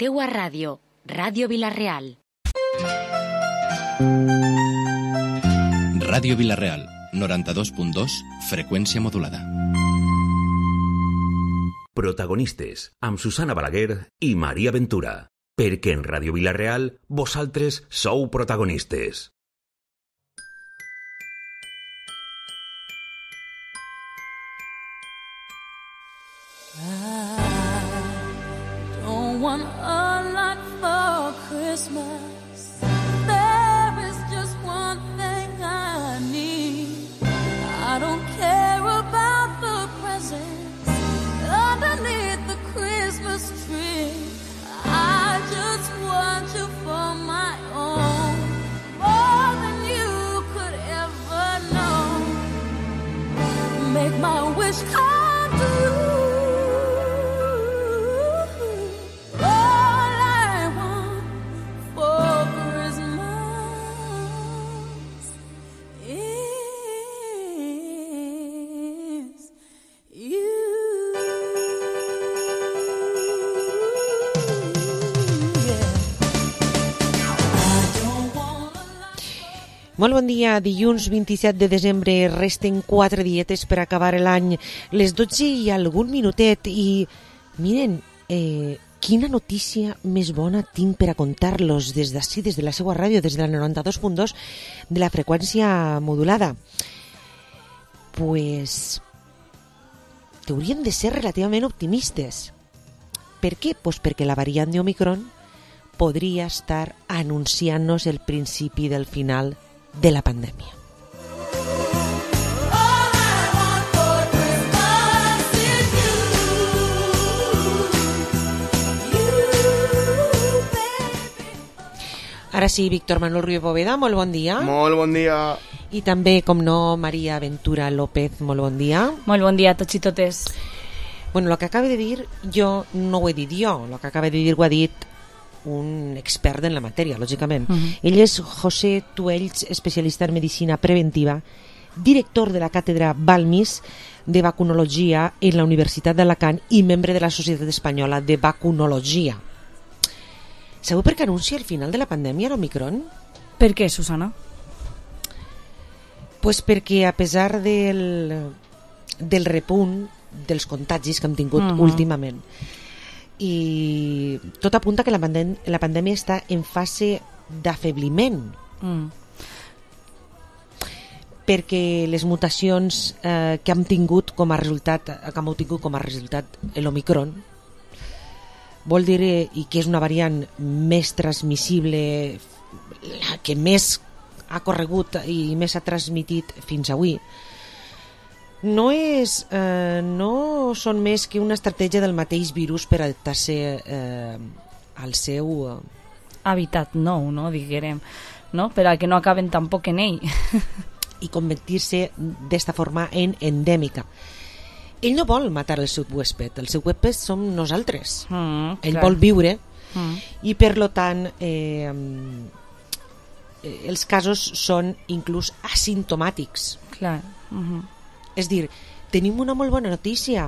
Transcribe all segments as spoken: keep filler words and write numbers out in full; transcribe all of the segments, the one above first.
teua ràdio, Ràdio Vila-real. Ràdio Vila-real, noranta-dos punt dos, freqüència modulada. Protagonistes, amb Susana Balaguer i Maria Ventura. Perquè en Ràdio Vila-real vosaltres sou protagonistes. Want a lot for Christmas. There is just one thing I need. I don't care about the presents underneath the Christmas tree. I just want you for my own, more than you could ever know. Make my wish come true. Molt bon dia, dilluns vint-i-set de desembre, resten quatre dietes per acabar l'any, les dotze i algun minutet, i miren, eh, quina notícia més bona tinc per a contar-los des d'ací, des de la seva ràdio, des de la noranta-dos punt dos de la freqüència modulada. Pues, que haurien de ser relativament optimistes. Per què? Pues perquè la variant de Omicron podria estar anunciant-nos el principi del final de la pandèmia. Ara sí, Víctor Manuel Ruiz Bóveda, molt bon dia. Molt bon dia. I també, com no, Maria Ventura López, molt bon dia. Molt bon dia a tots i totes. Bueno, el que acaba de dir, jo no ho he dit jo, el que acaba de dir ho ha dit un expert en la matèria, lògicament. Uh-huh. Ell és José Tuells, especialista en medicina preventiva, director de la càtedra Balmis de vacunologia en la Universitat d'Alacant i membre de la Societat Espanyola de Vacunologia. Sabeu per què anuncia el final de la pandèmia, l'Omicron? Per què, Susana? Pues perquè a pesar del, del repunt dels contagis que hem tingut uh-huh. últimament, i tot apunta que la, pandèm la pandèmia està en fase d'afebliment, mm. perquè les mutacions eh, que hem tingut com a resultat que hem tingut com a resultat l'Omicron vol dir, eh, i que és una variant més transmissible, la que més ha corregut i més ha transmitit fins avui, no és eh, no són més que una estratègia del mateix virus per adaptar-se eh, al seu eh... habitat nou, no, diguem, no? Per a que no acaben tampoc en ell i convertir-se d'esta forma en endèmica. Ell no vol matar el seu huésped, el seu huésped som nosaltres, mm, ell clar. vol viure mm. i per lo tant eh, els casos són inclús asimptomàtics. Clar. Mm-hmm. És dir, tenim una molt bona notícia.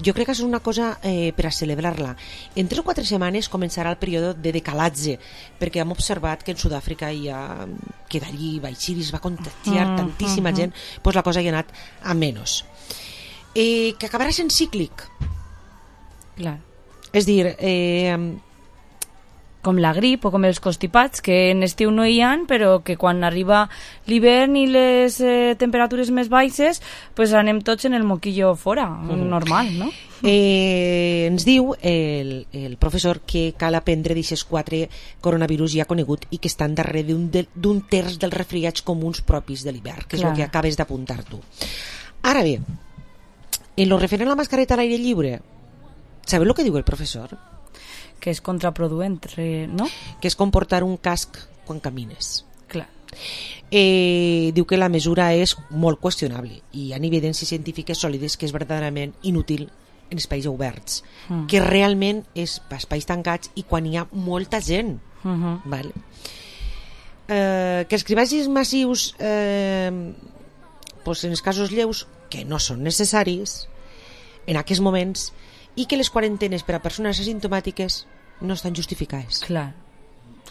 Jo crec que és una cosa eh, per a celebrar-la. En tres o quatre setmanes començarà el període de decalatge, perquè hem observat que en Sud-àfrica hi ha, que d'allí va eixir i es va contagiar mm, tantíssima mm, gent, doncs la cosa hi ha anat a menys. Eh, que acabarà sent cíclic. Clar. És dir, eh, com la grip o com els constipats, que en estiu no hi ha, però que quan arriba l'hivern i les eh, temperatures més baixes, pues anem tots en el moquillo fora, uh-huh. normal, no? Eh, ens diu el, el professor que cal aprendre d'aquests quatre coronavirus ja conegut i que estan darrere d'un, de, d'un terç dels resfriats comuns propis de l'hivern, que és Clar. el que acabes d'apuntar tu. Ara bé, en lo referent a la mascareta a l'aire lliure, sabeu el que diu el professor? Que és contraproduent, no? Que és com portar un casc quan camines. Clar. Eh, diu que la mesura és molt qüestionable i hi ha evidències científiques sòlides que és verdaderament inútil en espais oberts, mm. que realment és espais tancats i quan hi ha molta gent. Mm-hmm. Vale? Eh, que els cribratges massius eh, pues en els casos lleus, que no són necessaris en aquests moments, i que les quarantenes per a persones asimptomàtiques no estan justificades. Clar,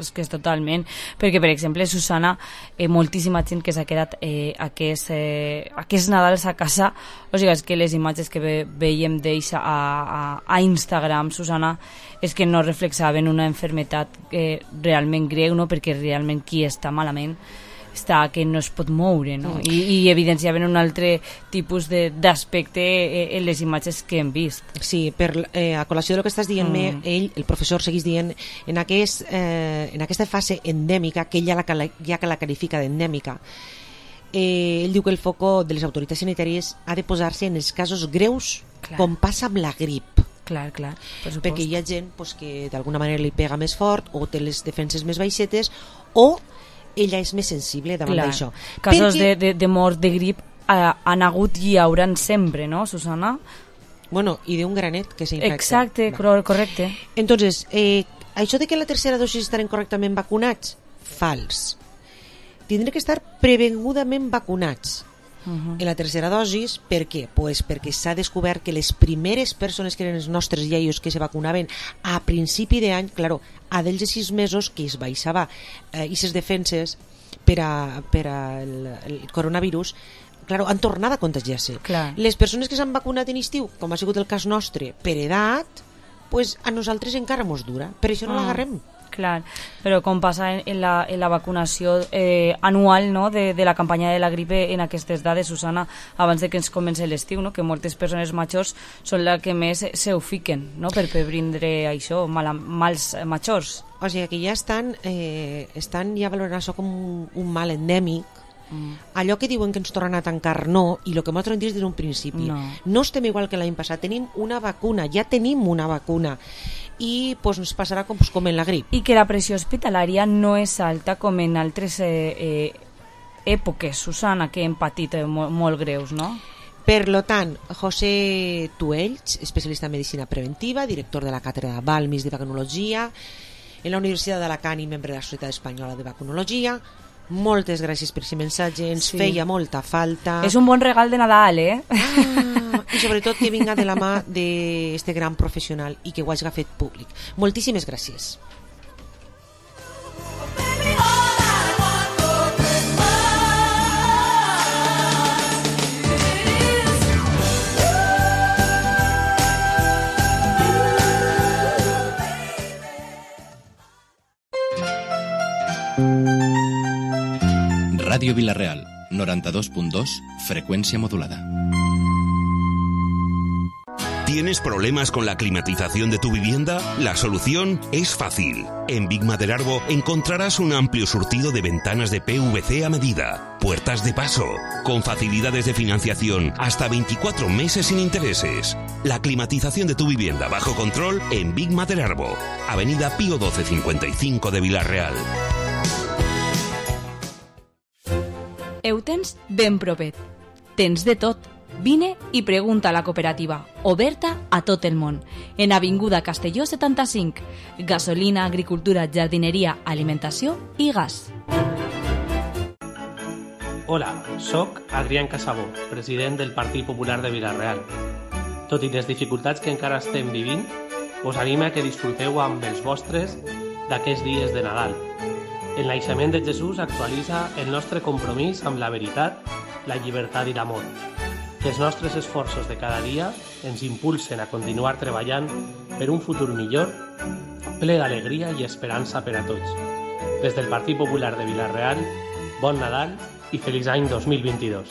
és que és totalment, perquè per exemple Susana, eh, moltíssima gent que s'ha quedat eh, aquest, eh, aquest Nadals a casa, o sigui, és que les imatges que ve, veiem d'ells a, a, a Instagram, Susana, és que no reflexaven una enfermetat eh, realment greu, no? Perquè realment qui està malament està que no es pot moure, no? I, i evidenciaven un altre tipus d'aspecte en les imatges que hem vist. Sí, per, eh, a col·lació del que estàs dient-me, mm. ell, el professor, seguís dient en, aquest, eh, en aquesta fase endèmica, que ell ja, la, ja que la qualifica d'endèmica, eh, ell diu que el foco de les autoritats sanitàries ha de posar-se en els casos greus, clar, com passa amb la grip. Clar, clar, per perquè hi ha gent pues, que d'alguna manera li pega més fort o té les defenses més baixetes o ella és més sensible davant d'això. Casos perquè... de, de, de mort de grip eh, han hagut i hi hauran sempre, no, Susana? Bueno, i d'un granet que s'infecta. Exacte, no. Correcte. Entonces, eh, això de que la tercera dosis estaran correctament vacunats, fals. Tindré que estar prevengudament vacunats. Uh-huh. En la tercera dosis, per què? Pues perquè s'ha descobert que les primeres persones que eren els nostres iaios que se vacunaven a principi d'any, claro, a dels sis mesos que es baixava eh, i ses defenses per a, per a el, el coronavirus, claro, han tornat a contagiar-se. Clar. Les persones que s'han vacunat en estiu, com ha sigut el cas nostre, per edat, pues a nosaltres encara mos dura, per això no ah. l'agarrem. Clar, però com passa en, en, la, en la vacunació eh, anual, no? de, de la campanya de la gripe en aquestes dades, Susana, abans de que ens comenci l'estiu, no? Que moltes persones majors són les que més se ho fiquen, no? per previndre això, mal, mals majors. O sigui que ja estan, eh, estan ja valorant això com un, un mal endèmic. Mm. Allò que diuen que ens tornen a tancar no, i el que nosaltres hem dit des d'un principi, no. no estem igual que l'any passat, tenim una vacuna, ja tenim una vacuna i pues, ens passarà com, pues, com en la grip. I que la pressió hospitalària no és alta com en altres eh, eh, èpoques, Susana, que hem patit eh, molt, molt greus, no? Per lo tant, José Tuells, especialista en medicina preventiva, director de la càtedra Balmis de Vacunologia en la Universitat d'Alacant i membre de la Societat Espanyola de Vacunologia, moltes gràcies per aquest missatge, ens sí. feia molta falta. És un bon regal de Nadal, eh? Ah, i sobretot que vinga de la mà d'aquest gran professional i que ho hagi fet públic. Moltíssimes gràcies. Radio Villarreal, noventa y dos punto dos, frecuencia modulada. ¿Tienes problemas con la climatización de tu vivienda? La solución es fácil. En Big Maderarbo encontrarás un amplio surtido de ventanas de P V C a medida, puertas de paso, con facilidades de financiación hasta veinticuatro meses sin intereses. La climatización de tu vivienda bajo control en Big Maderarbo, Avenida Pío doce cincuenta y cinco de Villarreal. Ho tens ben propet. Tens de tot. Vine i pregunta a la cooperativa, oberta a tot el món. En Avinguda Castelló setanta-cinc. Gasolina, agricultura, jardineria, alimentació i gas. Hola, soc Adrián Casabó, president del Partit Popular de Villarreal. Tot i les dificultats que encara estem vivint, us anima que disfruteu amb els vostres d'aquests dies de Nadal. El naixement de Jesús actualitza el nostre compromís amb la veritat, la llibertat i l'amor. Que els nostres esforços de cada dia ens impulsen a continuar treballant per un futur millor, ple d'alegria i esperança per a tots. Des del Partit Popular de Villarreal, bon Nadal i feliç any dos mil vint-i-dos.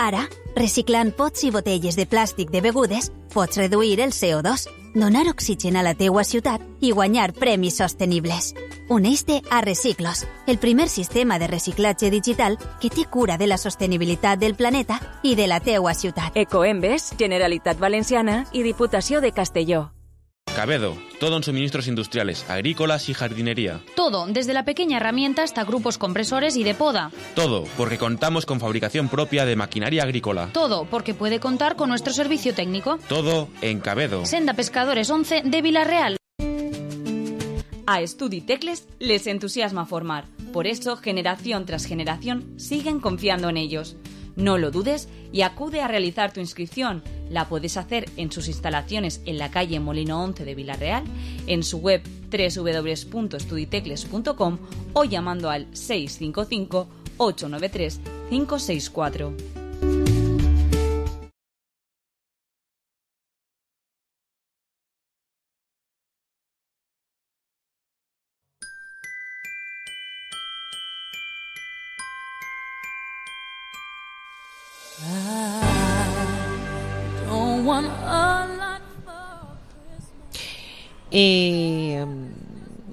Ara, reciclant pots i botelles de plàstic de begudes, pots reduir el C O dos, donar oxigen a la teua ciutat i guanyar premis sostenibles. Uneix-te a Reciclos, el primer sistema de reciclatge digital que té cura de la sostenibilitat del planeta i de la teua ciutat. Ecoembes, Generalitat Valenciana i Diputació de Castelló. Cabedo, todo en suministros industriales, agrícolas y jardinería. Todo, desde la pequeña herramienta hasta grupos compresores y de poda. Todo, porque contamos con fabricación propia de maquinaria agrícola. Todo, porque puede contar con nuestro servicio técnico. Todo en Cabedo. Senda Pescadores once de Villarreal. A Estudi Tecles les entusiasma formar. Por eso, generación tras generación, siguen confiando en ellos. No lo dudes y acude a realizar tu inscripción. La puedes hacer en sus instalaciones en la calle Molino once de Vila-real, en su web doble u doble u doble u punto estuditecles punto com o llamando al seis cinco cinco, ocho nueve tres, cinco seis cuatro. Eh,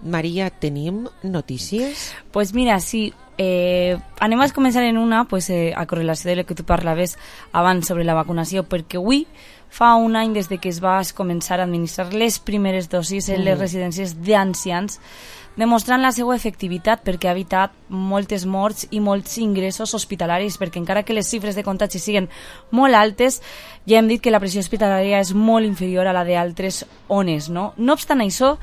Maria, tenim notícies? Pues mira, sí, eh, anem a començar en una pues, eh, a correlació de lo que tu parlaves abans sobre la vacunació, perquè avui fa un any des de que es va començar a administrar les primeres dosis en les Mm. residències d'ancians, demostrant la seva efectivitat perquè ha evitat moltes morts i molts ingressos hospitalaris, perquè encara que les xifres de contagi siguen molt altes, ja hem dit que la pressió hospitalària és molt inferior a la d'altres ones, no? No obstant això,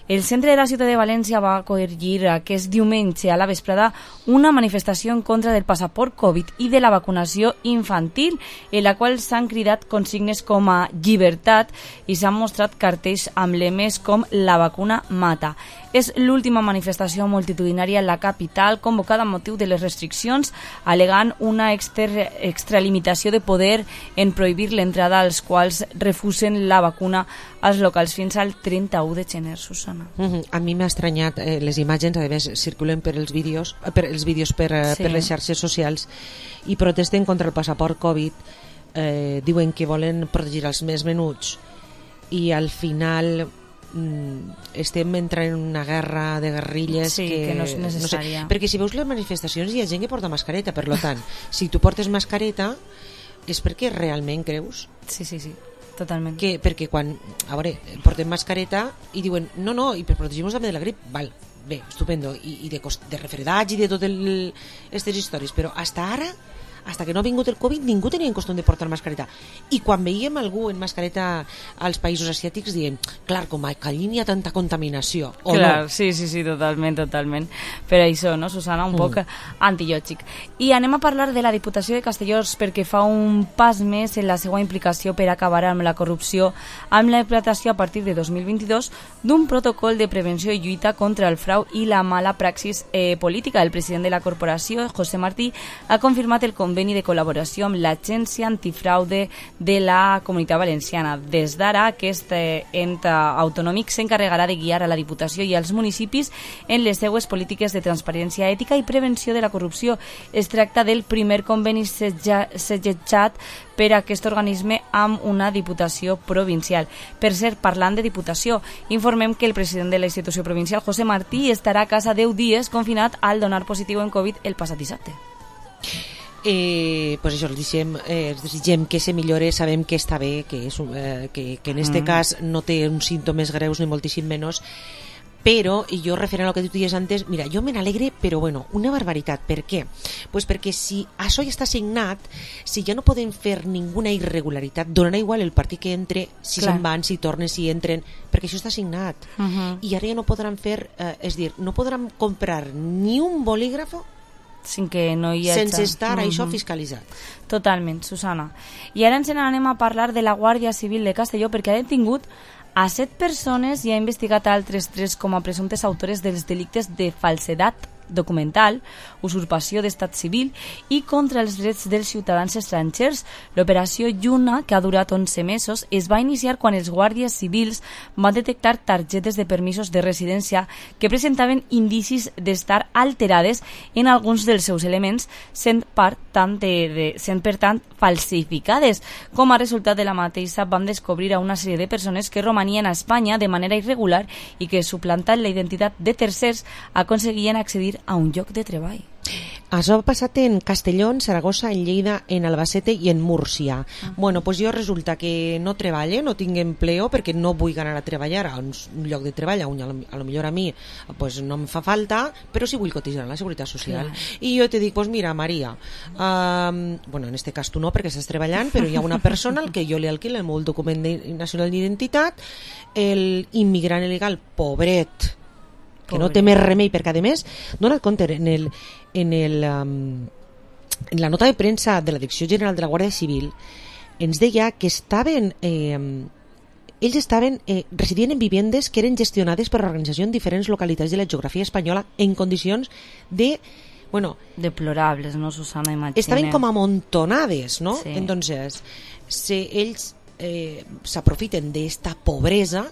el centre de la ciutat de València va acollir aquest diumenge a la vesprada una manifestació en contra del passaport Covid i de la vacunació infantil, en la qual s'han cridat consignes com a llibertat i s'han mostrat cartells amb lemes com la vacuna mata. És l'última manifestació multitudinària en la capital convocada amb motiu de les restriccions, alegant una extra, extralimitació de poder en prohibir l'entrada als quals refusen la vacuna als locals fins al trenta-u de gener, Susana. Uh-huh. A mi m'ha estranyat eh, les imatges, a més circulen per els vídeos per els vídeos per, eh, Sí. per les xarxes socials i protesten contra el passaport Covid, eh, diuen que volen protegir els més menuts i al final mm, estem entrant en una guerra de guerrilles Sí, que, que no és necessària. No sé, perquè si veus les manifestacions hi ha gent que porta mascareta, per lo tant si tu portes mascareta és perquè realment creus Sí, sí, sí, totalment. que, perquè quan, a veure, portem mascareta i diuen, no, no, i per protegir-nos també de la grip, val, bé, estupendo i, i de, cost, de refredats i de totes aquestes històries, però hasta ara hasta que no ha vingut el Covid ningú tenia en costum de portar mascareta i quan veiem algú en mascareta als països asiàtics diem, clar, com a allí n'hi ha tanta contaminació o Clar, no? sí, sí, sí, totalment, totalment. Per això, no, Susana, un Mm. poc antillògic. I anem a parlar de la Diputació de Castelló perquè fa un pas més en la seva implicació per acabar amb la corrupció amb la implantació a partir de dos mil vint-i-dos d'un protocol de prevenció i lluita contra el frau i la mala praxis eh, política. El president de la corporació, José Martí, ha confirmat el conveni de col·laboració amb l'Agència Antifraude de la Comunitat Valenciana. Des d'ara, aquest eh, ente autonòmic s'encarregarà de guiar a la Diputació i als municipis en les seues polítiques de transparència ètica i prevenció de la corrupció. Es tracta del primer conveni segellat per a aquest organisme amb una Diputació provincial. Per cert, parlant de Diputació, informem que el president de la institució provincial, José Martí, estarà a casa deu dies confinat al donar positiu en Covid el passat dissabte. Eh, pues això, els desitgem, eh, els desitgem que se millore, sabem que està bé, que, és un, eh, que, que en este Mm. cas no té uns símptomes greus ni moltíssim menys, però, i jo referent al que tu dius antes, mira, jo me n'alegre, però bueno, una barbaritat. Per què? Pues perquè si això ja està signat, si ja no poden fer ninguna irregularitat, donarà igual el partit que entre, si Clar. se'n van, si tornen, si entren, perquè això està signat. Uh-huh. I ara ja no podran fer, eh, és dir, no podran comprar ni un bolígrafo Sin que no hi hagi... sense estar això Mhm. fiscalitzat. Totalment, Susana. I ara ens n'anem a parlar de la Guàrdia Civil de Castelló perquè ha detingut a set persones i ha investigat a altres tres com a presumptes autores dels delictes de falsedat documental, usurpació d'estat civil i contra els drets dels ciutadans estrangers. L'operació Lluna, que ha durat onze mesos, es va iniciar quan els guàrdies civils van detectar targetes de permisos de residència que presentaven indicis d'estar alterades en alguns dels seus elements, sent, per tant, de, de, sent per tant falsificades. Com a resultat de la mateixa van descobrir a una sèrie de persones que romanien a Espanya de manera irregular i que, suplantant la identitat de tercers, aconseguien accedir a un lloc de treball. Això ha passat en Castelló, en Saragossa, en Lleida, en Albacete i en Múrcia. Ah. Bueno, pues jo resulta que no treballe, no tinc empleo perquè no vull anar a treballar a un lloc de treball, a, un, a lo millor a mi pues no em fa falta, però sí vull cotitzar en la Seguretat Social. Clar. I jo te dic, pues mira, Maria, um, bueno, en este cas tu no perquè estàs treballant, però hi ha una persona al que jo li alquilo el meu document de, nacional d'identitat, el immigrant il·legal, pobret, que Pobre. no té més remei perquè a més, dona't compte en el, en el, um, en la nota de premsa de la Direcció General de la Guàrdia Civil ens deia que estaven eh, ells estaven eh, residint en vivendes que eren gestionades per l'organització en diferents localitats de la geografia espanyola en condicions de, bueno, deplorables, ¿no, Susana? Imagina. Estaven com amontonades, ¿no? Sí. Entonces, si ells eh, s'aprofiten d'esta pobresa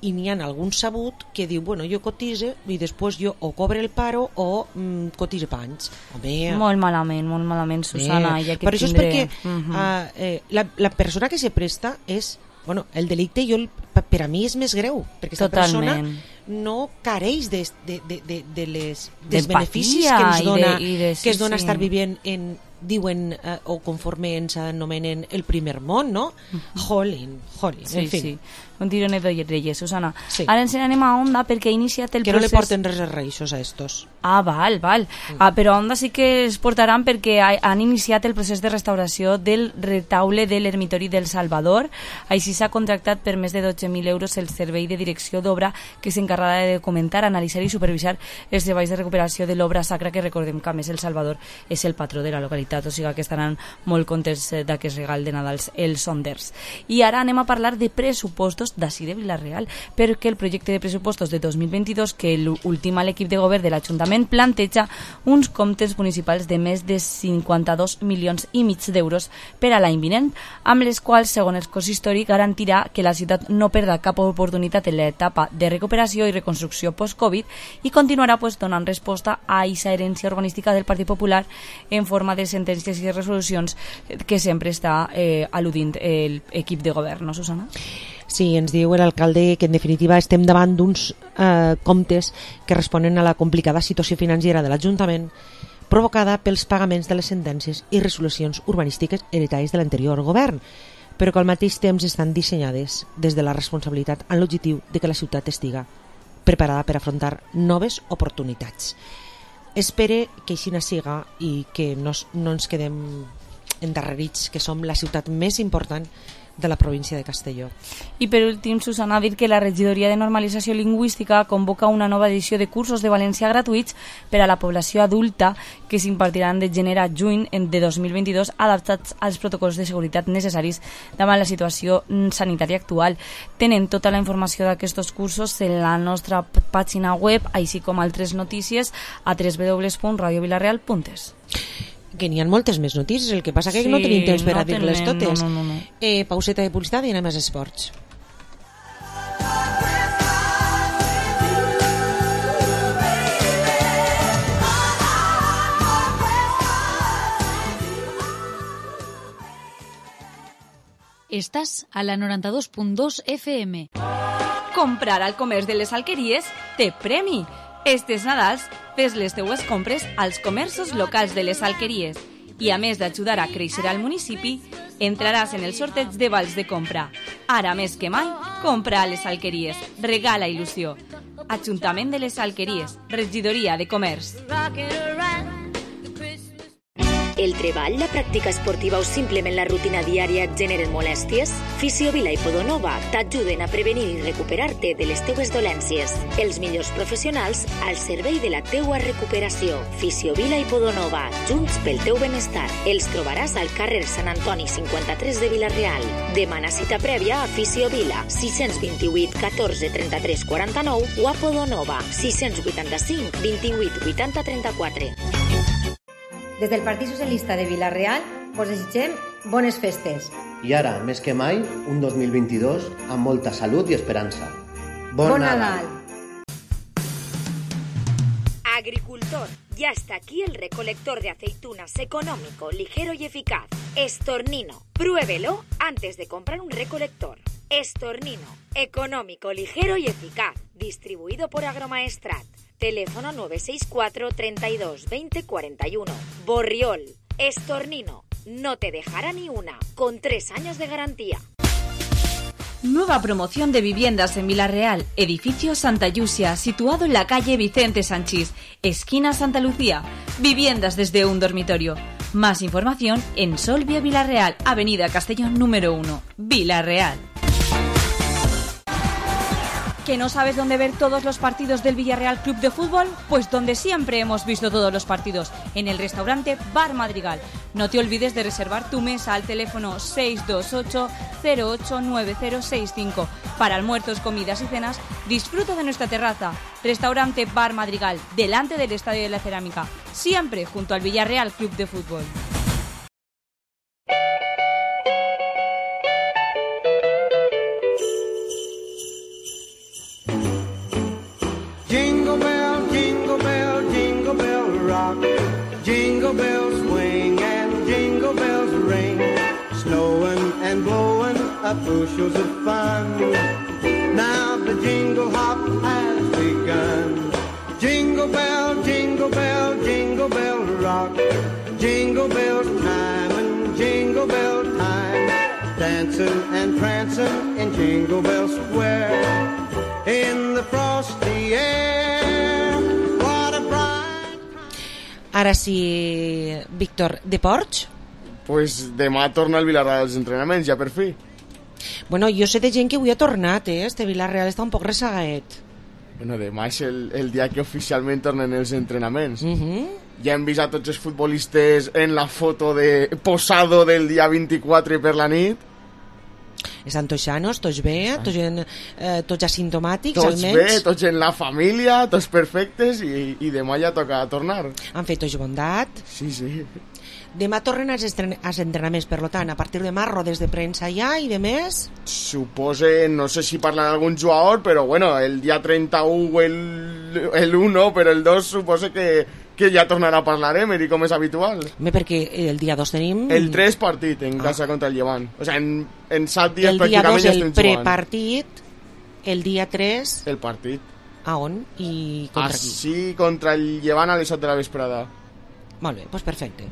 i n'hi ha algun sabut que diu, bueno, jo cotise i després jo o cobre el paro o mm, cotise panys. Home, molt malament, molt malament, Susana. eh, ja que per això tindré... és perquè uh-huh. uh, eh, la, la persona que se presta és, bueno, el delicte jo, per a mi és més greu, perquè aquesta persona no careix de, de, de, de, de les, dels beneficis que ens dona, de, de, sí, que es dona sí. estar vivint en, diuen, eh, o conforme ens anomenen el primer món, no? Uh-huh. Jolín, jolín, sí, en fi. Sí. Un tironet de reyes, Susana. Sí. Ara ens anem a Onda perquè ha iniciat el que procés... Que no li porten res de reixos a estos. Ah, val, val. Mm. Ah, però a Onda sí que es portaran perquè ha, han iniciat el procés de restauració del retaule de l'ermitori del Salvador. Així s'ha contractat per més de dotze mil euros el servei de direcció d'obra que s'encarregarà de documentar, analitzar i supervisar els treballs de recuperació de l'obra sacra, que recordem que a més el Salvador és el patró de la localitat, o sigui que estaran molt contents d'aquest regal de Nadal els sonders. I ara anem a parlar de pressupostos d'ací de Vila-real, perquè el projecte de pressupostos de dos mil vint-i-dos que l'últim l'equip de govern de l'Ajuntament planteja uns comptes municipals de més de cinquanta-dos milions i mig d'euros per a l'any vinent, amb les quals, segons el consistori, garantirà que la ciutat no perda cap oportunitat en l'etapa de recuperació i reconstrucció post-Covid i continuarà pues, donant resposta a aquesta herència urbanística del Partit Popular en forma de sentències i resolucions que sempre està eh, al·ludint l'equip de govern, no, Susana? Sí, ens diu l'alcalde que en definitiva estem davant d'uns eh, comptes que responen a la complicada situació financera de l'Ajuntament provocada pels pagaments de les sentències i resolucions urbanístiques heretades de l'anterior govern, però que al mateix temps estan dissenyades des de la responsabilitat amb l'objectiu de que la ciutat estiga preparada per afrontar noves oportunitats. Espere que així siga i que no, no ens quedem endarrerits, que som la ciutat més important de la província de Castelló. I per últim, Susana, ha dit que la Regidoria de Normalització Lingüística convoca una nova edició de cursos de valencià gratuïts per a la població adulta que s'impartiran de gener a juny de dos mil vint-i-dos adaptats als protocols de seguretat necessaris davant la situació sanitària actual. Tenen tota la informació d'aquests cursos en la nostra pàgina web, així com altres notícies a w w w punt radio vilareal punt es. Que n'hi ha moltes més notícies, el que passa que sí, no tenim temps per no a dir-les totes. No, no, no. Eh, pauseta de publicitat i anem als esports. Estàs a la noranta-dos punt dos F M. Comprar al comerç de les Alqueries té premi. Estes Nadals, fes les teues compres als comerços locals de les Alqueries i, a més d'ajudar a créixer al municipi, entraràs en el sorteig de vals de compra. Ara més que mai, compra a les Alqueries. Regala il·lusió. Ajuntament de les Alqueries. Regidoria de Comerç. El treball, la pràctica esportiva o simplement la rutina diària et generen molèsties? Fisiovila i Podonova t'ajuden a prevenir i recuperar-te de les teues dolències. Els millors professionals al servei de la teua recuperació. Fisiovila i Podonova, junts pel teu benestar. Els trobaràs al carrer Sant Antoni cinquanta-tres de Vila-real. Demana cita prèvia a Fisiovila, sis dos vuit, catorze, trenta-tres, quaranta-nou o a Podonova, sis vuitanta-cinc, vint-i-vuit, vuitanta, trenta-quatre. Des del Partit Socialista de Vila-real us desitgem bones festes. I ara, més que mai, un dos mil vint-i-dos amb molta salut i esperança. Bon, bon Nadal! Agricultor, ya está aquí el recolector de aceitunas económico, ligero y eficaz. Estornino. Pruébelo antes de comprar un recolector. Estornino. Económico, ligero y eficaz. Distribuido por Agromaestrat. Teléfono nueve seis cuatro, treinta y dos, veinte, cuarenta y uno. Borriol. Estornino. No te dejará ni una. Con tres años de garantía. Nueva promoción de viviendas en Vila-real. Edificio Santa Yusia, situado en la calle Vicente Sanchís, esquina Santa Lucía. Viviendas desde un dormitorio. Más información en Solvia Vila-real, Avenida Castellón número uno, Vila-real. ¿Que no sabes dónde ver todos los partidos del Villarreal Club de Fútbol? Pues donde siempre hemos visto todos los partidos, en el restaurante Bar Madrigal. No te olvides de reservar tu mesa al teléfono seis dos ocho cero ocho nueve cero seis cinco. Para almuerzos, comidas y cenas, disfruta de nuestra terraza. Restaurante Bar Madrigal, delante del Estadio de la Cerámica, siempre junto al Villarreal Club de Fútbol. Jingle bell, jingle bell, jingle bell rock. Jingle bells swing and jingle bells ring. Snowing and blowing up bushels of fun. Now the jingle hop has begun. Jingle bell, jingle bell, jingle bell rock. Jingle bells time and jingle bell time. Dancing and prancing in Jingle Bell Square. In the frosty air, what a bright... Ara sí, Víctor, de Porch? Pues demà torna al Vilarreal als entrenaments, ja per fi. Bueno, jo sé de gent que avui ha tornat, eh? Este Vilarreal està un poc rezagaet. Bueno, demà és el, el dia que oficialment tornen els entrenaments. Uh -huh. Ja hem vist a tots els futbolistes en la foto de posado del dia vint-i-quatre per la nit. Estan tots sanos, tots bé, tots, en, eh, tots asimptomàtics, tots almenys. Tots bé, tots en la família, tots perfectes, i, i demà ja toca tornar. Han fet tots bondat. Sí, sí. Demà tornen als, estren als entrenaments, per tant, a partir de demà rodes de premsa ja i de més? Supose, no sé si parlen algun jugador, però bueno, el dia trenta-u el, el u no, però el dos supose que, que ja tornarà a parlar Emery, com és habitual. Bé, perquè el dia dos tenim... El tres partit en casa ah. contra el Llevant. O sea, en, en set dies el pràcticament ja estem jugant. El dia dos el prepartit, el dia tres... El partit. A on? I contra qui? Així, contra el Llevant a les set de la vesprada. Molt bé, doncs perfecte.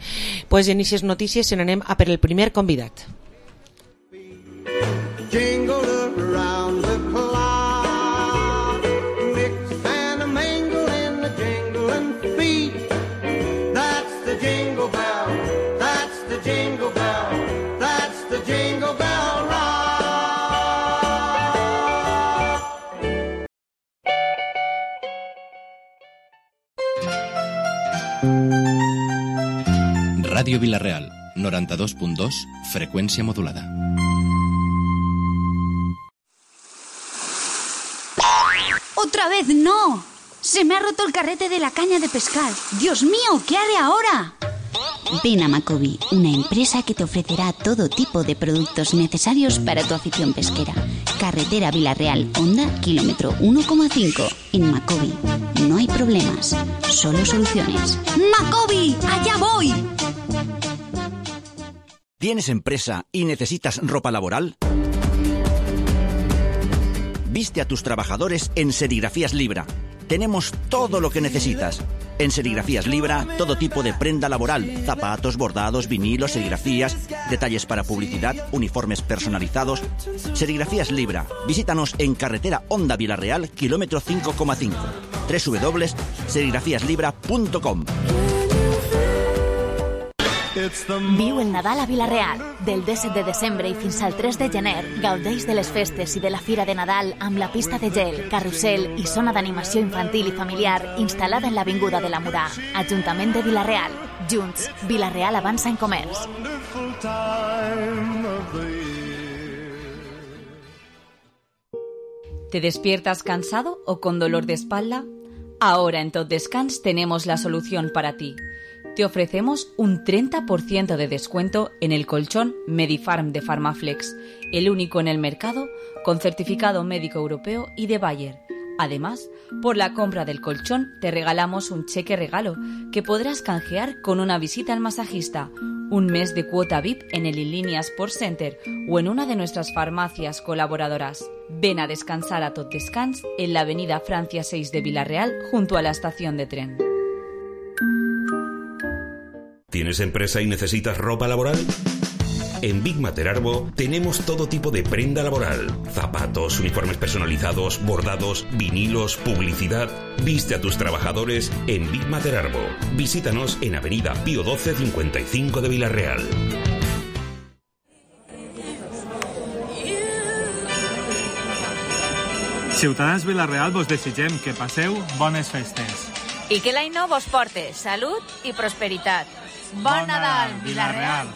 Pues en aquestes notícies se n'anem a per el primer convidat. Jingle around the clock, mix and a mingle in the jingling feet. That's the jingle bell, that's the jingle bell, that's the jingle bell rock. Ràdio Vilarreal, noranta-dos punt dos, freqüència modulada. ¡Otra vez no! ¡Se me ha roto el carrete de la caña de pescar! ¡Dios mío! ¿Qué haré ahora? Ven a Macobi, una empresa que te ofrecerá todo tipo de productos necesarios para tu afición pesquera. Carretera Vilarreal, Honda, kilómetro uno coma cinco. En Macobi no hay problemas, solo soluciones. ¡Macobi! ¡Allá voy! ¿Tienes empresa y necesitas ropa laboral? Viste a tus trabajadores en Serigrafías Libra. Tenemos todo lo que necesitas. En Serigrafías Libra, todo tipo de prenda laboral, zapatos, bordados, vinilos, serigrafías, detalles para publicidad, uniformes personalizados. Serigrafías Libra. Visítanos en Carretera Honda Vilarreal, kilómetro cinco coma cinco. doble u doble u doble u punt serigrafías libra punt com. Viu el Nadal a Vilarreal. Del disset de desembre i fins al tres de gener, gaudeix de les festes i de la Fira de Nadal amb la pista de gel, carrusel i zona d'animació infantil i familiar instal·lada en l'Avinguda de la Murà. Ajuntament de Vilarreal. Junts, Vilarreal avança en comerç. ¿Te despiertas cansado o con dolor de espalda? Ahora en Tot Descans tenemos la solución para ti. Te ofrecemos un treinta por ciento de descuento en el colchón Medifarm de Farmaflex, el único en el mercado con certificado médico europeo y de Bayer. Además, por la compra del colchón te regalamos un cheque regalo que podrás canjear con una visita al masajista, un mes de cuota V I P en el Inlínea Sports Center o en una de nuestras farmacias colaboradoras. Ven a descansar a Tot Descans en la avenida Francia seis de Vilarreal junto a la estación de tren. ¿Tienes empresa y necesitas ropa laboral? En Big Materarbo tenemos todo tipo de prenda laboral. Zapatos, uniformes personalizados, bordados, vinilos, publicidad. Viste a tus trabajadores en Big Materarbo. Visítanos en Avenida Pío doce cincuenta y cinco de Vilarreal. Ciutadans Vila-real vos desitgem que passeu bones festes. I que l'any nou vos porte salut i prosperitat. Bon, bon Nadal, Vila-real!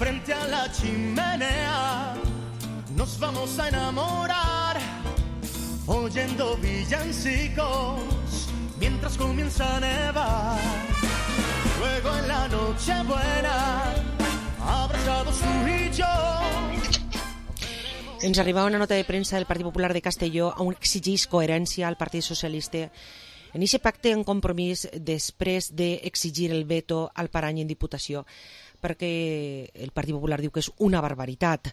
Frente a la chimenea nos vamos a enamorar, oyendo villancicos mientras comienza a nevar. Luego en la noche buena, abrazados tú y yo. Ens arribava una nota de premsa del Partit Popular de Castelló on exigís coherència al Partit Socialista en aquest pacte en compromís després d'exigir el veto al Parany en Diputació, perquè el Partit Popular diu que és una barbaritat.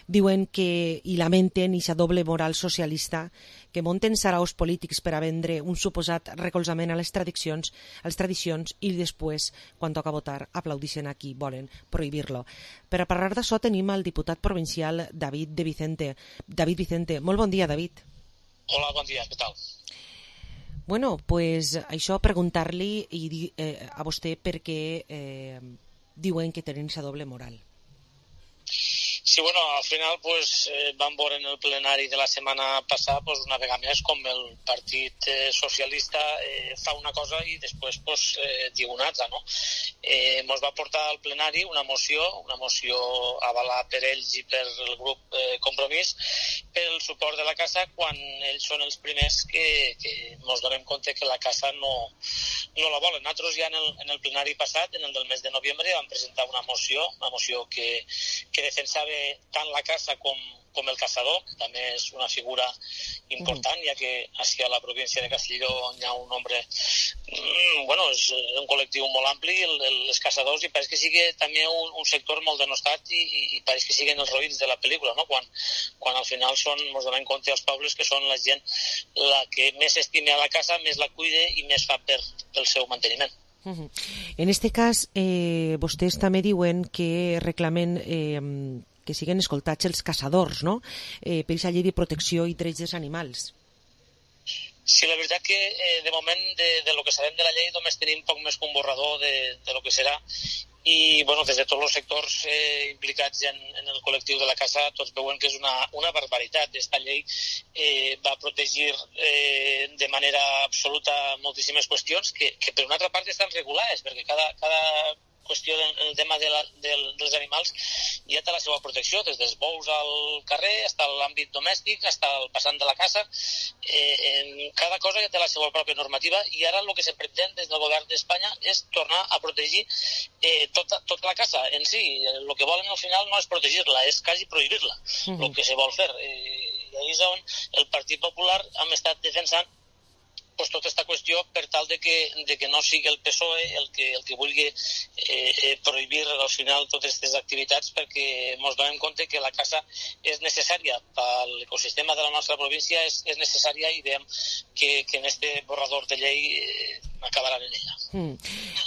Diuen que i lamenten aquesta doble moral socialista que munten saraos polítics per a vendre un suposat recolzament a les tradicions, a les tradicions i després, quan toca votar, aplaudixen a qui volen prohibir-lo. Per a parlar d'això tenim el diputat provincial David de Vicente. David Vicente, molt bon dia, David. Hola, bon dia, què tal? Bueno, pues això preguntar-li i, eh, a vostè per què eh, diuen que tenen aquesta doble moral. Sí, bueno, al final pues, eh, vam veure en el plenari de la setmana passada pues, una vegada més com el Partit eh, Socialista eh, fa una cosa i després pues, eh, diu una altra, no? Eh, mos va portar al plenari una moció, una moció avalada per ells i per el grup eh, Compromís, per el suport de la casa quan ells són els primers que, que mos donem compte que la casa no, no la volen. Nosaltres ja en el, en el plenari passat, en el del mes de novembre, vam presentar una moció, una moció que, que defensava tant la casa com, com el caçador, que també és una figura important, ja que així a la província de Castelló hi ha un nombre, mm, bueno, és un col·lectiu molt ampli, el, el, els caçadors, i pareix que sigui també un, un sector molt denostat i, i, i pareix que siguin els roïns de la pel·lícula, no? Quan, quan al final són, ens donem compte els pobles que són la gent la que més estima la casa, més la cuide i més fa per, pel seu manteniment. Uh-huh. En este cas, eh, vostès també diuen que reclamen eh, que siguen escoltats els caçadors, no? Eh, per aquesta llei de protecció i drets dels animals. Sí, la veritat que eh, de moment de, de lo que sabem de la llei només tenim poc més que un borrador de, de lo que serà i bueno, des de tots els sectors eh, implicats en, en el col·lectiu de la casa tots veuen que és una, una barbaritat. Esta llei eh, va protegir eh, de manera absoluta moltíssimes qüestions que, que per una altra part estan regulades perquè cada, cada qüestió del el tema de la, del, dels animals ja té la seva protecció, des dels bous al carrer, fins a l'àmbit domèstic, fins al passant de la casa. Eh, cada cosa ja té la seva pròpia normativa i ara el que se pretén des del govern d'Espanya és tornar a protegir eh, tota, tota la casa en si. El que volen al final no és protegir-la, és quasi prohibir-la, el mm-hmm. que se vol fer. Eh, I ahí és on el Partit Popular hem estat defensant pues, tota aquesta qüestió per tal de que, de que no sigui el P S O E el que, el que vulgui eh, eh, prohibir al final totes aquestes activitats perquè ens donem compte que la casa és necessària per l'ecosistema de la nostra província, és, és necessària i veiem que, que en este borrador de llei eh, acabaran en ella. Mm.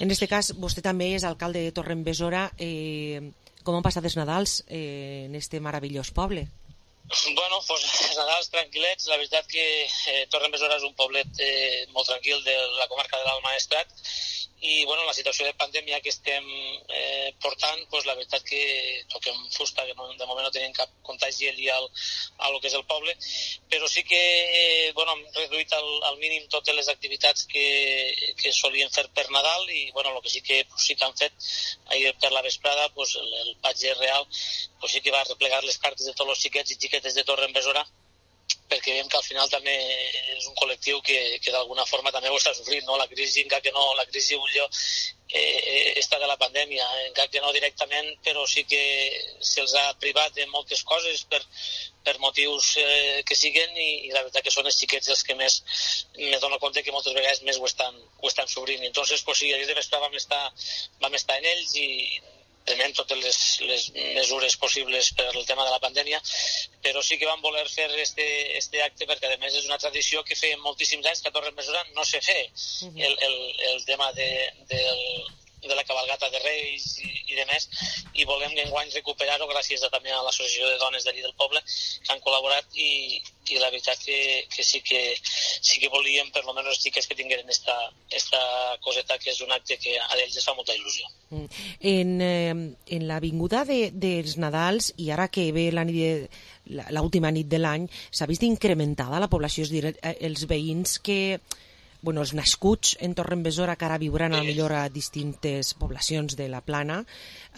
En este cas, vostè també és alcalde de Torrent-Besora. Eh, com han passat els Nadals eh, en este meravellós poble? Bueno, pues Nadals tranquil·lets. La veritat que eh, Torrent-Besora és un poblet eh, molt tranquil de la comarca de l'Alt Maestrat i bueno, la situació de pandèmia que estem eh, portant, pues, la veritat que toquem fusta, que no, de moment no tenim cap contagi allí al, a lo que és el poble, però sí que eh, bueno, hem reduït al, al mínim totes les activitats que, que solien fer per Nadal i bueno, el que sí que, pues, sí que han fet ahir per la vesprada, pues, el, el patge real pues, sí que va replegar les cartes de tots els xiquets i xiquetes de Torrent-Besora perquè veiem que al final també és un col·lectiu que, que d'alguna forma també ho està sofrint, no? La crisi, encara que no, la crisi Ulló eh, està de la pandèmia, encara que no directament, però sí que se'ls ha privat de moltes coses per, per motius eh, que siguen i, i la veritat que són els xiquets els que més me dono compte que moltes vegades més ho estan, ho estan sofrint. Entonces, pues sí, ahir de vesprada vam estar, vam estar en ells i prenem totes les, les mesures possibles per el tema de la pandèmia, però sí que vam voler fer este, este acte perquè a més és una tradició que feien moltíssims anys que a Torrent-Besora no se fe. Uh-huh. el, el, el tema de, del de la cabalgata de Reis i, i de més, i volem que enguany recuperar-ho gràcies a, també a l'associació de dones d'allí del poble que han col·laborat, i, i la veritat que, que sí que sí que volíem per almenys les xiques que tingueren esta, esta coseta, que és un acte que a ells es fa molta il·lusió. En, eh, en l'avinguda de, dels Nadals, i ara que ve la nit de, l'última nit de l'any, s'ha vist incrementada la població, és dir, els veïns que, bueno, els nascuts en Torrembesora, que ara viuran a la millor a distintes poblacions de la Plana,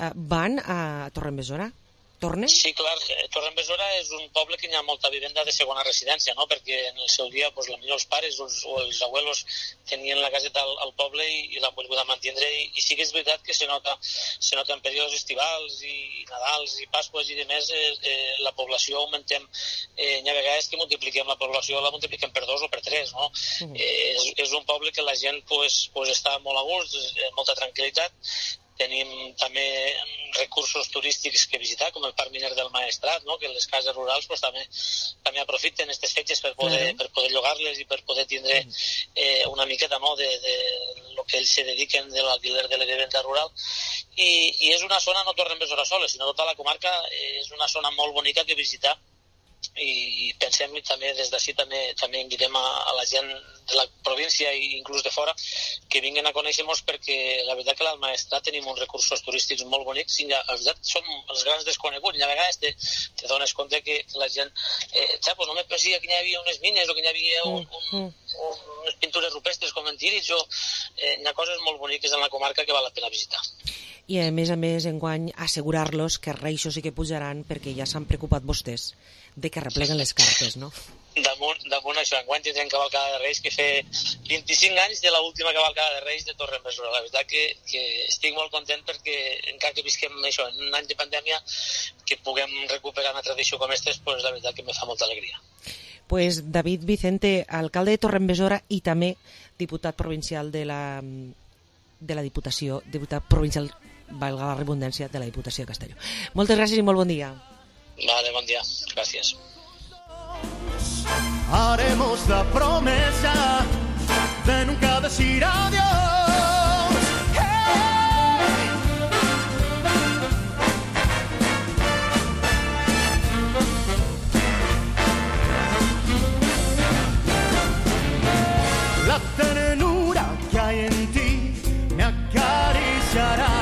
eh, van a Torrembesora? Torne? Sí, clar, Torrembesora és un poble que hi ha molta vivenda de segona residència, no? Perquè en el seu dia, pues, potser els pares o els, o els abuelos tenien la caseta al, al poble i, i l'han volgut mantindre, i, i sí que és veritat que se nota, se nota en períodes estivals i Nadals i Pasques i demés, eh, eh, la població augmentem, eh, hi ha vegades que multipliquem la població, la multipliquem per dos o per tres, no? Uh-huh. eh, és, és un poble que la gent pues, pues, està molt a gust, eh, molta tranquil·litat. Tenim també recursos turístics que visitar, com el Parc Miner del Maestrat, no? Que les cases rurals pues, també, també aprofiten aquestes fetges per poder, claro. per poder llogar-les i per poder tindre eh, una miqueta, no? de, de lo que ells se dediquen de l'alquiler de la vivenda rural. I, i és una zona, no Torrembesora sola, sinó tota la comarca, eh, és una zona molt bonica que visitar, i pensem i també des d'ací també, també invitem a, a la gent de la província i inclús de fora que vinguin a conèixer-nos, perquè la veritat que al Maestrat tenim uns recursos turístics molt bonics i la veritat som els grans desconeguts, i a vegades te, te dones compte que, que la gent eh, ja, pues no me pensia que hi havia unes mines o que hi havia un, un, un, unes pintures rupestres com en Tírig, o eh, hi ha coses molt boniques en la comarca que val la pena visitar. I a més a més enguany assegurar-los que els reixos sí que pujaran, perquè ja s'han preocupat vostès de que repleguen les cartes, no? Damunt, damunt això, enguany tindrem cavalcada de Reis, que fer vint-i-cinc anys de l'última cavalcada de Reis de Torrembesora. La veritat que, que estic molt content, perquè encara que visquem això, en un any de pandèmia, que puguem recuperar una tradició com aquesta, pues, la veritat que me fa molta alegria. Pues David Vicente, alcalde de Torrembesora i també diputat provincial de la, de la Diputació, diputat provincial, valga la redundància, de la Diputació de Castelló. Moltes gràcies i molt bon dia. Vale, bon dia. Gràcies. Haremos la promesa de nunca decir adiós. Hey. La ternura que hay en ti me acariciará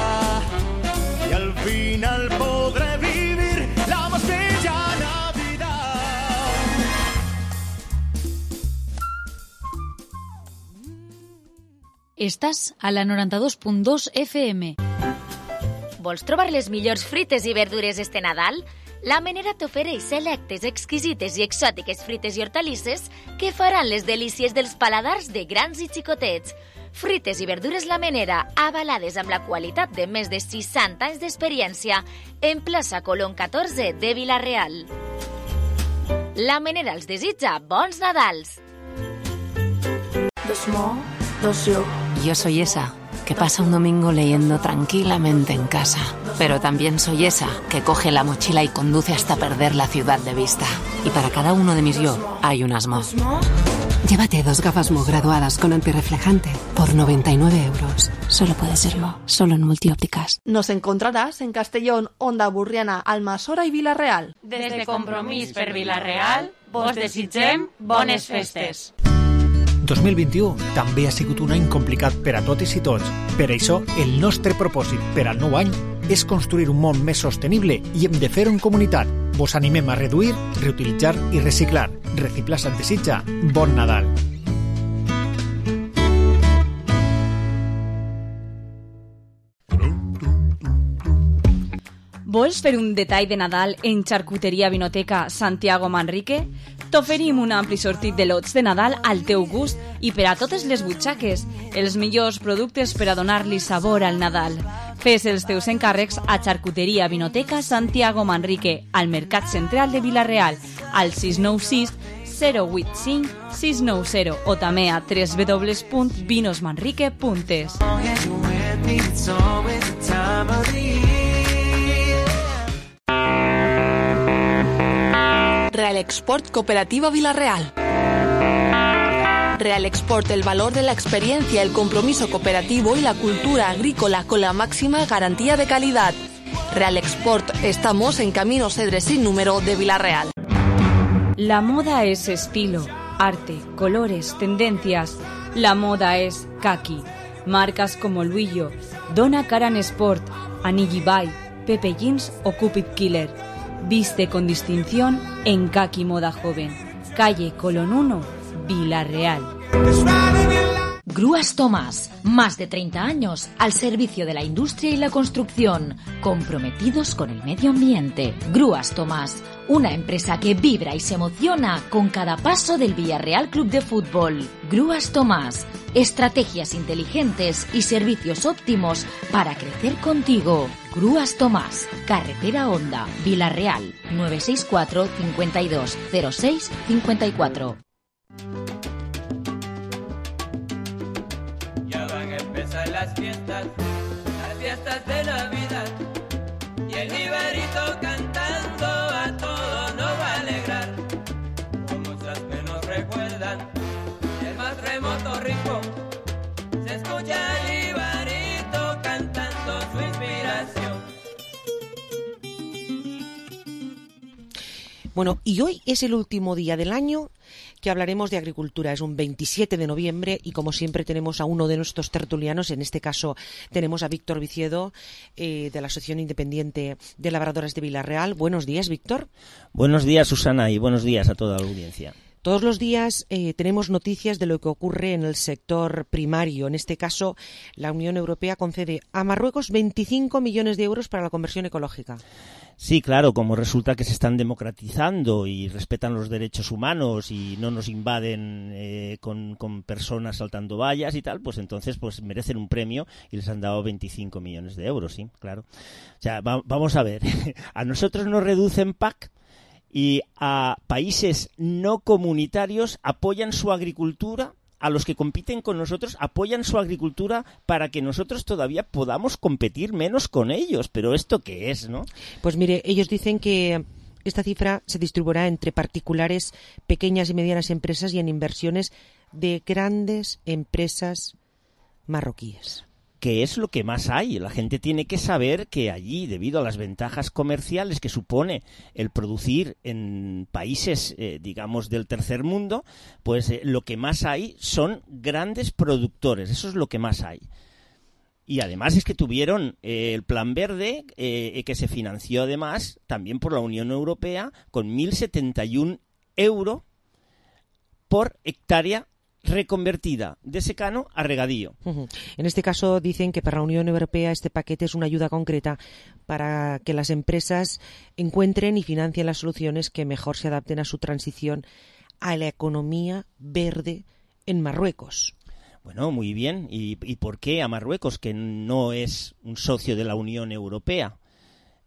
y al final podré vivir la más bella Navidad. Estàs a la noranta-dos punt dos F M. Vols trobar les millors frites i verdures este Nadal? La Menera t'ofereix selectes, exquisites i exòtiques frites i hortalisses que faran les delícies dels paladars de grans i xicotets. Frites i verdures La Menera, avalades amb la qualitat de més de seixanta anys d'experiència, en plaça Colón catorze de Vila-real. La Menera els desitja bons Nadals. Dos mo, dos yo. Yo soy esa que pasa un domingo leyendo tranquilamente en casa. Pero también soy esa que coge la mochila y conduce hasta perder la ciudad de vista. Y para cada uno de mis yo hay unas mo. Llévate dos gafas Mo graduadas con antirreflejante por noventa y nueve euros. Solo puede ser Mo, solo en Multiópticas. Nos encontrarás en Castellón, Onda Burriana, Almassora i Vila-real. Des de Compromís per Vila-real, vos desitgem bones festes. dos mil vint-i-u també ha sigut un any complicat per a totes i tots. Per això, el nostre propòsit per al nou any és construir un món més sostenible i hem de fer-ho en comunitat. Vos animem a reduir, reutilitzar i reciclar. Reciclar se't desitja. Bon Nadal. Vols fer un detall de Nadal en Xarcuteria Vinoteca Santiago Manrique? T'oferim un ampli sortit de lots de Nadal al teu gust i per a totes les butxaques, els millors productes per a donar-li sabor al Nadal. Fes els teus encàrrecs a Xarcuteria Vinoteca Santiago Manrique, al Mercat Central de Vila-real, al sis nou sis zero vuit cinc sis nou zero o també a w w w punt vinos manrique punt es. Real Export Cooperativa Vila-real. Real Export, el valor de la experiencia, el compromiso cooperativo y la cultura agrícola con la máxima garantía de calidad. Real Export, estamos en Camino Cedre sin número de Vila-real. La moda es estilo, arte, colores, tendencias. La moda es kaki. Marcas como Luillo, Donna Karan Sport, Anigi Bay, Pepe Jeans o Cupid Killer. Viste con distinción en Kaki Moda Joven. Calle Colón uno, Vila-real. Grúas Tomás, más de treinta años al servicio de la industria y la construcción, comprometidos con el medio ambiente. Grúas Tomás, una empresa que vibra y se emociona con cada paso del Villarreal Club de Fútbol. Grúas Tomás, estrategias inteligentes y servicios óptimos para crecer contigo. Grúas Tomás, Carretera Honda, Vila-real, nueve seis cuatro, cincuenta y dos, cero seis, cincuenta y cuatro. Las fiestas, las fiestas de Navidad, y el Ibarito cantando a todos nos va a alegrar, con muchas que nos recuerdan el más remoto rincón, se escucha el Ibarito cantando su inspiración. Bueno, y hoy es el último día del año que hablaremos de agricultura. Es un veintisiete de noviembre y, como siempre, tenemos a uno de nuestros tertulianos. En este caso tenemos a Víctor Viciedo, eh, de la Asociación Independiente de Labradoras de Vila-real. Buenos días, Víctor. Buenos días, Susana, y buenos días a toda la audiencia. Todos los días eh, tenemos noticias de lo que ocurre en el sector primario. En este caso, la Unión Europea concede a Marruecos veinticinco millones de euros para la conversión ecológica. Sí, claro, como resulta que se están democratizando y respetan los derechos humanos y no nos invaden eh, con, con personas saltando vallas y tal, pues entonces pues merecen un premio y les han dado veinticinco millones de euros, sí, claro. O sea, va, vamos a ver, a nosotros nos reducen P A C y a países no comunitarios apoyan su agricultura. A los que compiten con nosotros apoyan su agricultura para que nosotros todavía podamos competir menos con ellos. Pero ¿esto qué es, no? Pues mire, ellos dicen que esta cifra se distribuirá entre particulares, pequeñas y medianas empresas y en inversiones de grandes empresas marroquíes. Que es lo que más hay. La gente tiene que saber que allí, debido a las ventajas comerciales que supone el producir en países, eh, digamos, del tercer mundo, pues eh, lo que más hay son grandes productores. Eso es lo que más hay. Y además es que tuvieron eh, el Plan Verde, eh, que se financió además también por la Unión Europea, con mil setenta y uno euros por hectárea reconvertida de secano a regadío. Uh-huh. En este caso dicen que para la Unión Europea este paquete es una ayuda concreta para que las empresas encuentren y financien las soluciones que mejor se adapten a su transición a la economía verde en Marruecos. Bueno, muy bien. ¿Y, y por qué a Marruecos, que no es un socio de la Unión Europea?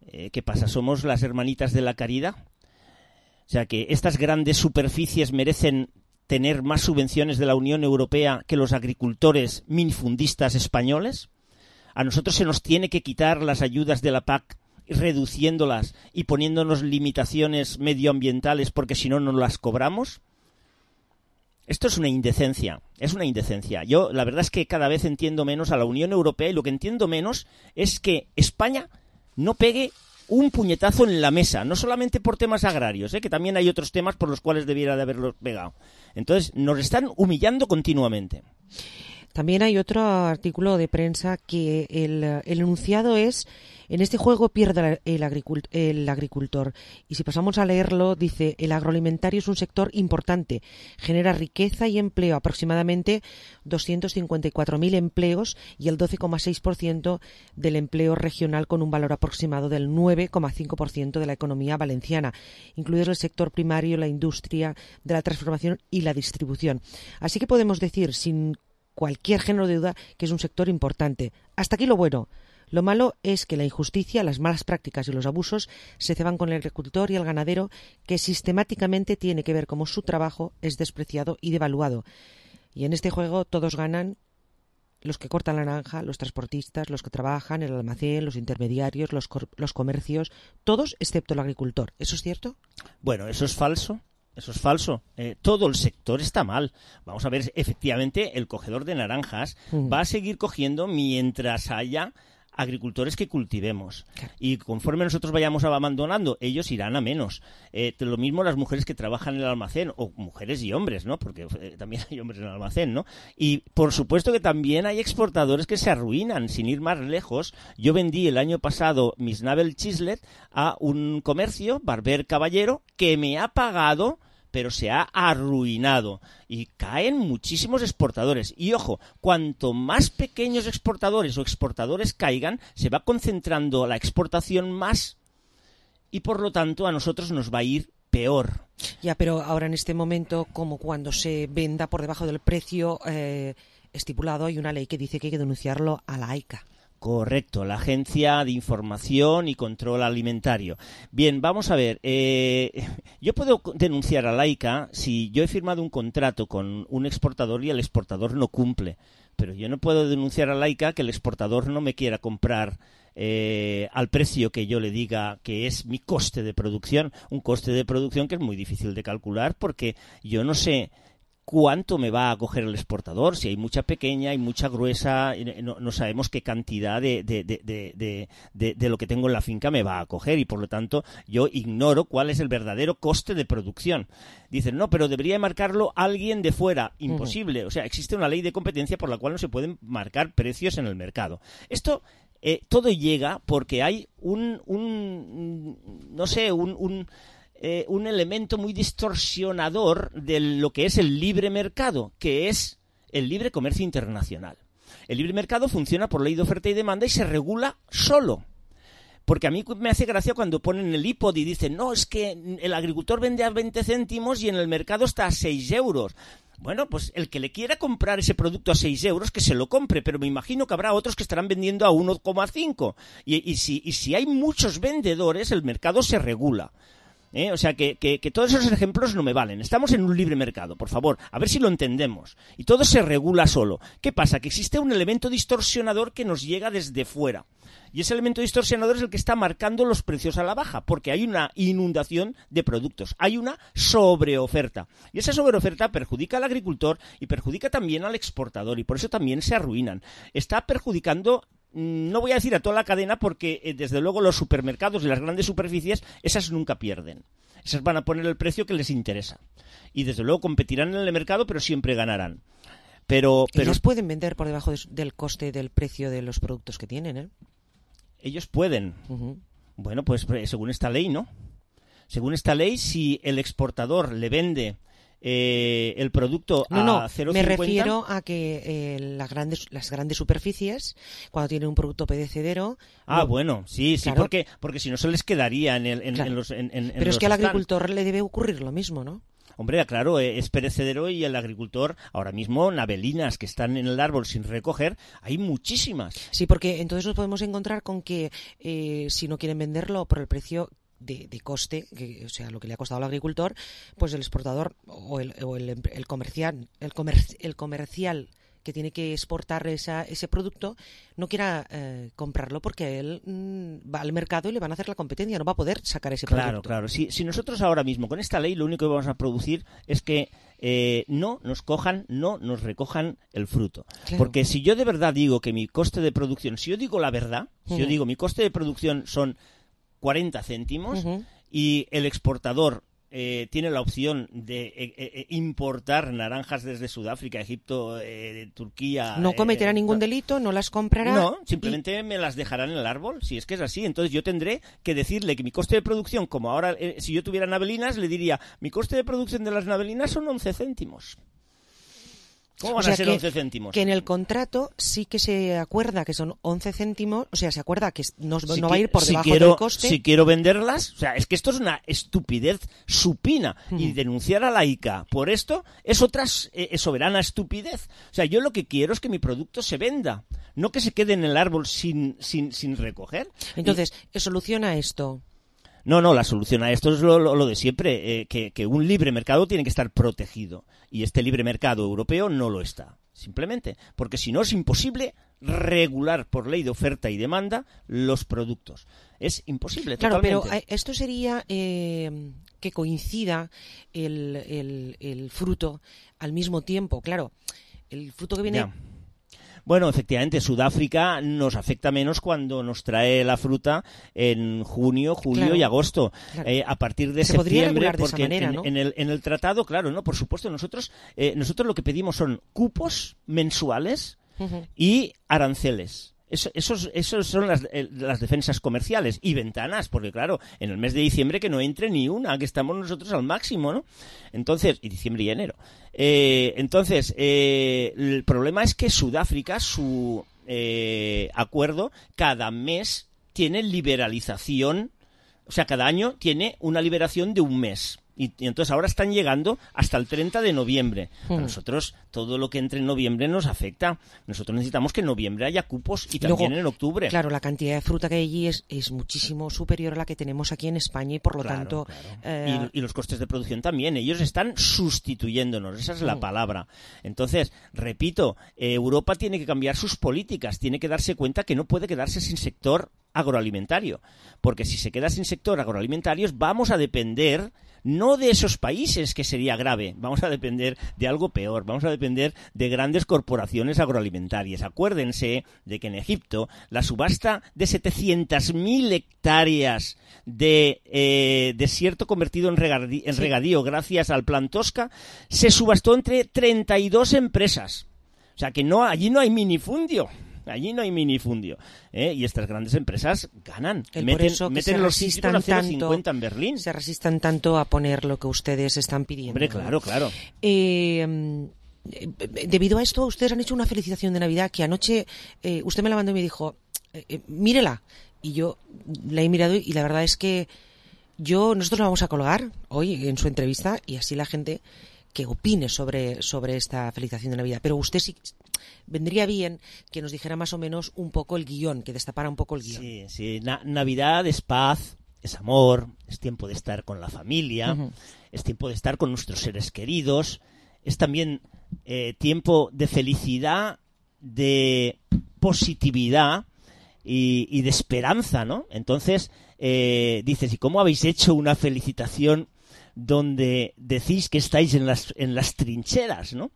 Eh, ¿Qué pasa? ¿Somos las hermanitas de la caridad? O sea, que estas grandes superficies merecen tener más subvenciones de la Unión Europea que los agricultores minifundistas españoles. A nosotros se nos tiene que quitar las ayudas de la P A C reduciéndolas y poniéndonos limitaciones medioambientales porque si no, no las cobramos. Esto es una indecencia, es una indecencia. Yo la verdad es que cada vez entiendo menos a la Unión Europea y lo que entiendo menos es que España no pegue un puñetazo en la mesa, no solamente por temas agrarios, ¿eh? Que también hay otros temas por los cuales debiera de haberlos pegado. Entonces, nos están humillando continuamente. También hay otro artículo de prensa que el, el enunciado es: en este juego pierde el, agricult, el agricultor. Y si pasamos a leerlo, dice: el agroalimentario es un sector importante, genera riqueza y empleo, aproximadamente doscientos cincuenta y cuatro mil empleos y el doce coma seis por ciento del empleo regional, con un valor aproximado del nueve coma cinco por ciento de la economía valenciana, incluidos el sector primario, la industria de la transformación y la distribución. Así que podemos decir, sin cualquier género de duda, que es un sector importante. Hasta aquí lo bueno. Lo malo es que la injusticia, las malas prácticas y los abusos se ceban con el agricultor y el ganadero, que sistemáticamente tiene que ver cómo su trabajo es despreciado y devaluado. Y en este juego todos ganan: los que cortan la naranja, los transportistas, los que trabajan en el almacén, los intermediarios, los, los comercios, todos excepto el agricultor. ¿Eso es cierto? Bueno, eso es falso. Eso es falso. Eh, todo el sector está mal. Vamos a ver, efectivamente, el cogedor de naranjas mm. va a seguir cogiendo mientras haya agricultores que cultivemos. Claro. Y conforme nosotros vayamos abandonando, ellos irán a menos. Eh, lo mismo las mujeres que trabajan en el almacén, o mujeres y hombres, ¿no? Porque eh, también hay hombres en el almacén, ¿no? Y por supuesto que también hay exportadores que se arruinan, sin ir más lejos. Yo vendí el año pasado mis Navel Chislet a un comercio, Barber Caballero, que me ha pagado, pero se ha arruinado y caen muchísimos exportadores. Y ojo, cuanto más pequeños exportadores o exportadores caigan, se va concentrando la exportación más y por lo tanto a nosotros nos va a ir peor. Ya, pero ahora en este momento, como cuando se venda por debajo del precio eh, estipulado, hay una ley que dice que hay que denunciarlo a la AICA. Correcto, la Agencia de Información y Control Alimentario. Bien, vamos a ver, eh, yo puedo denunciar a la AICA si yo he firmado un contrato con un exportador y el exportador no cumple, pero yo no puedo denunciar a la AICA que el exportador no me quiera comprar eh, al precio que yo le diga que es mi coste de producción, un coste de producción que es muy difícil de calcular porque yo no sé cuánto me va a coger el exportador, si hay mucha pequeña, hay mucha gruesa, no, no sabemos qué cantidad de, de, de, de, de, de lo que tengo en la finca me va a coger y por lo tanto yo ignoro cuál es el verdadero coste de producción. Dicen, no, pero debería marcarlo alguien de fuera. Imposible. Uh-huh. O sea, existe una ley de competencia por la cual no se pueden marcar precios en el mercado. Esto eh, todo llega porque hay un, un no sé, un... un Eh, un elemento muy distorsionador de lo que es el libre mercado, que es el libre comercio internacional. El libre mercado funciona por ley de oferta y demanda y se regula solo. Porque a mí me hace gracia cuando ponen el I P O D y dicen, no, es que el agricultor vende a veinte céntimos y en el mercado está a seis euros. Bueno, pues el que le quiera comprar ese producto a seis euros, que se lo compre, pero me imagino que habrá otros que estarán vendiendo a uno coma cinco. Y, y, si, y si hay muchos vendedores, el mercado se regula. ¿Eh? O sea, que, que, que todos esos ejemplos no me valen. Estamos en un libre mercado, por favor, a ver si lo entendemos. Y todo se regula solo. ¿Qué pasa? Que existe un elemento distorsionador que nos llega desde fuera. Y ese elemento distorsionador es el que está marcando los precios a la baja, porque hay una inundación de productos, hay una sobreoferta. Y esa sobreoferta perjudica al agricultor y perjudica también al exportador, y por eso también se arruinan. Está perjudicando, no voy a decir a toda la cadena, porque eh, desde luego los supermercados y las grandes superficies, esas nunca pierden. Esas van a poner el precio que les interesa. Y desde luego competirán en el mercado, pero siempre ganarán. Pero, pero ellos pueden vender por debajo de, del coste del precio de los productos que tienen, ¿eh? Ellos pueden. Uh-huh. Bueno, pues según esta ley, ¿no? Según esta ley, si el exportador le vende eh, el producto no, a no, cero coma me cincuenta... refiero a que eh, las grandes las grandes superficies, cuando tienen un producto perecedero... Ah, no, bueno, sí, sí, claro, porque porque si no se les quedaría en, el, en, claro, en los en, en, Pero en es los que al stand. agricultor le debe ocurrir lo mismo, ¿no? Hombre, claro, es perecedero y el agricultor, ahora mismo, navelinas que están en el árbol sin recoger, hay muchísimas. Sí, porque entonces nos podemos encontrar con que eh, si no quieren venderlo por el precio de, de coste, que, o sea, lo que le ha costado al agricultor, pues el exportador o el, o el, el comercial, el, comer, el comercial que tiene que exportar esa, ese producto, no quiera eh, comprarlo porque él mmm, va al mercado y le van a hacer la competencia, no va a poder sacar ese claro, producto. Claro, claro. Si, si nosotros ahora mismo con esta ley lo único que vamos a producir es que eh, no nos cojan, no nos recojan el fruto. Claro. Porque si yo de verdad digo que mi coste de producción, si yo digo la verdad, uh-huh. si yo digo mi coste de producción son cuarenta céntimos uh-huh. y el exportador Eh, tiene la opción de eh, eh, importar naranjas desde Sudáfrica, Egipto, eh, Turquía... No cometerá eh, ningún no, delito, no las comprará... No, simplemente y... me las dejarán en el árbol, si es que es así. Entonces yo tendré que decirle que mi coste de producción, como ahora, eh, si yo tuviera navelinas, le diría, mi coste de producción de las navelinas son once céntimos. ¿Cómo van o sea, a ser que, once céntimos? Que en el contrato sí que se acuerda que son once céntimos, o sea, se acuerda que no, si no va a ir por si debajo quiero, del coste. Si quiero venderlas, o sea, es que esto es una estupidez supina. Uh-huh. Y denunciar a la ICA por esto es otra eh, soberana estupidez. O sea, yo lo que quiero es que mi producto se venda, no que se quede en el árbol sin, sin, sin recoger. Entonces, y... ¿soluciona esto? No, no, la solución a esto es lo, lo, lo de siempre, eh, que, que un libre mercado tiene que estar protegido. Y este libre mercado europeo no lo está, simplemente. Porque si no es imposible regular por ley de oferta y demanda los productos. Es imposible, claro, totalmente. Pero esto sería... Eh, que coincida el, el, el fruto al mismo tiempo. Claro, el fruto que viene... Ya. Bueno, efectivamente, Sudáfrica nos afecta menos cuando nos trae la fruta en junio, julio Claro, y agosto. claro. Eh, a partir de Se podría septiembre, regular de esa porque manera, en, ¿no? en el, en el tratado, claro, no, por supuesto, nosotros, eh, nosotros lo que pedimos son cupos mensuales Ujú. y aranceles. Eso, esos, esos son las, eh, las defensas comerciales y ventanas, porque claro, en el mes de diciembre que no entre ni una, que estamos nosotros al máximo, ¿no? Entonces, y diciembre y enero. Eh, entonces, eh, el problema es que Sudáfrica, su eh, acuerdo, cada mes tiene liberalización, o sea, cada año tiene una liberación de un mes. Y, y entonces ahora están llegando hasta el treinta de noviembre. Mm. A nosotros todo lo que entre en noviembre nos afecta. Nosotros necesitamos que en noviembre haya cupos y Luego, también en octubre. Claro, la cantidad de fruta que hay allí es, es muchísimo superior a la que tenemos aquí en España y por lo Claro, tanto... claro. eh, Y, y los costes de producción también. Ellos están sustituyéndonos, esa es la Mm. palabra. Entonces, repito, eh, Europa tiene que cambiar sus políticas, tiene que darse cuenta que no puede quedarse sin sector agroalimentario. Porque si se queda sin sector agroalimentario, vamos a depender... no de esos países, que sería grave, vamos a depender de algo peor, vamos a depender de grandes corporaciones agroalimentarias. Acuérdense de que en Egipto la subasta de setecientas mil hectáreas de eh, desierto convertido en, regadí, en Sí. regadío gracias al Plan Tosca se subastó entre treinta y dos empresas. O sea que no, allí no hay minifundio. Allí no hay minifundio, ¿eh? Y estas grandes empresas ganan. el meten por eso que meten se los sitios resistan a cero coma tanto, cincuenta en Berlín. se resistan tanto a poner lo que ustedes están pidiendo. Hombre, ¿no? claro, claro. Eh, eh, debido a esto, ustedes han hecho una felicitación de Navidad que anoche eh, usted me la mandó y me dijo, eh, eh, mírela. Y yo la he mirado y la verdad es que yo nosotros la vamos a colgar hoy en su entrevista y así la gente que opine sobre, sobre esta felicitación de Navidad. Pero usted sí vendría bien que nos dijera más o menos un poco el guión, que destapara un poco el guión. Sí, sí. Na- Navidad es paz, es amor, es tiempo de estar con la familia, Ujú. es tiempo de estar con nuestros seres queridos, es también eh, tiempo de felicidad, de positividad y, y de esperanza, ¿no? Entonces, eh, dices, ¿y cómo habéis hecho una felicitación donde decís que estáis en las, en las trincheras, ¿no?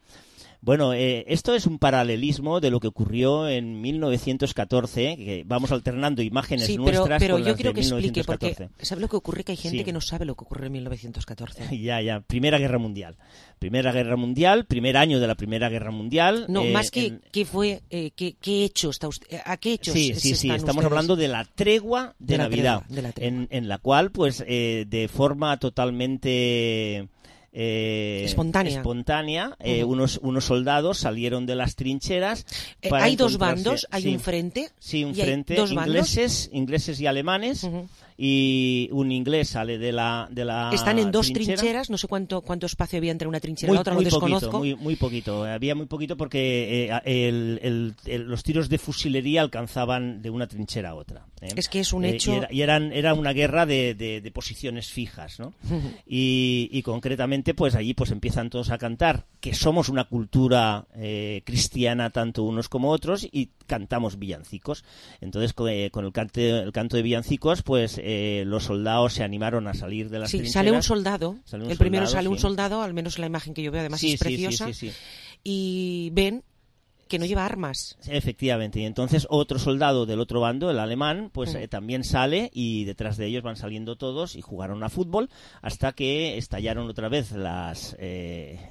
Bueno, eh, esto es un paralelismo de lo que ocurrió en mil novecientos catorce, que vamos alternando imágenes Sí, pero, nuestras pero con yo las quiero de que explique, porque mil novecientos catorce. ¿sabe lo que ocurre? Que hay gente Sí. que no sabe lo que ocurrió en mil novecientos catorce. Ya, ya. Primera Guerra Mundial. Primera Guerra Mundial, primer año de la Primera Guerra Mundial. No, eh, más que en- qué fue, eh, qué, qué hecho está usted, a qué hechos Sí, se sí, sí, están estamos ustedes- hablando de la tregua de, De la Navidad, tregua, de la tregua. En, en la cual, pues, eh, de forma totalmente eh, Espontánea. espontánea, eh, Ujú. unos, unos soldados salieron de las trincheras. Eh, para hay dos encontrarse- bandos, hay sí, un frente. Sí, un y hay frente, dos bandos. ingleses, ingleses y alemanes, y un inglés sale de la, de la Están en dos trinchera. trincheras, no sé cuánto cuánto espacio había entre una trinchera y Muy, la otra, muy lo desconozco. poquito, muy, muy poquito. Había muy poquito porque eh, el- el- el- los tiros de fusilería alcanzaban de una trinchera a otra. ¿eh? Es que es un Eh, hecho- y era, y eran, era una guerra de, de- de posiciones fijas, ¿no? y, y concretamente, pues allí pues empiezan todos a cantar que somos una cultura eh, cristiana tanto unos como otros y cantamos villancicos. Entonces, con, eh, con el, cante- el canto de villancicos, pues eh, los soldados se animaron a salir de las Sí, trincheras. sale un soldado. Sale un el primero soldado, sale un sí. soldado, al menos la imagen que yo veo, además Sí, es sí, sí, preciosa. sí, sí. Y ven que no lleva armas. Efectivamente, y entonces otro soldado del otro bando, el alemán, pues Mm. eh, también sale y detrás de ellos van saliendo todos y jugaron a fútbol hasta que estallaron otra vez las eh,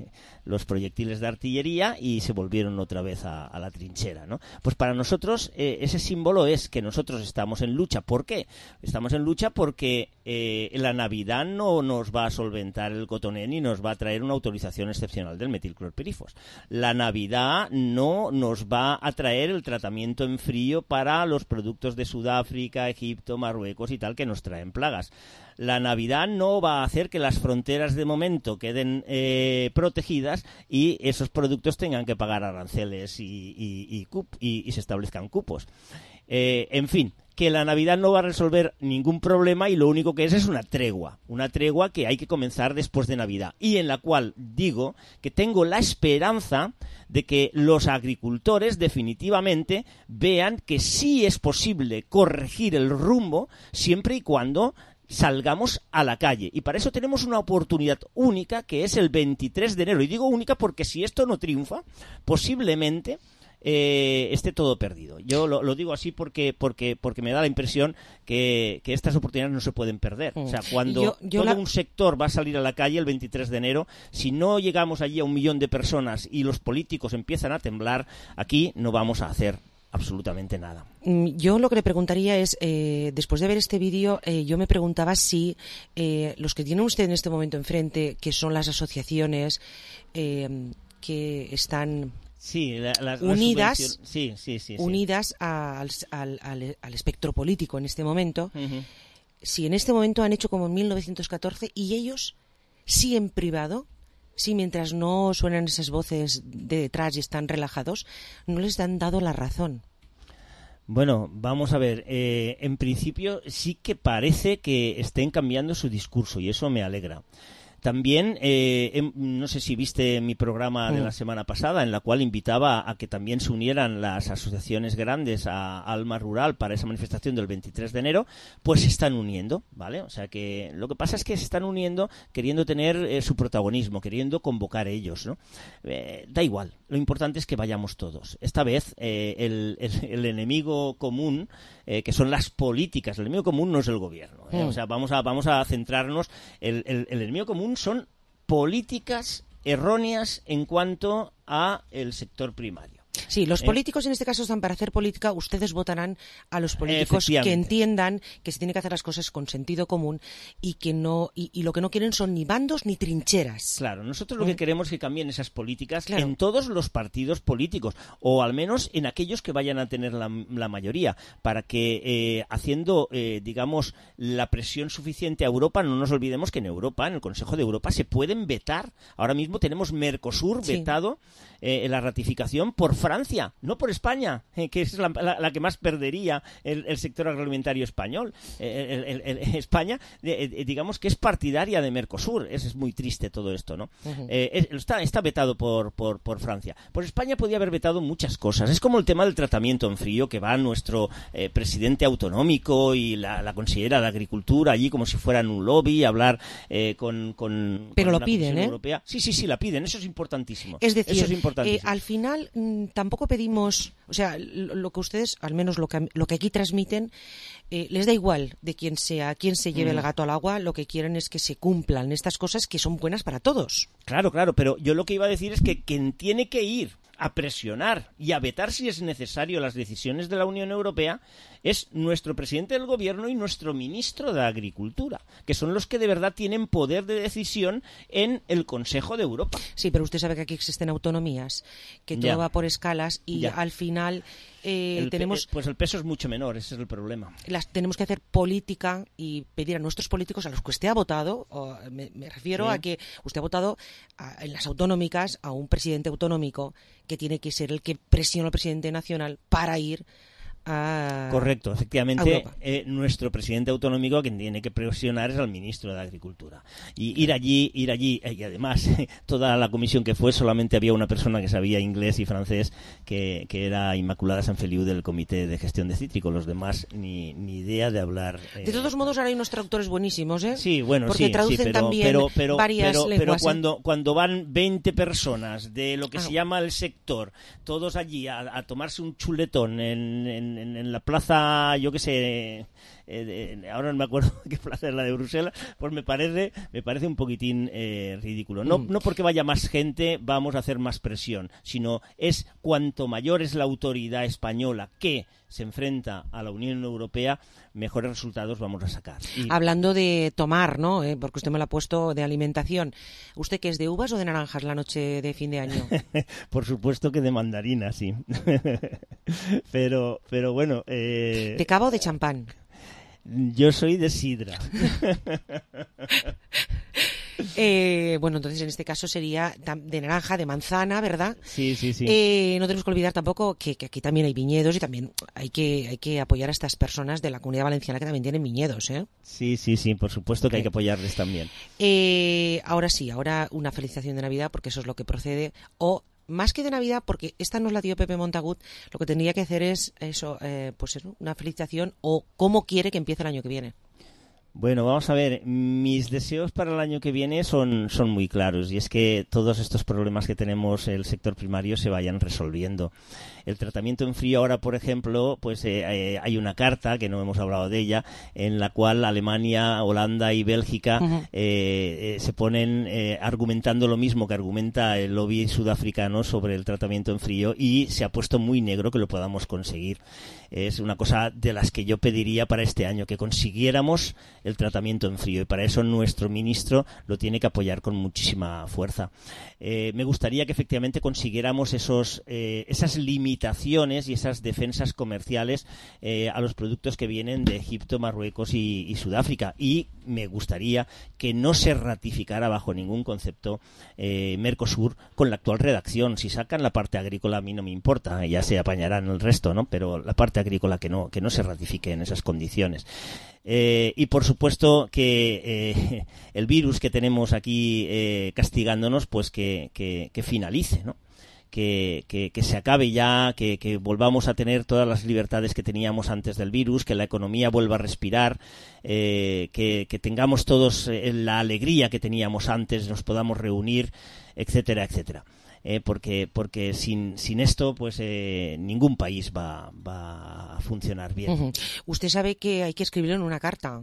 los proyectiles de artillería y se volvieron otra vez a, a la trinchera, ¿no? Pues para nosotros eh, ese símbolo es que nosotros estamos en lucha. ¿Por qué? Estamos en lucha porque eh, la Navidad no nos va a solventar el cotoné ni nos va a traer una autorización excepcional del metilclorpirifos. La Navidad no nos va a traer el tratamiento en frío para los productos de Sudáfrica, Egipto, Marruecos y tal que nos traen plagas. La Navidad no va a hacer que las fronteras de momento queden eh, protegidas y esos productos tengan que pagar aranceles y, y, y, cup- y- y se establezcan cupos. Eh, en fin, que la Navidad no va a resolver ningún problema y lo único que es es una tregua, una tregua que hay que comenzar después de Navidad y en la cual digo que tengo la esperanza de que los agricultores definitivamente vean que sí es posible corregir el rumbo siempre y cuando salgamos a la calle. Y para eso tenemos una oportunidad única, que es el veintitrés de enero. Y digo única porque si esto no triunfa, posiblemente eh, esté todo perdido. Yo lo, lo digo así porque porque porque me da la impresión que, que estas oportunidades no se pueden perder. O sea, cuando yo, yo todo la... un sector va a salir a la calle el veintitrés de enero, si no llegamos allí a un millón de personas y los políticos empiezan a temblar, aquí no vamos a hacer absolutamente nada. Yo lo que le preguntaría es, eh, después de ver este vídeo, eh, yo me preguntaba si eh, los que tiene usted en este momento enfrente, que son las asociaciones eh, que están sí, la, la, unidas, la sí, sí, sí, sí. unidas a, al, al, al espectro político en este momento, uh-huh. si en este momento han hecho como en mil novecientos catorce y ellos sí en privado, sí, mientras no suenan esas voces de detrás y están relajados, no les han dado la razón. Bueno, vamos a ver. Eh, en principio sí que parece que estén cambiando su discurso y eso me alegra. También, eh, eh, no sé si viste mi programa de la semana pasada, en la cual invitaba a que también se unieran las asociaciones grandes a Alma Rural para esa manifestación del veintitrés de enero, pues se están uniendo, ¿vale? O sea que lo que pasa es que se están uniendo queriendo tener eh, su protagonismo, queriendo convocar ellos, ¿no? Eh, da igual, lo importante es que vayamos todos. Esta vez eh, el, el, el enemigo común, eh, que son las políticas, el enemigo común no es el gobierno, ¿eh? Mm. O sea, vamos a, vamos a centrarnos, el, el, el enemigo común son políticas erróneas en cuanto a el sector primario. Sí, los ¿Eh? políticos en este caso están para hacer política. Ustedes votarán a los políticos que entiendan que se tienen que hacer las cosas con sentido común y que no y, y lo que no quieren son ni bandos ni trincheras. Claro, nosotros lo ¿Eh? que queremos es que cambien esas políticas claro. en todos los partidos políticos, o al menos en aquellos que vayan a tener la, la mayoría, para que eh, haciendo, eh, digamos, la presión suficiente a Europa, no nos olvidemos que en Europa, en el Consejo de Europa, se pueden vetar. Ahora mismo tenemos Mercosur Sí. vetado eh, en la ratificación por Francia, no por España, eh, que es la, la, la que más perdería el, el sector agroalimentario español. Eh, el, el, el, España, eh, digamos que es partidaria de Mercosur. Es, es muy triste todo esto, ¿no? Uh-huh. Eh, está, está vetado por, por, por Francia. Pues España podía haber vetado muchas cosas. Es como el tema del tratamiento en frío, que va nuestro eh, presidente autonómico y la, la consejera de Agricultura allí como si fueran un lobby, a hablar eh, con, con, Pero con lo la piden, Comisión ¿eh? Europea. Sí, sí, sí, la piden. Eso es importantísimo. Es decir, Eso es importantísimo. eh, al final mmm, tampoco pedimos, o sea, lo, lo que ustedes, al menos lo que, lo que aquí transmiten, eh, les da igual de quién sea, quién se lleve Mm. el gato al agua. Lo que quieren es que se cumplan estas cosas que son buenas para todos. Claro, claro, pero yo lo que iba a decir es que quien tiene que ir a presionar y a vetar si es necesario las decisiones de la Unión Europea es nuestro presidente del gobierno y nuestro ministro de Agricultura, que son los que de verdad tienen poder de decisión en el Consejo de Europa. Sí, pero usted sabe que aquí existen autonomías, que todo Ya. va por escalas y Ya. al final eh, El pe- tenemos pues el peso es mucho menor, ese es el problema. las tenemos que hacer política y pedir a nuestros políticos, a los que usted ha votado, o me, me refiero Sí. a que usted ha votado a- en las autonómicas a un presidente autonómico que tiene que ser el que presiona al presidente nacional para ir a Correcto, a efectivamente, Europa. eh, nuestro presidente autonómico a quien tiene que presionar es al ministro de Agricultura. Y ir allí, ir allí, eh, y además, toda la comisión que fue, solamente había una persona que sabía inglés y francés, que, que era Inmaculada Sanfeliu del Comité de Gestión de Cítricos. Los demás, ni, ni idea de hablar. eh, De todos modos, ahora hay unos traductores buenísimos, ¿eh? Sí, bueno, porque sí, traducen sí, pero, también pero, pero, varias pero, pero lenguas. ¿eh? cuando, cuando van veinte personas de lo que Ah. se llama el sector, todos allí a, a tomarse un chuletón en, en, en- en la plaza, yo qué sé, eh, de- ahora no me acuerdo qué plaza es la de Bruselas, pues me parece, me parece un poquitín eh, ridículo. No, Mm. no porque vaya más gente vamos a hacer más presión, sino es cuanto mayor es la autoridad española que se enfrenta a la Unión Europea, mejores resultados vamos a sacar. Y- Hablando de tomar, ¿no? Eh, porque usted me lo ha puesto de alimentación. ¿Usted qué es, de uvas o de naranjas la noche de fin de año? Por supuesto que de mandarina, sí. pero, pero bueno. Eh, ¿De cava o de champán? Yo soy de sidra. Eh, bueno, entonces en este caso sería tam- de naranja, de manzana, ¿verdad? Sí, sí, sí. Eh, no tenemos que olvidar tampoco que, que aquí también hay viñedos y también hay que hay que apoyar a estas personas de la Comunidad Valenciana que también tienen viñedos, ¿eh? Sí, sí, sí, por supuesto que hay que apoyarles también. Eh, ahora sí, ahora una felicitación de Navidad porque eso es lo que procede. O más que de Navidad, porque esta nos la dio Pepe Montagut, lo que tendría que hacer es eso, eh, pues eso, una felicitación o cómo quiere que empiece el año que viene. Bueno, vamos a ver, mis deseos para el año que viene son, son muy claros y es que todos estos problemas que tenemos el sector primario se vayan resolviendo. El tratamiento en frío ahora, por ejemplo, pues eh, eh, hay una carta, que no hemos hablado de ella, en la cual Alemania, Holanda y Bélgica uh-huh. eh, eh, se ponen eh, argumentando lo mismo que argumenta el lobby sudafricano sobre el tratamiento en frío y se ha puesto muy negro que lo podamos conseguir. Es una cosa de las que yo pediría para este año, que consiguiéramos el tratamiento en frío y para eso nuestro ministro lo tiene que apoyar con muchísima fuerza. Eh, me gustaría que efectivamente consiguiéramos esos, eh, esas limitaciones y esas defensas comerciales eh, a los productos que vienen de Egipto, Marruecos y, y Sudáfrica y me gustaría que no se ratificara bajo ningún concepto eh, Mercosur con la actual redacción. Si sacan la parte agrícola a mí no me importa, ya se apañarán el resto, ¿no? Pero la parte agrícola que no, que no se ratifique en esas condiciones. Eh, y por supuesto que eh, el virus que tenemos aquí eh, castigándonos, pues que, que, que finalice, ¿no? Que, que, que se acabe ya, que, que volvamos a tener todas las libertades que teníamos antes del virus, que la economía vuelva a respirar, eh, que, que tengamos todos eh, la alegría que teníamos antes, nos podamos reunir, etcétera, etcétera. Eh, porque porque sin sin esto pues eh, ningún país va va a funcionar bien. Uh-huh. Usted sabe que hay que escribirlo en una carta.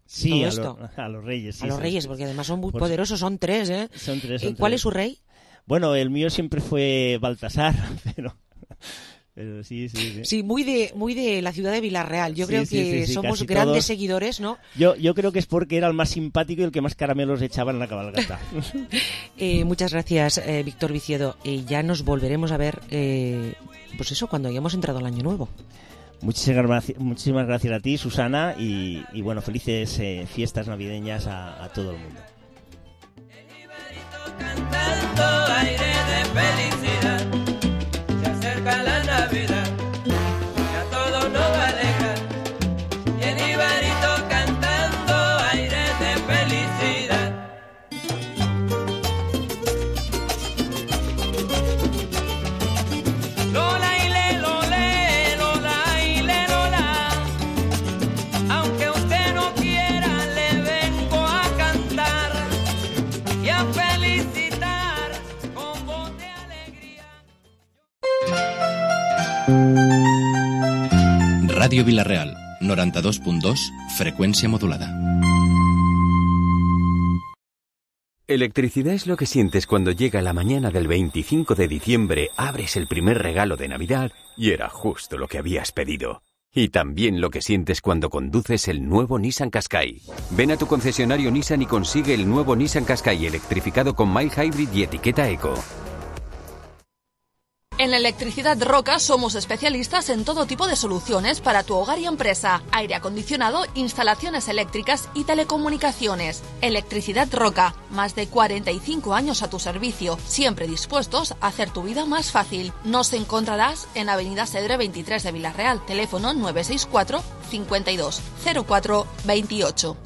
Sí, a, lo, a los reyes. Sí, a los reyes, porque además son muy por... poderosos, son tres, ¿eh? Son tres. Son ¿Cuál tres. es su rey? Bueno, el mío siempre fue Baltasar, pero... Pero sí, sí, sí. Sí, muy de muy de la ciudad de Villarreal. Yo sí, creo sí, que sí, sí, somos grandes todos. seguidores, ¿no? Yo yo creo que es porque era el más simpático y el que más caramelos echaba en la cabalgata. eh, muchas gracias, eh, Víctor Viciedo. Eh, ya nos volveremos a ver, eh, pues eso, cuando hayamos entrado al año nuevo. Muchísimas gracias, muchísimas gracias a ti, Susana, y, y bueno, felices eh, fiestas navideñas a, a todo el mundo. Cantando aire de felicidad, se acerca la Navidad, ya todo nos va a alejar, y el Ibarito cantando aire de felicidad. Lola y le, lole, Lola y le, Lola, aunque usted no quiera le vengo a cantar y a felicitar con voz de alegría. Radio Villarreal, noranta-dos punt dos, frecuencia modulada. Electricidad es lo que sientes cuando llega la mañana del veinticinco de diciembre, abres el primer regalo de Navidad y era justo lo que habías pedido. Y también lo que sientes cuando conduces el nuevo Nissan Qashqai. Ven a tu concesionario Nissan y consigue el nuevo Nissan Qashqai electrificado con mild hybrid y etiqueta eco. En Electricidad Roca somos especialistas en todo tipo de soluciones para tu hogar y empresa. Aire acondicionado, instalaciones eléctricas y telecomunicaciones. Electricidad Roca, más de cuarenta y cinco años a tu servicio, siempre dispuestos a hacer tu vida más fácil. Nos encontrarás en Avenida Cedre veintitrés de Villarreal, teléfono nueve seis cuatro, cincuenta y dos, cero cuatro, veintiocho.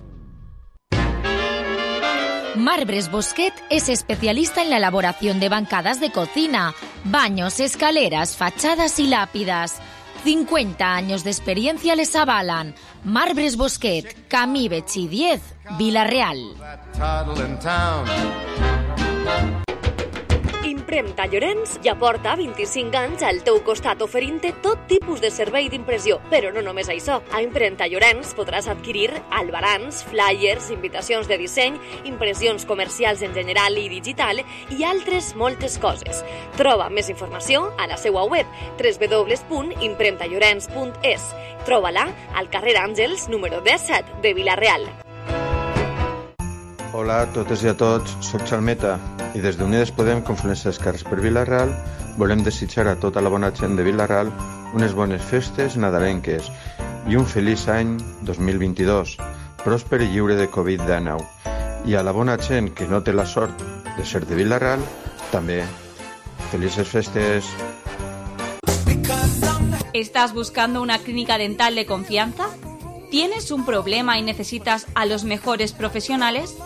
Marbres Bosquet es especialista en la elaboración de bancadas de cocina, baños, escaleras, fachadas y lápidas. cincuenta años de experiencia les avalan. Marbres Bosquet, Camí Betxí diez, Villarreal. Impremta Llorenç ja porta vint-i-cinc anys al teu costat oferint-te tot tipus de servei d'impressió. Però no només això. A Impremta Llorenç podràs adquirir albarans, flyers, invitacions de disseny, impressions comercials en general i digital i altres moltes coses. Troba més informació a la seva web w w w punt impremta llorenç punt es. Troba-la al carrer Àngels número disset de Villarreal. Hola a totes i a tots, soc Xalmeta i des d'Unides Podem, Confluència d'Esquerres per Villarreal, volem desitjar a tota la bona gent de Villarreal unes bones festes nadalenques i un feliç any dos mil vint-i-dos, pròsper i lliure de covid dinou. I a la bona gent que no té la sort de ser de Villarreal, també felices festes. ¿Estás buscando una clínica dental de confianza? ¿Tienes un problema y necesitas a los mejores profesionales?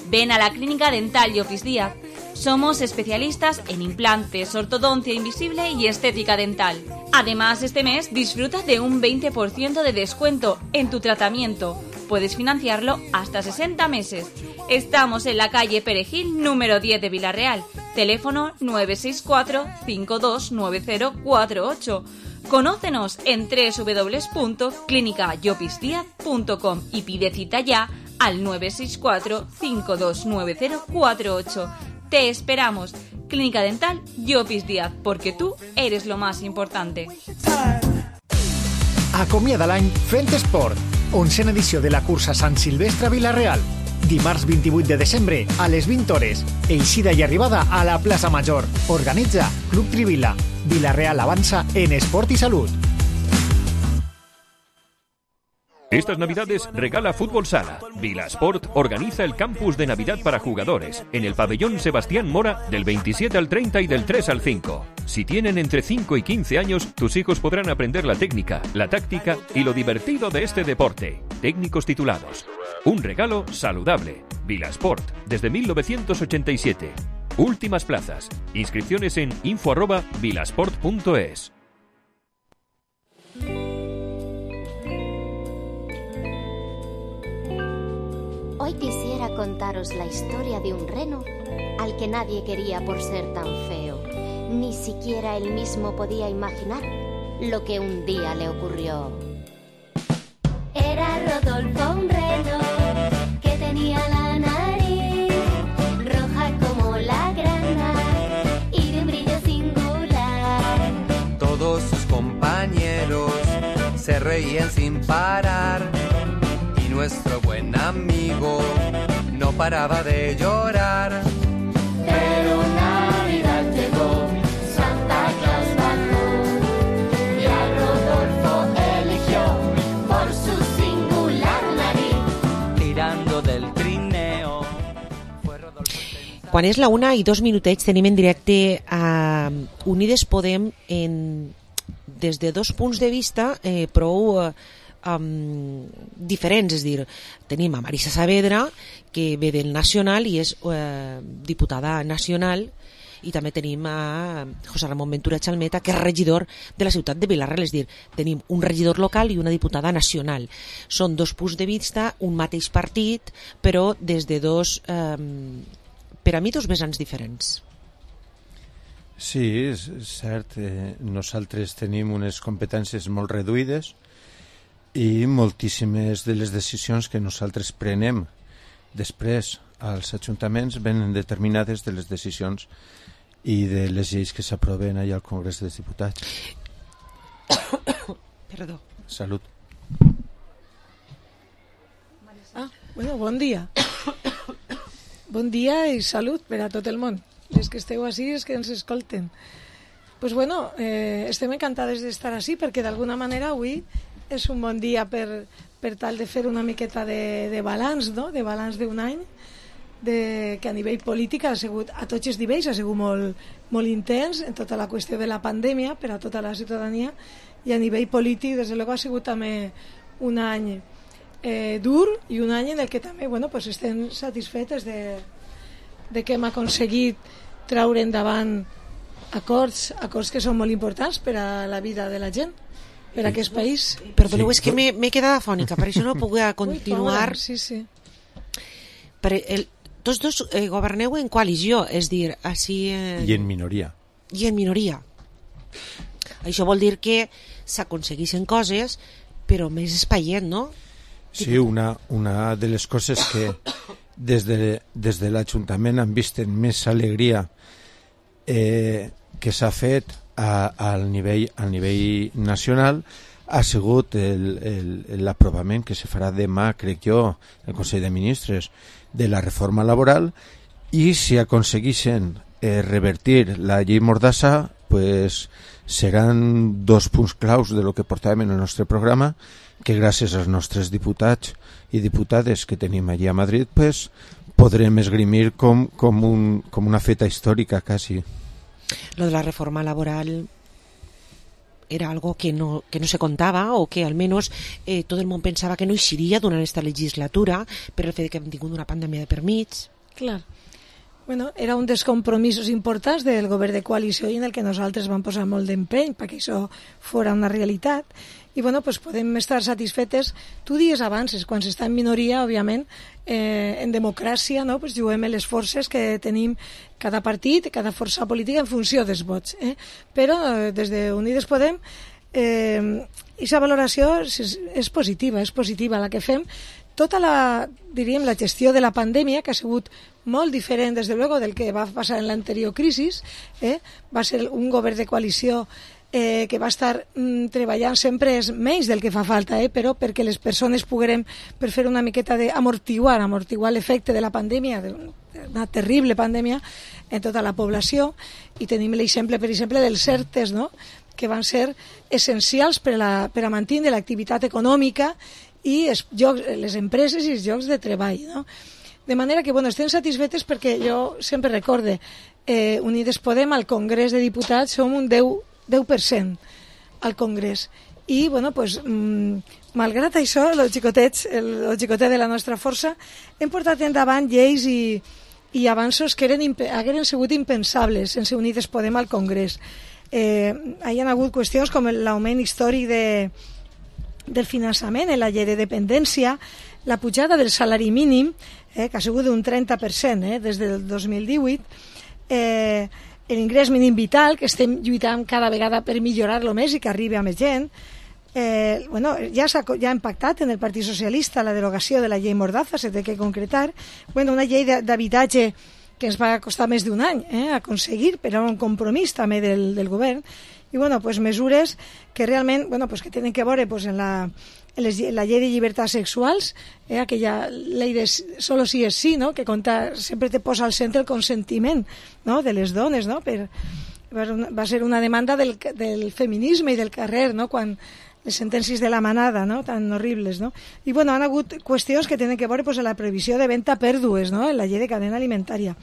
Ven a la Clínica Dental y Office Díaz. Somos especialistas en implantes, ortodoncia invisible y estética dental. Además, este mes disfruta de un veinte por ciento de descuento en tu tratamiento. Puedes financiarlo hasta sesenta meses. Estamos en la calle Perejil, número diez de Villarreal. Teléfono nueve seis cuatro, cinco dos nueve cero cuatro ocho. Conócenos en doble u doble u doble u punto clínica llopis díaz punto com y pide cita ya al nueve seis cuatro, cinco dos nueve cero cuatro ocho. Te esperamos. Clínica Dental Llopis Díaz, porque tú eres lo más importante. Acomiada l'any fent esport. Onzena edició de la cursa Sant Silvestre Vila-real. Dimarts vint-i-vuit de desembre a les vint hores. Eixida i arribada a la plaça Major. Organitza Club Trivila. Vila-real avança en esport i salut. Estas Navidades regala Fútbol Sala. Vilasport organiza el campus de Navidad para jugadores en el pabellón Sebastián Mora del veintisiete al treinta y del tres al cinco. Si tienen entre cinco y quince años, tus hijos podrán aprender la técnica, la táctica y lo divertido de este deporte. Técnicos titulados. Un regalo saludable. Vilasport, desde mil novecientos ochenta y siete. Últimas plazas. Inscripciones en info arroba vilasport punto es. Hoy quisiera contaros la historia de un reno al que nadie quería por ser tan feo. Ni siquiera él mismo podía imaginar lo que un día le ocurrió. Era Rodolfo, un reno que tenía la nariz roja como la grana y de un brillo singular. Todos sus compañeros se reían sin parar. Nuestro buen amigo no paraba de llorar. Pero Navidad llegó, Santa Claus bajó y a Rodolfo eligió por su singular nariz. Tirando del trineo. Quan és la una i dos minutets tenim en directe a Unides Podem en, des de dos punts de vista eh, prou... Eh, Um, diferents, és dir, tenim a Marisa Saavedra, que ve del Nacional i és eh, diputada nacional, i també tenim a José Ramón Ventura Chalmeta, que és regidor de la ciutat de Vila-real, és dir, tenim un regidor local i una diputada nacional. Són dos punts de vista, un mateix partit, però des de dos, eh, per a mi, dos vessants diferents. Sí, és cert, eh, nosaltres tenim unes competències molt reduïdes i moltíssimes de les decisions que nosaltres prenem després als ajuntaments venen determinades de les decisions i de les lleis que s'aproven allà al Congrés dels Diputats. Perdó. Salut. Ah, bueno, bon dia. Bon dia i salut per a tot el món. Les que esteu així, els que ens escolten. Pues bueno, eh, estem encantades d'estar així perquè d'alguna manera avui és un bon dia per, per tal de fer una miqueta de, de balanç, no? De balanç d'un any de, que a nivell polític ha sigut, a tots els nivells ha sigut molt, molt intens en tota la qüestió de la pandèmia per a tota la ciutadania, i a nivell polític des de luego ha sigut també un any eh, dur i un any en el que també bueno, pues estem satisfetes de, de que hem aconseguit traure endavant acords, acords que són molt importants per a la vida de la gent, per a aquest país. Perdoneu, és que m'he quedat afònica, per això no puc continuar. Ui, sí, sí. Per el, tots dos eh, governeu en coalició, és dir, així... Eh, I en minoria. I en minoria. Això vol dir que s'aconsegueixen coses, però més espaient, no? Sí, una, una de les coses que des de, des de l'Ajuntament han vist en més alegria eh, que s'ha fet A, al, nivell, al nivell nacional ha sigut l'aprovament que se farà demà, crec jo, el Consell de Ministres de la reforma laboral, i si aconsegueixen eh, revertir la llei Mordassa, pues, seran dos punts claus de lo que portàvem en el nostre programa, que gràcies als nostres diputats i diputades que tenim allí a Madrid pues, podrem esgrimir com, com, un, com una feta històrica quasi. Lo de la reforma laboral era algo que no, que no se contaba o que al menos eh, todo el món pensava que no eixiria durant esta legislatura per el fet que hem tingut una pandèmia de permís. Clar. Bueno, era un dels compromisos importants del govern de coalició i en el que nosaltres vam posar molt d'empeny perquè això fora una realitat. I bueno, pues podem estar satisfetes. Tu dies abans, quan s'està en minoria, òbviament, eh, en democràcia, no? Pues juguem les forces que tenim cada partit, cada força política en funció dels vots. Eh? Però eh, des de Unides Podem, eh, aquesta valoració és, és positiva, és positiva la que fem. Tota la, diríem, la gestió de la pandèmia, que ha sigut molt diferent, des de luego, del que va passar en l'anterior crisi, eh? Va ser un govern de coalició eh, que va estar mm, treballant sempre és menys del que fa falta, eh? Però perquè les persones poguérem, per fer una miqueta d'amortiguar, amortiguar l'efecte de la pandèmia, d'una terrible pandèmia en tota la població, i tenim l'exemple, per exemple, dels ERTEs, no? Que van ser essencials per a, la, per a mantenir l'activitat econòmica i els llocs, les empreses i els llocs de treball, no? De manera que, bueno, estem satisfetes perquè jo sempre recorde, eh, Unides Podem al Congrés de Diputats som un deu per cent al Congrés. I, bueno, pues, mmm, malgrat això, els xicotets, el, el xicotet de la nostra força, hem portat endavant lleis i, i avanços que eren, hagueren sigut impensables sense Unides Podem al Congrés. Eh, hi ha hagut qüestions com l'augment històric de del finançament en la llei de dependència, la pujada del salari mínim, eh, que ha sigut d'un trenta per cent eh, des del dos mil divuit, eh, l'ingrés mínim vital, que estem lluitant cada vegada per millorar-lo més i que arribi a més gent. Eh, bueno, ja s'ha ja ha impactat en el Partit Socialista la derogació de la llei Mordaza, s'ha de que concretar. Bueno, una llei d'habitatge que ens va costar més d'un any eh, aconseguir, però era un compromís també del, del govern. I bueno, pues mesures que realment, bueno, pues que tenen que veure pues en la, en les, la llei de llibertats sexuals, eh, aquella llei de solo sí és sí, no? Que compta, sempre te posa al centre el consentiment, no? De les dones, no? Per, va ser una demanda del, del feminisme i del carrer, no? Quan les sentències de la manada, no? Tan horribles, no? I bueno, han hagut qüestions que tenen que veure pues, en la previsió de venda a pèrdues, no? En la llei de cadena alimentària.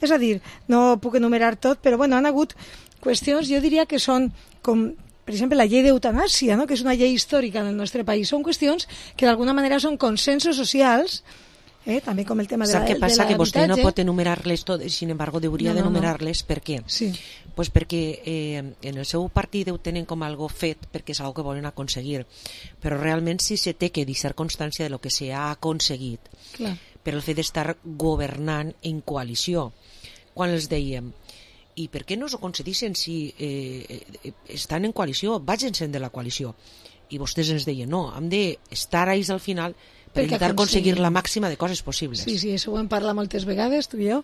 És a dir, no puc enumerar tot, però bueno, han hagut qüestions, jo diria que són com, per exemple, la llei d'eutanàsia, no? Que és una llei històrica en el nostre país. Són qüestions que d'alguna manera són consensos socials, eh? També com el tema de, la, de l'habitatge. Sap què passa? Que vostè no pot enumerar-les totes, sin embargo, hauria no, no, d'enumerar-les. No. Per què? Sí. Pues perquè eh, en el seu partit ho tenen com algo fet, perquè és algo que volen aconseguir. Però realment sí se té que deixar constància de lo que s'ha aconseguit. Clar. Per el fet d'estar governant en coalició. Quan els dèiem, i per què no s'ho concedissin si eh, eh, estan en coalició, vagin-se'n de la coalició? I vostès ens deien, no, hem d'estar ells al final per intentar aconseguir la màxima de coses possibles. Sí, sí, això ho hem parlat moltes vegades, tu i jo,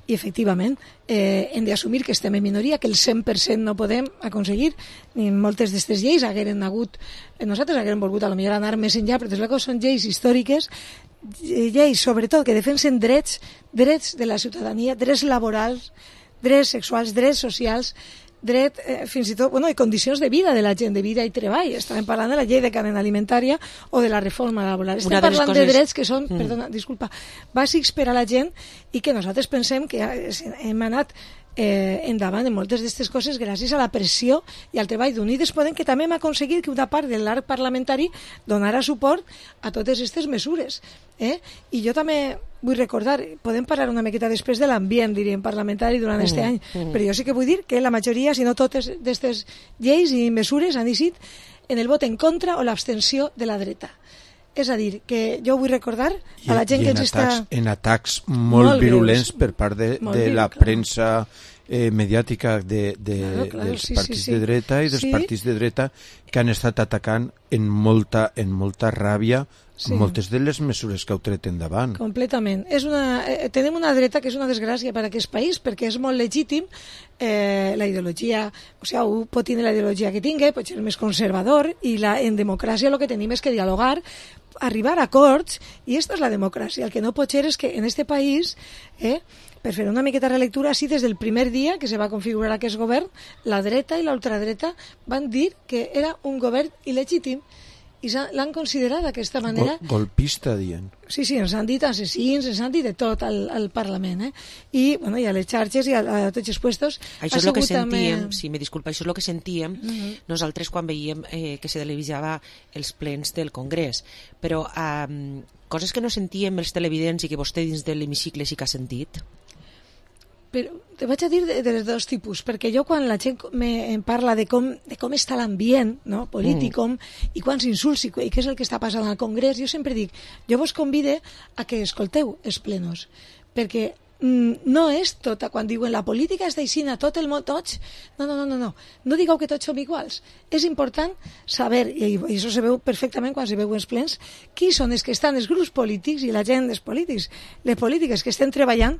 i efectivament eh, hem d'assumir que estem en minoria, que el cent per cent no podem aconseguir, ni moltes d'aquestes lleis hagueren hagut, nosaltres hagueren volgut a lo millor anar més enllà, però des de són lleis històriques, lleis sobretot que defensen drets, drets de la ciutadania, drets laborals, drets sexuals, drets socials, dret, eh, fins i tot, bueno, i condicions de vida de la gent, de vida i treball. Estàvem parlant de la llei de cadena alimentària o de la reforma laboral. Estem parlant coses... de drets que són, mm. perdona, disculpa, bàsics per a la gent i que nosaltres pensem que hem anat eh, endavant en moltes d'aquestes coses gràcies a la pressió i al treball d'Unides Podem, que també hem aconseguit que una part de l'arc parlamentari donara suport a totes aquestes mesures. Eh? I jo també vull recordar, podem parlar una miqueta després de l'ambient, diríem, parlamentari durant aquest mm, any, mm. però jo sí que vull dir que la majoria, si no totes d'aquestes lleis i mesures han decidit en el vot en contra o l'abstenció de la dreta. És a dir, que jo vull recordar a la gent I que ens atacs, està... en atacs molt, molt virulents per part de, de greu, la clar. premsa eh, mediàtica de, de, claro, claro, dels sí, partits sí, sí. de dreta i dels Sí. partits de dreta que han estat atacant en molta, en molta ràbia Sí. moltes de les mesures que heu tret endavant. Completament. És una, eh, tenim una dreta que és una desgràcia per a aquest país perquè és molt legítim eh, la ideologia, o sigui, un pot tenir la ideologia que tingui, pot ser més conservador i la, en democràcia el que tenim és que dialogar, arribar a acords i aquesta és la democràcia. El que no pot ser és que en este país, eh, per fer una miqueta de relectura, així des del primer dia que se va configurar aquest govern, la dreta i l'ultradreta van dir que era un govern il·legítim i l'han considerat d'aquesta manera. Gol, golpista, dient. Sí, sí, ens han dit assassins, ens han dit de tot al, al Parlament, eh? I, bueno, i a les xarxes i a, a tots els puestos... Això és el que sentíem, també... si me disculpa, això és el que sentíem uh -huh. nosaltres quan veiem eh, que se televisava els plens del Congrés. Però eh, coses que no sentíem els televidents i que vostè dins de l'hemicicle sí que ha sentit... però te vaig a dir de, de dos tipus, perquè jo quan la gent me, em parla de com, de com està l'ambient, no? polític, com, i quants insults i, i què és el que està passant al Congrés, jo sempre dic, jo vos convide a que escolteu els plenos, perquè mm, no és tota, quan diuen la política és d'aixina, tot el món, tots, no, no, no, no, no, no digueu que tots som iguals, és important saber, i, i això se veu perfectament quan se veu els plens, qui són els que estan els grups polítics i la gent dels polítics, les polítiques que estem treballant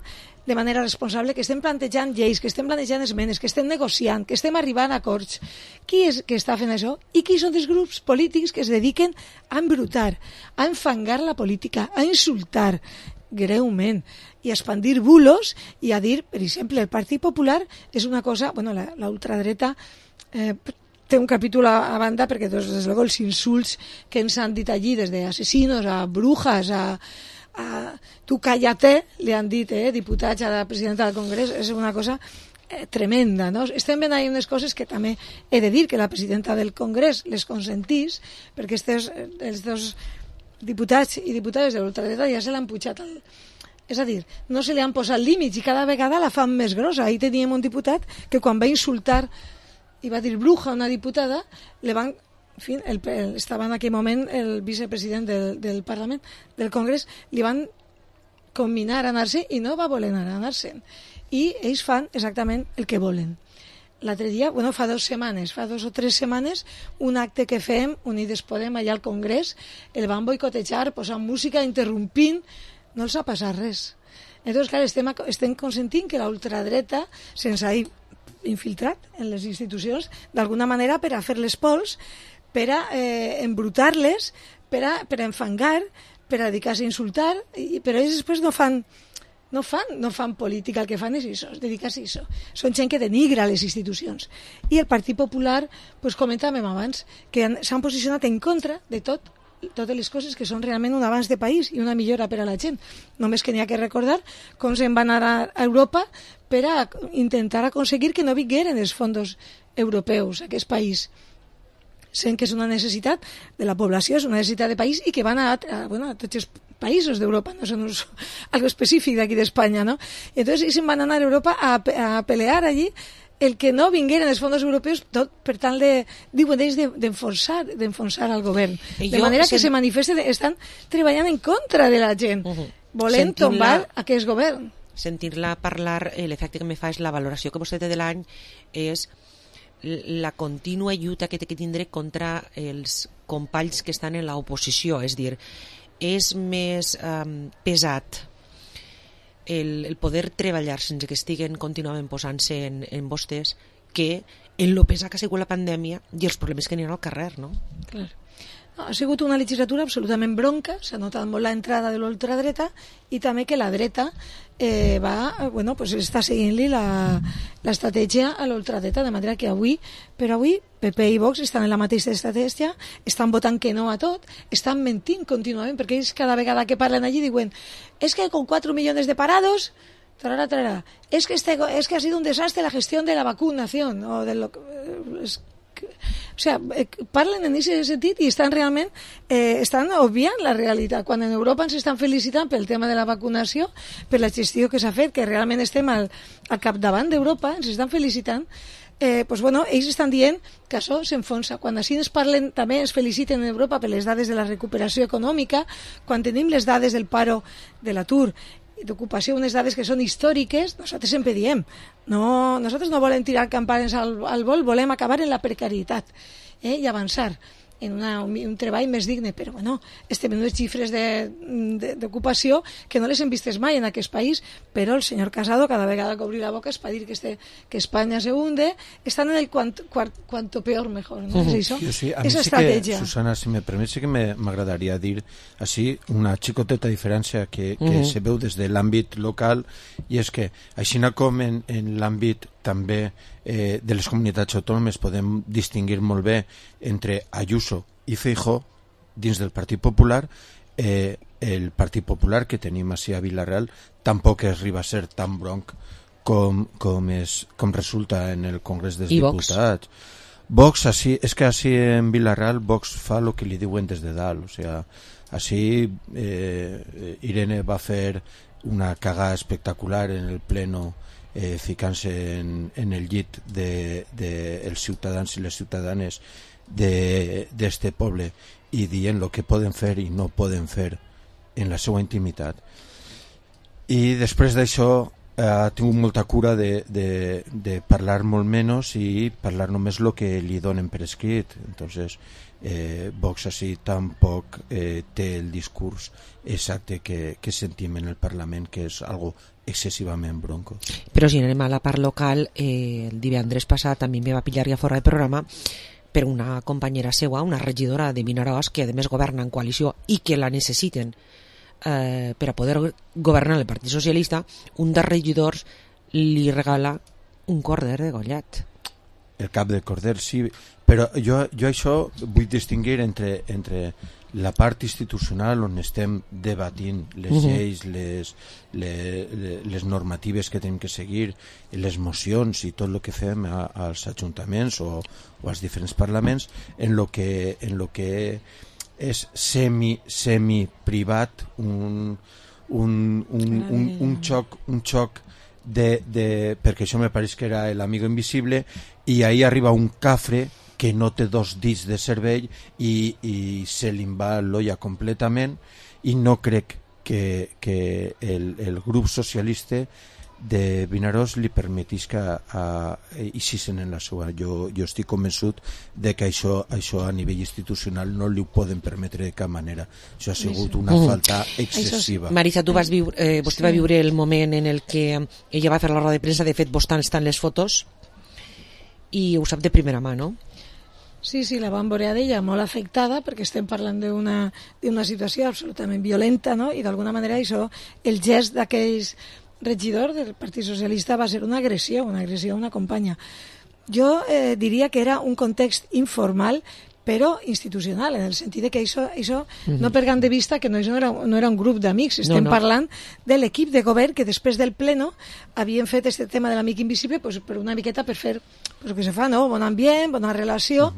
de manera responsable, que estem plantejant lleis, que estem plantejant esmenes, que estem negociant, que estem arribant a acords. Qui és que està fent això? I qui són els grups polítics que es dediquen a embrutar, a enfangar la política, a insultar greument i a expandir bulos i a dir, per exemple, el Partit Popular és una cosa, bueno, la, la ultradreta eh, té un capítol a, a banda perquè, des de luego, els insults que ens han dit allí, des d'assassinos a brujas, a a tu cállate, li han dit, eh, diputats a la presidenta del Congrés, és una cosa eh, tremenda, no? Estem veient ahí unes coses que també he de dir que la presidenta del Congrés les consentís, perquè estes, els dos diputats i diputades de l'ultradreta ja se l'han pujat al... És a dir, no se li han posat límits i cada vegada la fan més grossa. Ahir teníem un diputat que quan va insultar i va dir bruja a una diputada, le van... En fi, el, el, estava en aquell moment el vicepresident del, del Parlament, del Congrés, li van comminar a anar-se i no va voler anar a anar-se'n. I ells fan exactament el que volen. L'altre dia, bueno, fa dues setmanes, fa dos o tres setmanes, un acte que fem, Unides Podem, allà al Congrés, el van boicotejar, posant música, interrompint, no els ha passat res. Entonces, clar, estem, estem consentint que la ultradreta se'ns ha infiltrat en les institucions d'alguna manera per a fer les pols, per a eh, embrutar-les, per a, per a enfangar, per a dedicar-se a insultar, i, però ells després no fan, no fan, no fan política, el que fan és això, dedicar-se a això. Són gent que denigra les institucions. I el Partit Popular, pues, comentàvem abans, que s'han posicionat en contra de tot, totes les coses que són realment un avanç de país i una millora per a la gent. Només que n'hi ha que recordar com se'n van anar a Europa per a intentar aconseguir que no vingueren els fons europeus a aquest país, sent que és una necessitat de la població, és una necessitat de país i que van a, a, bueno, a tots els països d'Europa, no són uns, algo específic d'aquí d'Espanya, no? I entonces ells se'n van anar a Europa a, a pelear allí el que no vingueren els fons europeus, tot per tal de, diuen ells, d'enfonsar de, d'enfonsar al govern. De jo, manera que se manifeste, estan treballant en contra de la gent, uh -huh. volent tombar aquest govern. Sentir-la parlar, eh, l'efecte que me fa és la valoració que vostè té de l'any, és la contínua lluita que té que tindre contra els companys que estan en l'oposició, és dir, és més um, pesat el, el poder treballar sense que estiguen contínuament posant-se en, en vostès que en lo pesat que ha sigut la pandèmia i els problemes que n'hi ha al carrer, no? Clar. No, ha sigut una legislatura absolutament bronca, s'ha notat molt l'entrada de l'ultradreta i també que la dreta eh, va, bueno, pues està seguint-li l'estratègia a l'ultradreta, de manera que avui, per avui, P P i Vox estan en la mateixa estratègia, estan votant que no a tot, estan mentint contínuament, perquè ells cada vegada que parlen allí diuen és que con cuatro millones de parados, tarara, tarara, es que, este, es que ha sido un desastre la gestión de la vacunación, o de lo es, o sea, eh, parlen en aquest sentit i estan realment eh, estan obviant la realitat, quan en Europa ens estan felicitant pel tema de la vacunació, per la gestió que s'ha fet, que realment estem al, al capdavant d'Europa, ens estan felicitant. Eh, pues bueno, ells estan dient que això s'enfonsa. Quan així ens parlen, també ens feliciten en Europa per les dades de la recuperació econòmica, quan tenim les dades del paro, de l'atur, d'ocupació, unes dades que són històriques, nosaltres sempre diem, no, nosaltres no volem tirar campanes al, al vol, volem acabar en la precarietat, eh, i avançar en una, un, un treball més digne, però bueno, estem en unes xifres d'ocupació que no les hem vistes mai en aquest país, però el senyor Casado cada vegada que obri la boca és per dir que, este, que Espanya se hunde, estan en el cuanto, cuanto peor mejor, ¿no? Uh-huh. ¿Es eso? Sí, a Esa mí sí estrategia. Que, Susana, si me permet, sí que m'agradaria dir així una xicoteta diferència que, que uh-huh. se veu des de l'àmbit local, i és que així com en, en l'àmbit també eh, de les comunitats autònomes podem distingir molt bé entre Ayuso i Feijóo dins del Partit Popular, eh, el Partit Popular que tenim així a Vila-real tampoc arriba a ser tan bronc com, com, és, com resulta en el Congrés dels I Diputats. Vox, així, és que així en Vila-real Vox fa el que li diuen des de dalt, o sigui, així eh, Irene va fer una cagada espectacular en el pleno eh, ficant-se en, en el llit de, de els ciutadans i les ciutadanes d'este poble i dient el que poden fer i no poden fer en la seva intimitat. I després d'això eh, ha tingut molta cura de, de, de parlar molt menys i parlar només el que li donen per escrit. Entonces eh, Vox així tampoc eh, té el discurs exacte que, que sentim en el Parlament, que és algo excessivament bronco. Però si anem a la part local, eh, el divendres passat a mi me va pillar ja fora de programa per una companyera seua, una regidora de Vinaròs, que a més governa en coalició i que la necessiten eh, per a poder governar el Partit Socialista. Un dels regidors li regala un corder de gollat. El cap de corder, sí, però jo, jo això vull distingir entre, entre la part institucional on estem debatint les Mhm. lleis, les, les, les normatives que tenim que seguir, les mocions i tot el que fem a, als ajuntaments o, o als diferents parlaments, en lo que, en lo que és semi, semi privat, un, un, un, un, un xoc, un xoc de, de, perquè això me pareix que era l'amigo invisible, i ahí arriba un cafre que no té dos dits de cervell i, i se li va l'olla completament, i no crec que, que el, el grup socialista de Vinaròs li permetís que eixissin en la seva. Jo, jo estic convençut de que això, això a nivell institucional no li ho poden permetre de cap manera. Això ha sigut una Mm. falta excessiva. Marisa, tu vas viure, eh, vostè va viure el moment en el que ella va fer la roda de premsa, de fet vos estan les fotos i ho sap de primera mà, no? Sí, sí, la vam veure d'ella molt afectada perquè estem parlant d'una d'una situació absolutament violenta, no? I d'alguna manera això, el gest d'aquells regidors del Partit Socialista va ser una agressió, una agressió a una companya. Jo eh, diria que era un context informal però institucional, en el sentit de que això, això Mhm. no perdem de vista que no, això no, era, no era un grup d'amics, estem No, no. parlant de l'equip de govern que després del pleno havien fet este tema de l'amic invisible pues, per una miqueta per fer pues, que se fa, no? Bon ambient, bona relació,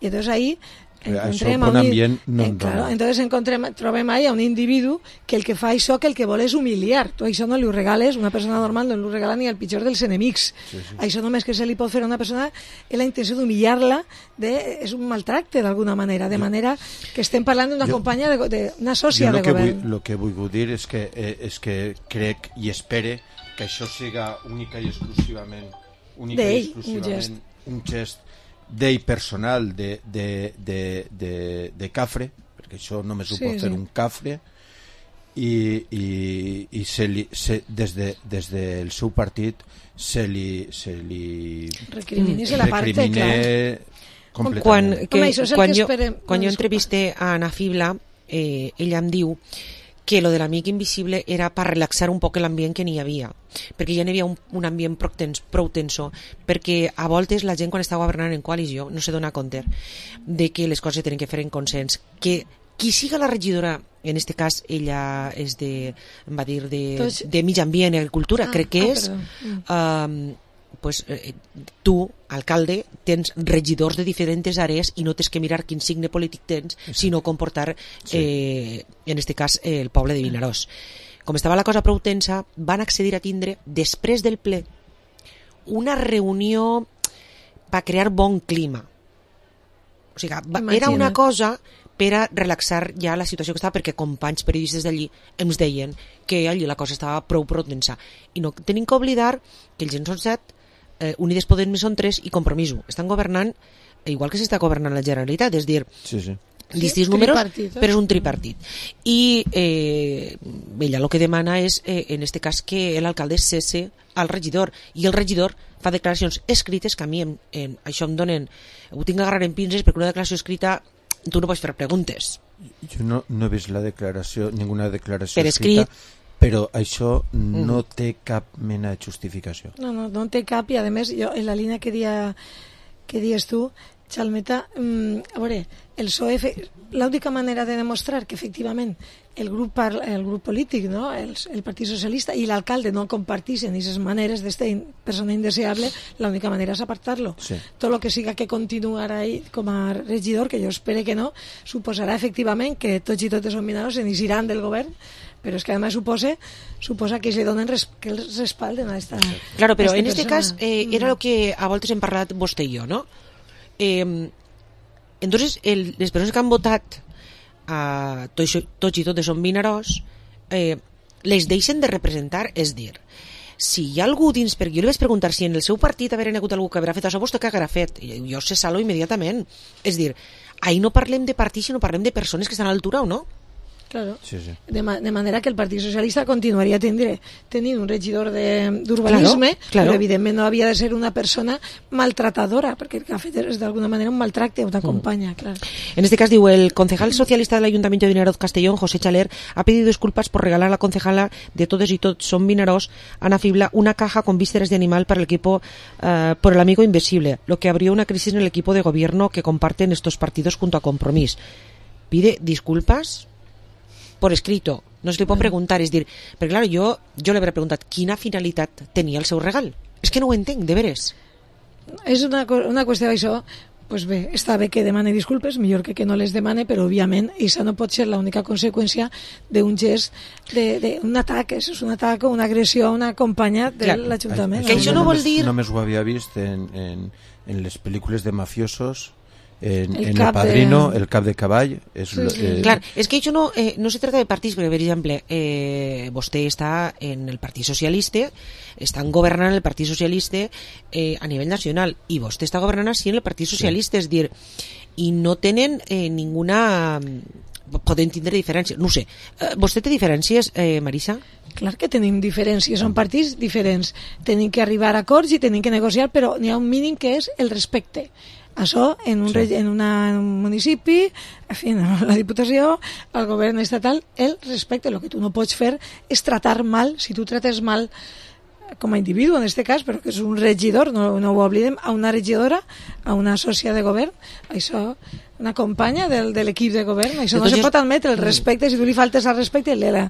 i entonces ahí encontrem Això, bon a un, ambient, no eh, en claro, dona. entonces encontrem, trobem ahí a un individu que el que fa això, que el que vol és humiliar. Tu això no li ho regales, una persona normal no li ho regala ni al pitjor dels enemics. Sí, sí. Això només que se li pot fer a una persona és la intenció d'humillar-la, de, és un maltracte d'alguna manera, de manera que estem parlant d'una Jo- companya, de, de, una sòcia jo de el que govern. vull, el que vull dir és que, eh, és que crec i espere que això siga única i exclusivament única i D'ell, un exclusivament gest. un gest d'ell personal de, de, de, de, de cafre, perquè això només ho Sí, pot fer sí. un cafre, i, i, i se li, se, des, de, des del seu partit se li, se li Recrimini se la parte, recrimine clar. completament. Quan, que, Home, això és el quan, que jo, esperem. quan No, jo entrevisté a Ana Fibla, eh, ella em diu que lo de l'amic invisible era per relaxar un poc l'ambient que n'hi havia, perquè ja n'hi havia un, un ambient prou, tens, prou tenso, perquè a voltes la gent quan està governant en coalició no se dona compte de que les coses tenen que fer en consens, que qui siga la regidora, en este cas ella és de, em va dir de, Tots- de mig ambient i agricultura, Ah, crec que ah, és, perdó. Mm. um, pues, eh, tu, alcalde, tens regidors de diferents àrees i no tens que mirar quin signe polític tens, sinó comportar, Sí. eh, en este cas, eh, el poble de Vinaròs. Com estava la cosa prou tensa, van accedir a tindre, després del ple, una reunió per crear bon clima. O sigui, va, era Imagina't. una cosa per a relaxar ja la situació que estava, perquè companys periodistes d'allí ens deien que allí la cosa estava prou prou tensa. I no tenim que oblidar que els gens són set, eh, Unides Podem són tres i Compromiso. Estan governant igual que s'està governant la Generalitat, és dir, Sí, sí. distints Sí, números, tripartit, eh? però és un tripartit. I eh, ella el que demana és, eh, en este cas, que l'alcalde cesse al regidor, i el regidor fa declaracions escrites que a mi en, en, això em donen, ho tinc que agarrar en pinces, perquè una declaració escrita tu no pots fer preguntes. Jo no, no he vist la declaració, ninguna declaració Per escrita, escrit. però això no Mm. té cap mena de justificació. No, no, no en té cap, i a més, jo, en la línia que, dia, que dies tu, Xalmeta, mm, a veure, el P S O E, fe- l'única manera de demostrar que efectivament el grup, par, el grup polític, no? el, el Partit Socialista i l'alcalde no comparteixen aquestes maneres d'esta in, persona indeseable, l'única manera és apartar-lo. Sí. Tot el que siga que continuar ahí com a regidor, que jo espero que no, suposarà efectivament que tots i totes els Vinaròs se n'hiran del govern, Pero es que además supose, suposa que se donen res, que els respalden a esta Claro, pero a esta en este persona. cas eh, era lo que a voltes hem parlat vostè i jo, no? Eh, entonces, el, les persones que han votat a tots, tots i totes són Vinaròs, eh, les deixen de representar, és dir, si hi ha algú dins, perquè jo li vaig preguntar si en el seu partit haver hagut algú que haurà fet això, vostè què haurà fet? I jo sé salo immediatament. És dir, ahir no parlem de partits, sinó parlem de persones que estan a l'altura o no. Claro. Sí, sí. De, ma de manera que el Partit Socialista continuaria tindre, tenint un regidor d'urbanisme, claro, claro. però evidentment no havia de ser una persona maltratadora, perquè el que ha fet és d'alguna manera un maltracte a una companya, mm. claro. En este caso, digo, el concejal socialista del Ayuntamiento de Vinaroz Castellón, José Chaler, ha pedido disculpas por regalar a la concejala de Todos y Tots son Vinaròs, Ana Fibla, una caja con vísceras de animal para el equipo uh, por el amigo invisible, lo que abrió una crisis en el equipo de gobierno que comparten estos partidos junto a Compromís. Pide disculpas por escrito, no se li pot preguntar, és dir, perquè clar, jo, jo li hauré preguntat quina finalitat tenia el seu regal. És que no ho entenc, de veres. És una, una qüestió d'això, pues bé, està bé que demane disculpes, millor que que no les demane, però òbviament això no pot ser l'única conseqüència d'un gest, d'un atac, és un atac o una agressió a una companya de l'Ajuntament. Que això no vol dir... Només ho havia vist en, en, en les pel·lícules de mafiosos, en el, en el Padrino, de... el cap de cavall. És, sí, sí. eh... Clar, és que això no, eh, no se trata de partits, perquè, per exemple, eh, vostè està en el Partit Socialista, estan governant el Partit Socialista eh, a nivell nacional, i vostè està governant així en el Partit Socialista, sí. És dir, i no tenen eh, ninguna... Poden tindre diferències, no sé. Eh, vostè té diferències, eh, Marisa? Clar que tenim diferències, són partits diferents. Tenim que arribar a acords i tenim que negociar, però n'hi ha un mínim que és el respecte. Això en un, sí. en, una, en un municipi, en fi, en la Diputació, al govern estatal, el respecte. El que tu no pots fer és tratar mal, si tu trates mal com a individu, en aquest cas, però que és un regidor, no, no ho oblidem, a una regidora, a una sòcia de govern, això, una companya del, de l'equip de govern, això no se pot admetre, el respecte, si tu li faltes al respecte, la,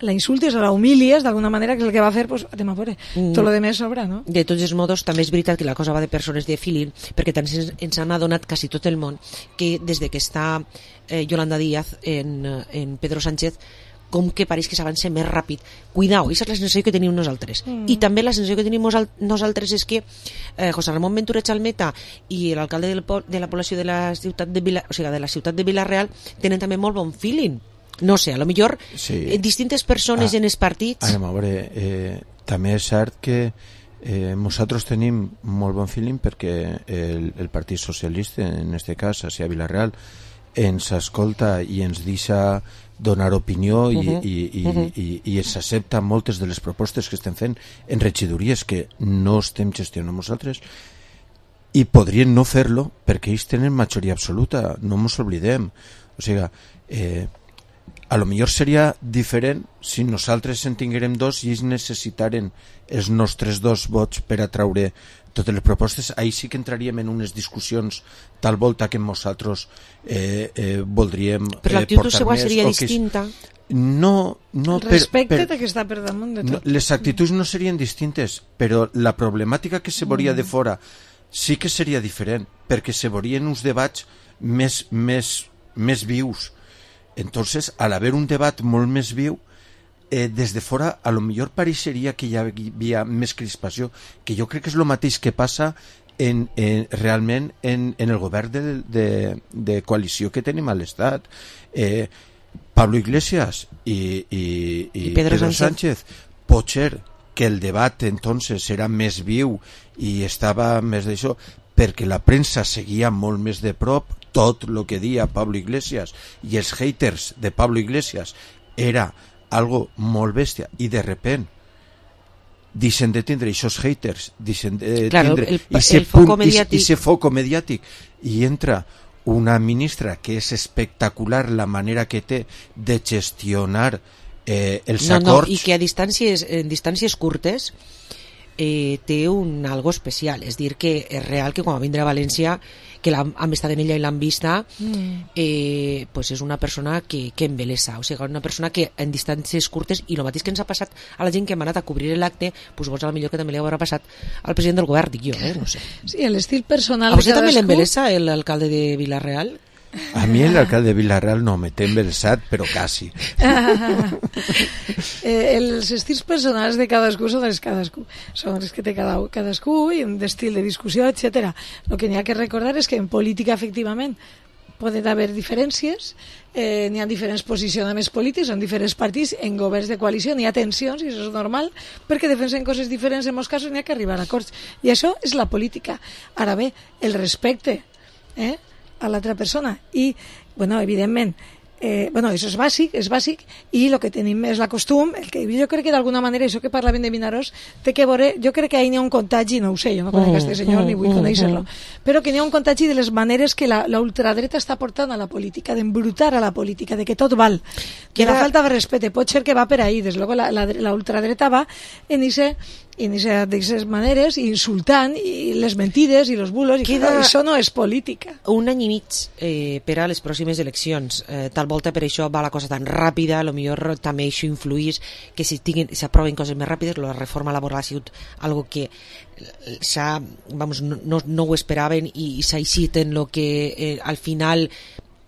la insultes o la humilies d'alguna manera, que és el que va fer, pues, anem a veure, mm. tot lo de més sobra, no? De tots els modos, també és veritat que la cosa va de persones de filin, perquè tant ens, ens han adonat quasi tot el món que des de que està eh, Yolanda Díaz en, en Pedro Sánchez, com que pareix que s'avança més ràpid. Cuidao, aquesta és la sensació que tenim nosaltres. Mm. I també la sensació que tenim nosaltres és que eh, José Ramon Ventura Chalmeta i l'alcalde del, de la població de la ciutat de Vila, o sigui, de la ciutat de Vila-real tenen també molt bon feeling. No sé, a lo millor sí. eh, distintes persones ah, en els partits... Anem a veure, eh, també és cert que eh, nosaltres tenim molt bon feeling perquè el, el Partit Socialista, en aquest cas, a Vila-real, ens escolta i ens deixa donar opinió i, uh-huh. i, i, uh-huh. i, i es accepta moltes de les propostes que estem fent en regidories que no estem gestionant nosaltres i podrien no fer-lo perquè ells tenen majoria absoluta, no ens oblidem. O sigui, eh, a lo millor seria diferent si nosaltres en tinguérem dos i ells necessitaren els nostres dos vots per atraure totes les propostes. Ahí sí que entraríem en unes discussions tal volta que nosaltres eh, eh, voldríem eh, però l'actitud seva seria distinta. No, no, el respecte per, per, que està per damunt de tot. No, les actituds no serien distintes, però la problemàtica que se veuria mm. de fora sí que seria diferent, perquè se veurien uns debats més, més, més vius. Entonces, al haver un debat molt més viu, eh, des de fora a lo millor pareixeria que hi havia més crispació, que jo crec que és el mateix que passa en, en, realment en, en el govern de, de, de coalició que tenim a l'Estat. Eh, Pablo Iglesias i, i, i, I Pedro, Pedro Sánchez. Sánchez, pot ser que el debat entonces era més viu i estava més d'això, perquè la premsa seguia molt més de prop tot el que dia Pablo Iglesias i els haters de Pablo Iglesias era algo molt bèstia i de repent deixen de tindre aquests haters, deixen de claro, tindre el, ese el foco punt, mediàtic. ese foco mediàtic i entra una ministra que és espectacular la manera que té de gestionar eh, els no, acords no, i que a distàncies, en distàncies curtes eh, té un algo especial, és dir que és real que quan va vindre a València que han estat en ella i l'han vista mm. eh, pues és una persona que, que embelesa, o sigui, una persona que en distàncies curtes, i el mateix que ens ha passat a la gent que hem anat a cobrir l'acte, pues vols a la millor que també li haurà passat al president del govern, dic jo, eh? No sé. Sí, l'estil personal a vostè de també cadascú... l'embelesa l'alcalde de Vila-real? A mi l'alcalde de Vila-real no, me té embelsat, però quasi. eh, els estils personals de cadascú són els cadascú. Són els que té cada, cadascú i un estil de discussió, etcètera. El que n'hi ha que recordar és que en política, efectivament, poden haver diferències, eh, n'hi ha diferents posicionaments polítics, són diferents partits, en governs de coalició n'hi ha tensions, i això és normal, perquè defensen coses diferents, en molts casos n'hi ha que arribar a acords. I això és la política. Ara bé, el respecte eh, a l'altra persona. I, bueno, evidentment, Eh, bueno, això és bàsic, és bàsic, i el que tenim és la costum, el que jo crec que d'alguna manera, això que parlaven de Vinaròs, té que veure, jo crec que ahí n'hi ha un contagi, no ho sé, jo no conec aquest senyor ni vull conèixer-lo, però que n'hi ha un contagi de les maneres que la, la ultradreta està portant a la política, d'embrutar a la política, de que tot val, que la falta de respecte, pot ser que va per ahí, des luego la, la, la ultradreta va en ese en aquestes maneres, insultant i les mentides i els bulos, i Queda... això no és política. Un any i mig eh, per a les pròximes eleccions, eh, tal volta per això va la cosa tan ràpida, a lo millor també això influís que si s'aproven coses més ràpides. La reforma laboral ha sigut algo que s'ha, vamos, no, no, no ho esperaven i, i s'ha eixit en lo que eh, al final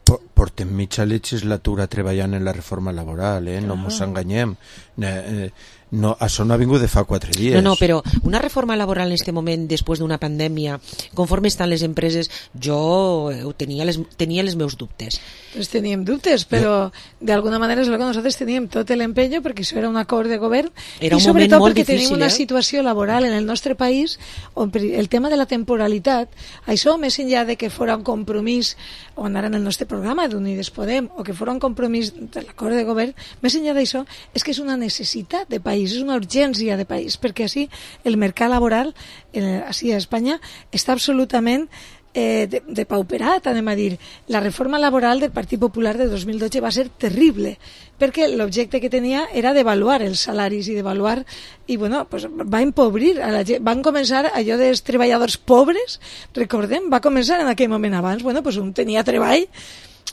portem mitja legislatura treballant en la reforma laboral, eh? No mos enganyem. Eh, no, això no ha vingut de fa quatre dies. No, no, però una reforma laboral en aquest moment, després d'una pandèmia, conforme estan les empreses, jo tenia les, tenia les meus dubtes. Pues teníem dubtes, però d'alguna manera és el que nosaltres teníem tot l'empenyo, perquè això era un acord de govern, era i sobretot perquè difícil, tenim una eh? situació laboral en el nostre país on el tema de la temporalitat, això més enllà de que fora un compromís, on ara en el nostre programa d'Unides Podem, o que fora un compromís de l'acord de govern, més enllà d'això, és que és una necessitat de país, és una urgència de país, perquè així el mercat laboral, eh, així a Espanya, està absolutament eh, de, de pauperat, anem a dir. La reforma laboral del Partit Popular de dos mil dotze va ser terrible, perquè l'objecte que tenia era devaluar els salaris i devaluar, i bueno, pues va empobrir a la gent. Van començar allò dels treballadors pobres, recordem, va començar en aquell moment abans, bueno, pues un tenia treball,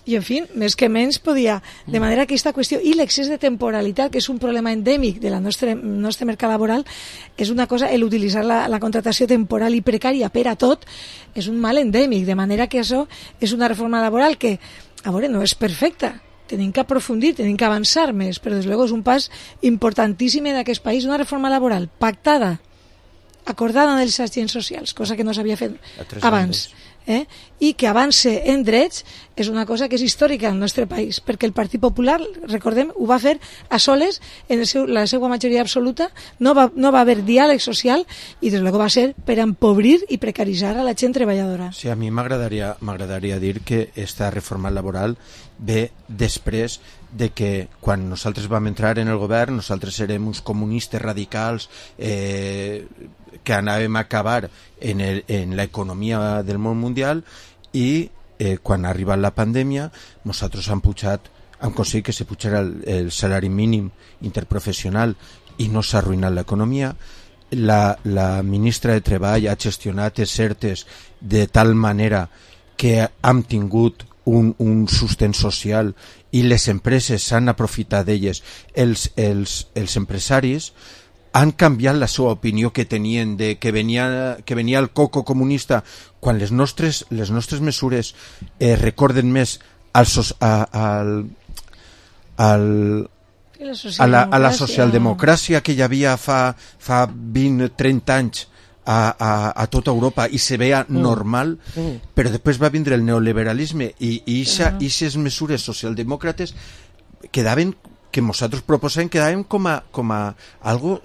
i en fi, més que menys podia, de manera que aquesta qüestió i l'excés de temporalitat, que és un problema endèmic del nostre, nostre mercat laboral, és una cosa, l'utilitzar la, la contratació temporal i precària per a tot, és un mal endèmic, de manera que això és una reforma laboral que, a veure, no és perfecta, tenim que aprofundir, tenim que avançar més, però des de luego és un pas importantíssim en aquest país, una reforma laboral pactada, acordada amb els agents socials, cosa que no s'havia fet abans. Eh? I que avance en drets és una cosa que és històrica al nostre país, perquè el Partit Popular, recordem, ho va fer a soles, en el seu, la seva majoria absoluta, no va, no va haver diàleg social, i des de luego va ser per empobrir i precaritzar a la gent treballadora. Sí, a mi m'agradaria m'agradaria dir que esta reforma laboral ve després de que quan nosaltres vam entrar en el govern, nosaltres érem uns comunistes radicals eh, que anàvem a acabar en, el, en l'economia del món mundial, i eh, quan ha arribat la pandèmia nosaltres hem pujat, hem aconseguit que se pujara el, el salari mínim interprofessional i no s'ha arruïnat l'economia. La, la ministra de Treball ha gestionat els ERTEs de tal manera que hem tingut un, un sostén social i les empreses s'han aprofitat d'elles. Els, els, els empresaris han canviat la seva opinió que tenien de que venia, que venia el coco comunista, quan les nostres, les nostres mesures eh, recorden més al, a, al, al, a, la, a la socialdemocràcia que hi havia fa, fa vint a trenta anys a, a, a tota Europa i se veia mm. normal, mm. però després va vindre el neoliberalisme i aquestes uh-huh. mesures socialdemòcrates quedaven, que nosaltres proposem, quedaven com a, com a algo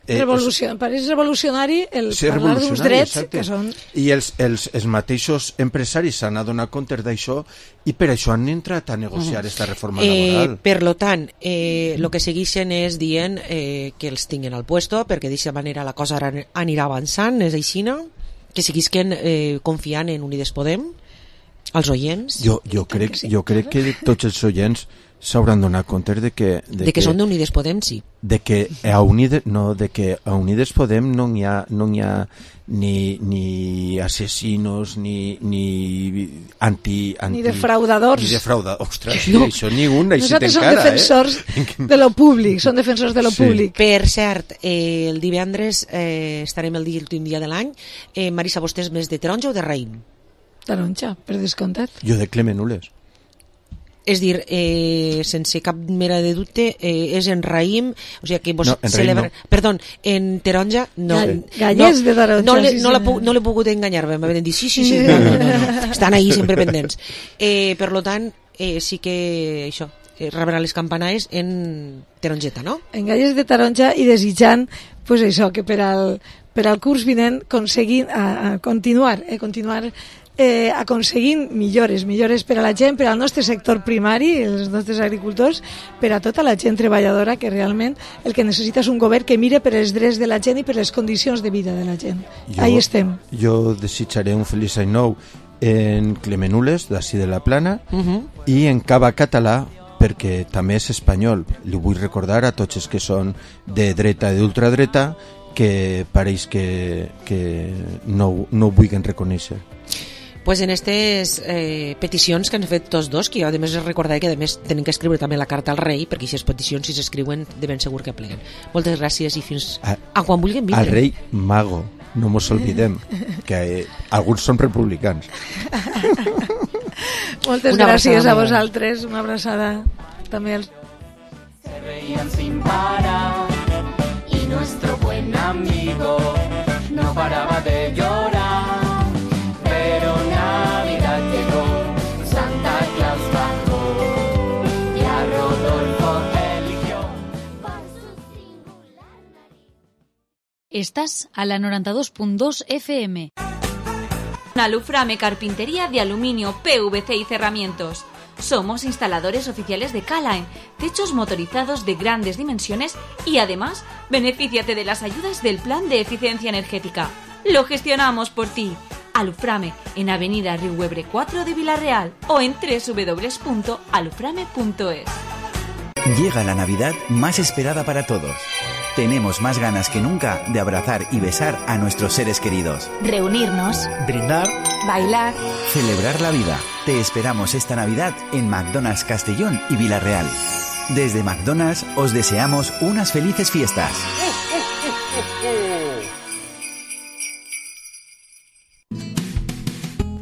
eh, Revolucion, pareix revolucionari el sí, parlar d'uns drets exacte. Que són... I els, els, els mateixos empresaris s'han adonat compte d'això i per això han entrat a negociar aquesta uh-huh. reforma eh, laboral. Per lo tant, el eh, que segueixen és dient eh, que els tinguen al puesto, perquè d'aquesta manera la cosa anirà avançant, és així, no? Que seguisquen eh, confiant en Unides Podem, els oients. Jo, jo, crec, que sí. jo crec que tots els oients s'hauran donat compte de que... De, de que, que són d'Unides Podem, sí. De que a Unides, no, de que a Unides Podem no hi ha, no hi ha ni, ni asesinos, ni, ni anti, anti... Ni defraudadors. Ni defraudadors. Ostres, no. Sí, això ni un, així nosaltres t'encara, som defensors eh? de lo públic, són defensors de lo sí. públic. Per cert, eh, el divendres eh, estarem el dia, l'últim dia de l'any. Eh, Marisa, vostè és més de taronja o de raïm? Taronja, per descomptat. Jo de Clemenules. És dir, eh, sense cap mera de dubte, eh, és en raïm, o sigui que vos no, en celebra... no. Perdó, en taronja, no. Ga Gallers no, de taronja. No, le, sí, no, sí, la puc, no l'he pogut enganyar, m'han dit, sí, sí, sí, no, no, no, no. Estan ahí sempre pendents. Eh, per lo tant, eh, sí que això, eh, rebrà les campanades en taronjeta, no? En Gallers de taronja i desitjant, pues això, que per al, per al curs vinent aconseguin a, a continuar, eh, continuar eh, aconseguint millores, millores per a la gent, per al nostre sector primari, els nostres agricultors, per a tota la gent treballadora, que realment el que necessita és un govern que mire per els drets de la gent i per les condicions de vida de la gent. Jo, Ahí estem. Jo desitjaré un feliç any nou en Clemenules, d'ací de la Plana, Uh -huh. i en Cava Català, perquè també és espanyol. Li vull recordar a tots els que són de dreta i d'ultradreta que pareix que, que no, no ho vulguin reconèixer. Pues en aquestes eh, peticions que han fet tots dos, que jo a més recordaré que a més tenen que escriure també la carta al rei, perquè aquestes peticions, si s'escriuen, de ben segur que pleguen. Moltes gràcies i fins a, a quan vulguin vindre. Al rei Mago, no mos olvidem, que eh, alguns són republicans. Moltes Una gràcies abraçada, a vosaltres, una abraçada també als... Se reían sin parar y nuestro buen amigo no paraba de llorar. Pero Navidad llegó, Santa Claus bajó y a Rodolfo eligió por su singular nariz. Estás a la noventa y dos punto dos F M. Aluframe Carpintería de Aluminio, P V C y Cerramientos. Somos instaladores oficiales de Calaen, techos motorizados de grandes dimensiones y además benefíciate de las ayudas del Plan de Eficiencia Energética. Lo gestionamos por ti. Aluframe en Avenida Riuebre cuatro de Villarreal o en doble u doble u doble u punto aluframe punto es. Llega la Navidad más esperada para todos. Tenemos más ganas que nunca de abrazar y besar a nuestros seres queridos. Reunirnos, brindar, bailar, Celebrar la vida. Te esperamos esta Navidad en McDonald's Castellón y Villarreal. Desde McDonald's os deseamos unas felices fiestas.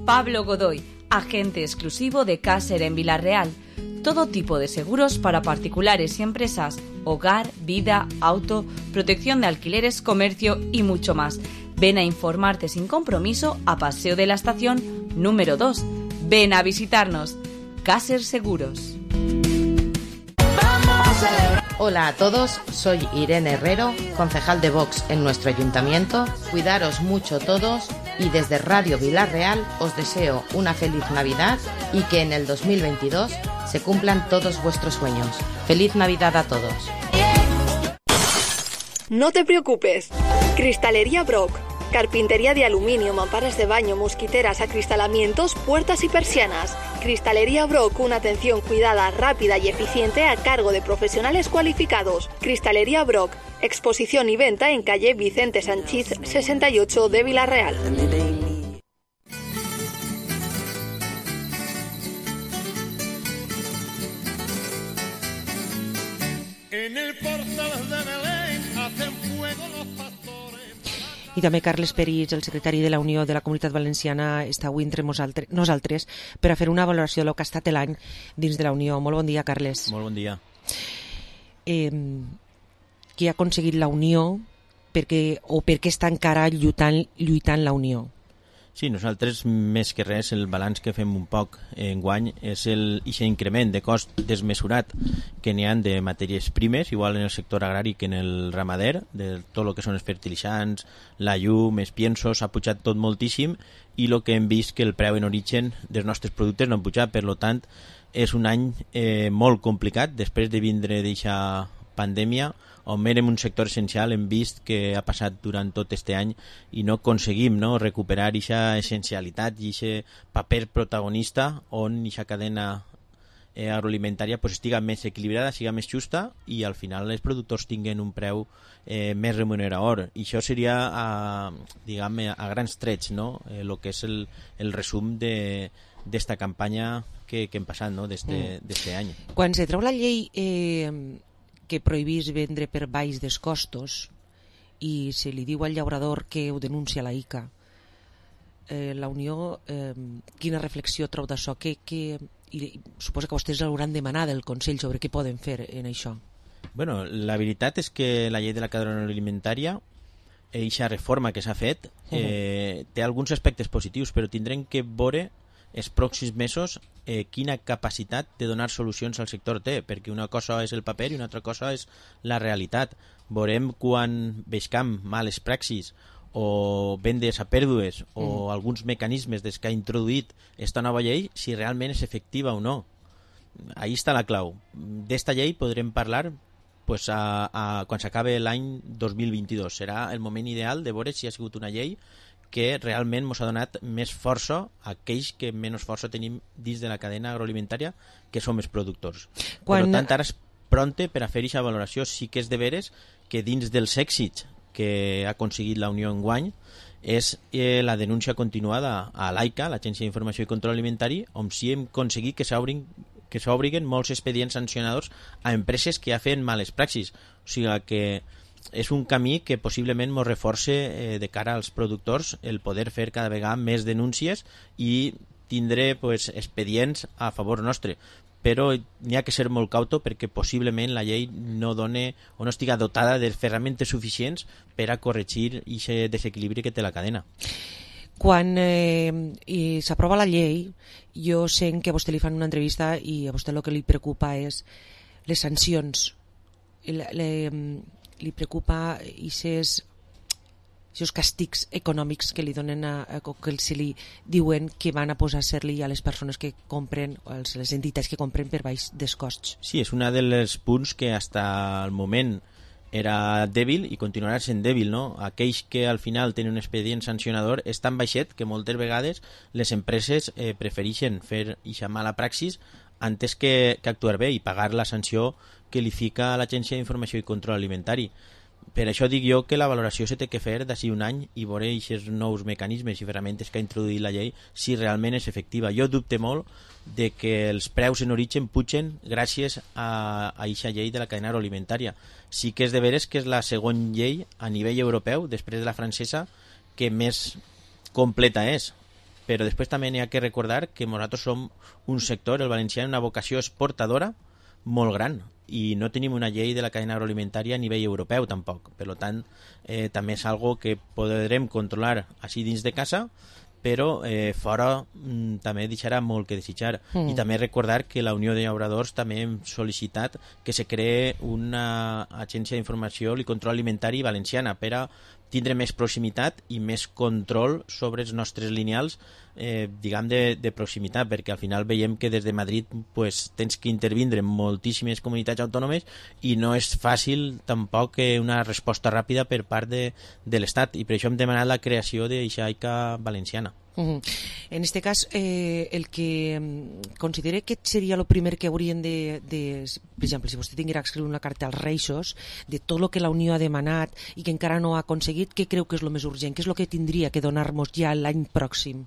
Pablo Godoy, agente exclusivo de Caser en Villarreal. Todo tipo de seguros para particulares y empresas, hogar, vida, auto, protección de alquileres, comercio y mucho más. Ven a informarte sin compromiso a Paseo de la Estación número dos. Ven a visitarnos. Caser Seguros. Hola a todos, soy Irene Herrero, concejal de Vox en nuestro ayuntamiento. Cuidaros mucho todos y desde Radio Villarreal os deseo una feliz Navidad y que en el dos mil veintidós se cumplan todos vuestros sueños. Feliz Navidad a todos. No te preocupes. Cristalería Brock. Carpintería de aluminio, mamparas de baño, mosquiteras, acristalamientos, puertas y persianas. Cristalería Brock, una atención cuidada, rápida y eficiente a cargo de profesionales cualificados. Cristalería Brock, exposición y venta en calle Vicente Sanchís sesenta y ocho de Villarreal. En el portal de Belén hacen fuego los pastores. I també Carles Peris, el secretari de la Unió de la Comunitat Valenciana, està avui entre nosaltres, nosaltres per a fer una valoració del que ha estat l'any dins de la Unió. Molt bon dia, Carles. Molt bon dia. Eh, què ha aconseguit la Unió perquè, o per què està encara lluitant, lluitant la Unió? Sí, nosaltres, més que res, el balanç que fem un poc enguany és el ixe increment de cost desmesurat que n'hi ha de matèries primes, igual en el sector agrari que en el ramader, de tot el que són els fertilitzants, la llum, els piensos, ha pujat tot moltíssim i el que hem vist que el preu en origen dels nostres productes no ha pujat, per tant, és un any eh, molt complicat, després de vindre d'eixa pandèmia, on érem un sector essencial, hem vist que ha passat durant tot este any i no aconseguim no, recuperar aquesta essencialitat i aquest paper protagonista on aquesta cadena eh, agroalimentària pues, estiga més equilibrada, siga més justa i al final els productors tinguen un preu eh, més remunerador. I això seria a, diguem, a grans trets no? eh, el que és el, el resum de d'esta campanya que, que hem passat no? d'este mm. any. Quan se treu la llei eh, que prohibís vendre per baix dels costos i se li diu al llaurador que ho denuncia la I C A, eh, la Unió, eh, quina reflexió treu d'això? Que, que, i, suposo que vostès hauran demanat del Consell sobre què poden fer en això. Bueno, la veritat és que la llei de la cadena alimentària, eixa reforma que s'ha fet, eh, té alguns aspectes positius, però tindrem que veure els pròxims mesos eh, quina capacitat de donar solucions al sector té, perquè una cosa és el paper i una altra cosa és la realitat. Veurem quan veiem males praxis o vendes a pèrdues o mm. alguns mecanismes des que ha introduït esta nova llei, si realment és efectiva o no. Ahí està la clau. D'esta llei podrem parlar pues, a, a, quan s'acabe l'any dos mil vint-i-dos. Serà el moment ideal de veure si ha sigut una llei que realment ens ha donat més força a aquells que menys força tenim dins de la cadena agroalimentària, que som els productors. Quan... Per tant, ara és pronte per a fer aquesta valoració. Sí que és de veres que dins dels èxits que ha aconseguit la Unió enguany és eh, la denúncia continuada a l'AICA, l'Agència d'Informació i Control Alimentari, on sí hem aconseguit que s'obrin que s'obriguen molts expedients sancionadors a empreses que ja feien males praxis. O sigui que és un camí que possiblement ens reforça eh, de cara als productors el poder fer cada vegada més denúncies i tindre pues, expedients a favor nostre. Però n'hi ha que ser molt cauto perquè possiblement la llei no done o no estiga dotada de ferramentes suficients per a corregir aquest desequilibri que té la cadena. Quan eh, s'aprova la llei, jo sé que a vostè li fan una entrevista i a vostè el que li preocupa és les sancions. Le, le, li preocupa aquests càstigs econòmics que li donen a, a, que se li diuen que van a posar a ser-li a les persones que compren, o a les entitats que compren per baix dels costs. Sí, és un dels punts que fins al moment era dèbil i continuarà sent dèbil, no? Aquells que al final tenen un expedient sancionador és tan baixet que moltes vegades les empreses eh, prefereixen fer ixa mala praxis antes que, que actuar bé i pagar la sanció que li fica a l'Agència d'Informació i Control Alimentari. Per això dic jo que la valoració se té que fer d'ací un any i veure aquests nous mecanismes i ferramentes que ha introduït la llei si realment és efectiva. Jo dubte molt de que els preus en origen pugen gràcies a aquesta llei de la cadena agroalimentària. Sí que és de veres que és la segona llei a nivell europeu, després de la francesa, que més completa és. Però després també n'hi ha que recordar que nosaltres som un sector, el valencià, una vocació exportadora molt gran i no tenim una llei de la cadena agroalimentària a nivell europeu tampoc. Per tant, eh, també és algo que podrem controlar així dins de casa, però eh, fora mm, també deixarà molt que desitjar. Mm. I també recordar que la Unió de Llauradors també hem sol·licitat que se cree una agència d'informació i control alimentari valenciana per a tindre més proximitat i més control sobre els nostres lineals eh, diguem de, de proximitat, perquè al final veiem que des de Madrid pues, tens que intervindre en moltíssimes comunitats autònomes i no és fàcil tampoc una resposta ràpida per part de, de l'Estat, i per això hem demanat la creació d'eixa AICA valenciana. Uh-huh. En este cas, eh, el que considere que seria el primer que haurien de, de... Per exemple, si vostè tinguera que escriure una carta als Reixos de tot el que la Unió ha demanat i que encara no ha aconseguit, què creu que és el més urgent? Què és el que tindria que donar-nos ja l'any pròxim?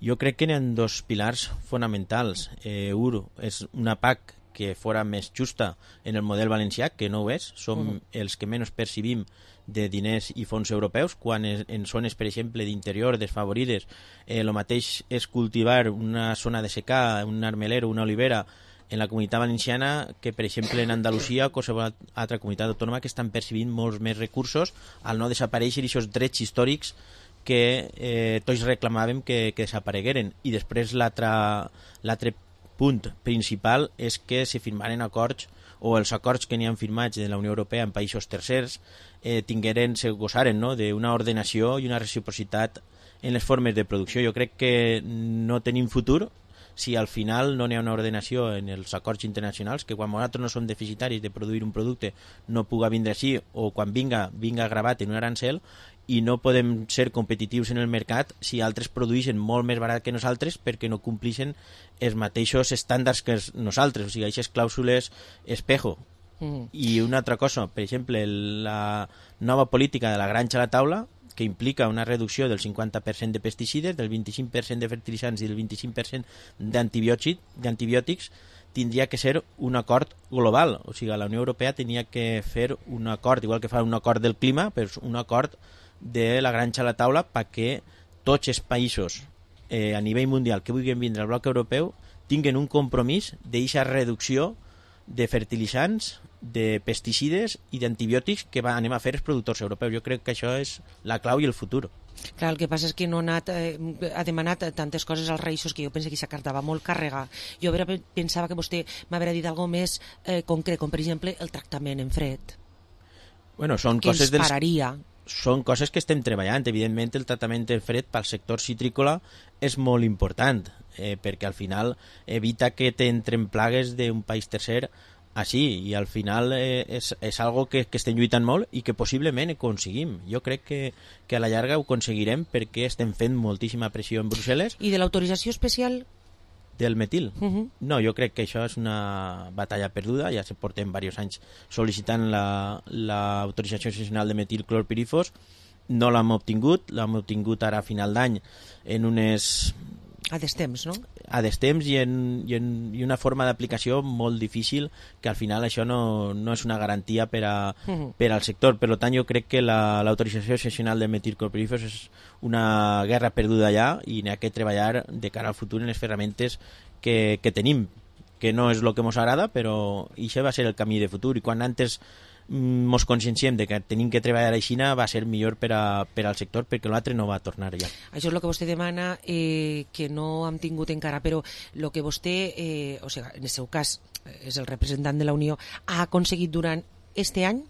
Jo crec que hi ha dos pilars fonamentals. Eh, un és una P A C que fora més justa en el model valencià, que no ho és. Som uh-huh. els que menys percibim de diners i fons europeus, quan en zones, per exemple, d'interior desfavorides, el eh, mateix és cultivar una zona de secà, un armeler o una olivera en la comunitat valenciana que, per exemple, en Andalusia o qualsevol altra comunitat autònoma que estan percibint molts més recursos al no desaparèixer aquests drets històrics que eh, tots reclamàvem que, que desaparegueren. I després l'altre punt principal és que se firmaren acords o els acords que n'hi han firmats de la Unió Europea en països tercers eh, tingueren, se gosaren no? d'una ordenació i una reciprocitat en les formes de producció. Jo crec que no tenim futur si al final no n'hi ha una ordenació en els acords internacionals, que quan nosaltres no som deficitaris de produir un producte no puga vindre així, o quan vinga, vinga gravat en un arancel, i no podem ser competitius en el mercat si altres produeixen molt més barat que nosaltres perquè no complixen els mateixos estàndards que nosaltres, o sigui, aquestes clàusules espejo. Mm. I una altra cosa, per exemple, la nova política de la granja a la taula, que implica una reducció del cinquanta per cent de pesticides, del vint-i-cinc per cent de fertilitzants i del vint-i-cinc per cent d'antibiòtics, tindria que ser un acord global. O sigui, la Unió Europea tenia que fer un acord, igual que fa un acord del clima, però un acord de la granja a la taula perquè tots els països eh, a nivell mundial que vulguin vindre al bloc europeu tinguen un compromís d'eixa reducció de fertilitzants, de pesticides i d'antibiòtics que va, anem a fer els productors europeus. Jo crec que això és la clau i el futur. Clar, el que passa és que no ha, anat, eh, ha demanat tantes coses als Reis que jo penso que aquesta carta va molt carregada. Jo vera, pensava que vostè m'hauria dit alguna més eh, concret, com per exemple el tractament en fred. Bueno, són que coses ens pararia. Dels... Són coses que estem treballant. Evidentment, el tractament en fred pel sector citrícola és molt important, eh, perquè al final evita que t'entren plagues d'un país tercer així, i al final eh, és, és algo que, que estem lluitant molt i que possiblement aconseguim. Jo crec que, que a la llarga ho aconseguirem perquè estem fent moltíssima pressió en Brussel·les. I de l'autorització especial? Del metil? Uh -huh. No, jo crec que això és una batalla perduda. Ja se portem diversos anys sol·licitant l'autorització la, excepcional de metilclorpirifos. No l'hem obtingut, l'hem obtingut ara a final d'any en unes... A destemps, no? A destemps i en, i en i una forma d'aplicació molt difícil, que al final això no, no és una garantia per, a, uh -huh. per al sector. Per tant, jo crec que l'autorització la, excepcional de metilclorpirifos és una guerra perduda ja i n'hi ha que treballar de cara al futur en les ferramentes que, que tenim, que no és el que ens agrada, però això va ser el camí de futur, i quan antes mos conscienciem de que tenim que treballar a Xina va ser millor per, a, per al sector, perquè l'altre no va tornar ja. Això és el que vostè demana, eh, que no hem tingut encara, però el que vostè, eh, o sigui, en el seu cas és el representant de la Unió, ha aconseguit durant este any?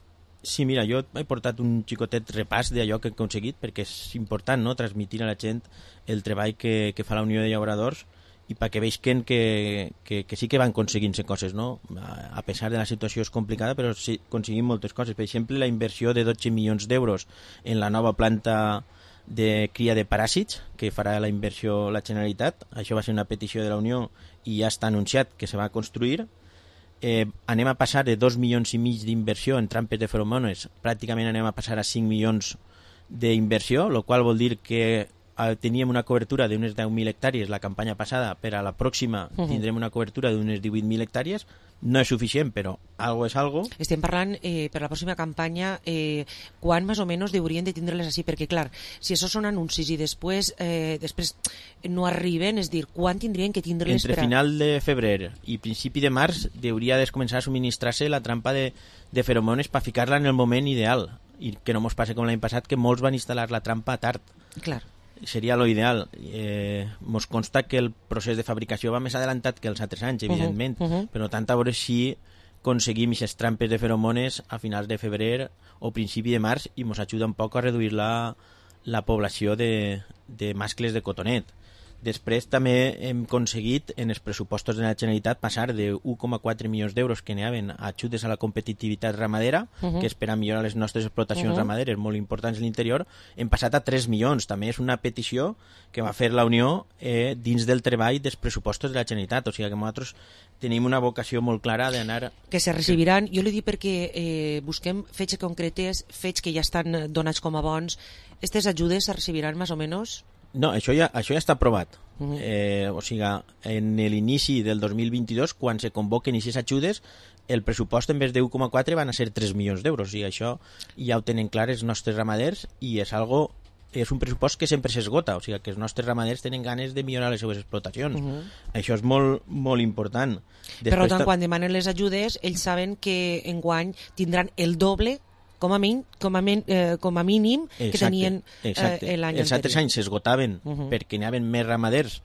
Sí, mira, jo he portat un xicotet repàs d'allò que he aconseguit, perquè és important, no?, transmitir a la gent el treball que, que fa la Unió de Llauradors, i perquè veuen que, que, que sí que van aconseguint-se coses, no? A pesar de la situació és complicada, però sí aconseguim moltes coses. Per exemple, la inversió de dotze milions d'euros en la nova planta de cria de paràsits, que farà la inversió la Generalitat. Això va ser una petició de la Unió i ja està anunciat que se va construir. Eh, anem a passar de dos milions i mig d'inversió en trampes de feromones, pràcticament anem a passar a cinc milions d'inversió, el qual vol dir que teníem una cobertura d'unes deu mil hectàrees la campanya passada, per a la pròxima uh -huh. tindrem una cobertura d'unes divuit mil hectàrees. No és suficient, però algo és algo. Estem parlant, eh, per la pròxima campanya, eh, quan més o menys haurien de tindre-les així? Perquè, clar, si això són anuncis i després eh, després no arriben, és dir, quan tindrien que tindre-les? Entre per a... final de febrer i principi de març hauria de començar a subministrar-se la trampa de, de feromones per ficar-la en el moment ideal, i que no mos passi com l'any passat, que molts van instal·lar la trampa tard. Clar. Seria lo ideal. Eh, mos consta que el procés de fabricació va més adelantat que els altres anys, evidentment, uh -huh, uh -huh. però tant a veure si aconseguim aquestes trampes de feromones a finals de febrer o principi de març, i mos ajuda un poc a reduir la, la població de, de mascles de cotonet. Després també hem aconseguit en els pressupostos de la Generalitat passar de un coma quatre milions d'euros que anaven a ajudes a la competitivitat ramadera, uh -huh. que és per a millorar les nostres explotacions uh -huh. ramaderes molt importants a l'interior. Hem passat a tres milions. També és una petició que va fer la Unió eh, dins del treball dels pressupostos de la Generalitat. O sigui que nosaltres tenim una vocació molt clara d'anar... Que se recibiran, jo li dic perquè eh, busquem fets concretes, fets que ja estan donats com a bons. Aquestes ajudes se recibiran més o menys... No, això ja, això ja està aprovat. Uh-huh. eh, o sigui, en l'inici del dos mil vint-i-dos, quan se convoquen aquestes ajudes, el pressupost en vez de un coma quatre van a ser tres milions d'euros. O sigui, això ja ho tenen clar els nostres ramaders, i és algo, és un pressupost que sempre s'esgota. O sigui, que els nostres ramaders tenen ganes de millorar les seves explotacions. Uh-huh. Això és molt, molt important. Després, per tant, quan demanen les ajudes, ells saben que enguany tindran el doble com a, min, com a, min, eh, com a mínim que exacte, tenien eh, l'any anterior. Els altres anys s'esgotaven uh -huh. perquè n'hi havia més ramaders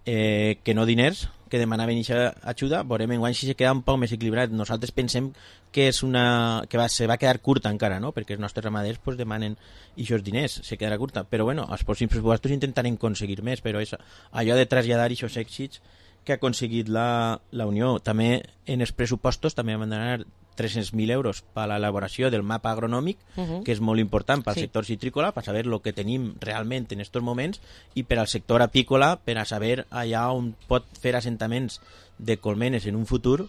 eh, que no diners, que demanaven aquesta ajuda. Veurem enguany si se queda un poc més equilibrat. Nosaltres pensem que és una que va, se va quedar curta encara, no? Perquè els nostres ramaders pues, demanen aquests diners, se quedarà curta. Però bueno, els pròxims pressupostos intentarem aconseguir més, però és allò de traslladar aquests èxits que ha aconseguit la, la Unió. També en els pressupostos també van donar tres-cents mil euros per a l'elaboració del mapa agronòmic, uh -huh. que és molt important pel sí. sector citrícola, per saber el que tenim realment en aquests moments, i per al sector apícola, per a saber allà on pot fer assentaments de colmenes en un futur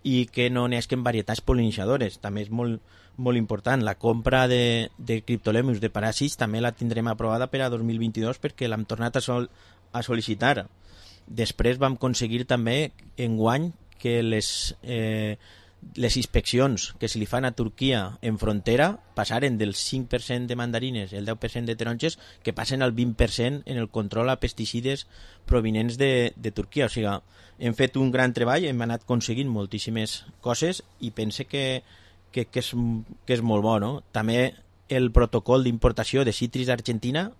i que no n'esquen varietats polinizadores. També és molt, molt important. La compra de, de criptolemus, de paràsits, també la tindrem aprovada per a dos mil vint-i-dos, perquè l'hem tornat a, sol, a sol·licitar. Després vam aconseguir també enguany que les... Eh, les inspeccions que se li fan a Turquia en frontera passaren del cinc per cent de mandarines i el deu per cent de taronges que passen al vint per cent en el control a pesticides provinents de, de Turquia. O sigui, hem fet un gran treball, hem anat aconseguint moltíssimes coses i pense que, que, que, és, que és molt bo, no? També el protocol d'importació de cítrics d'Argentina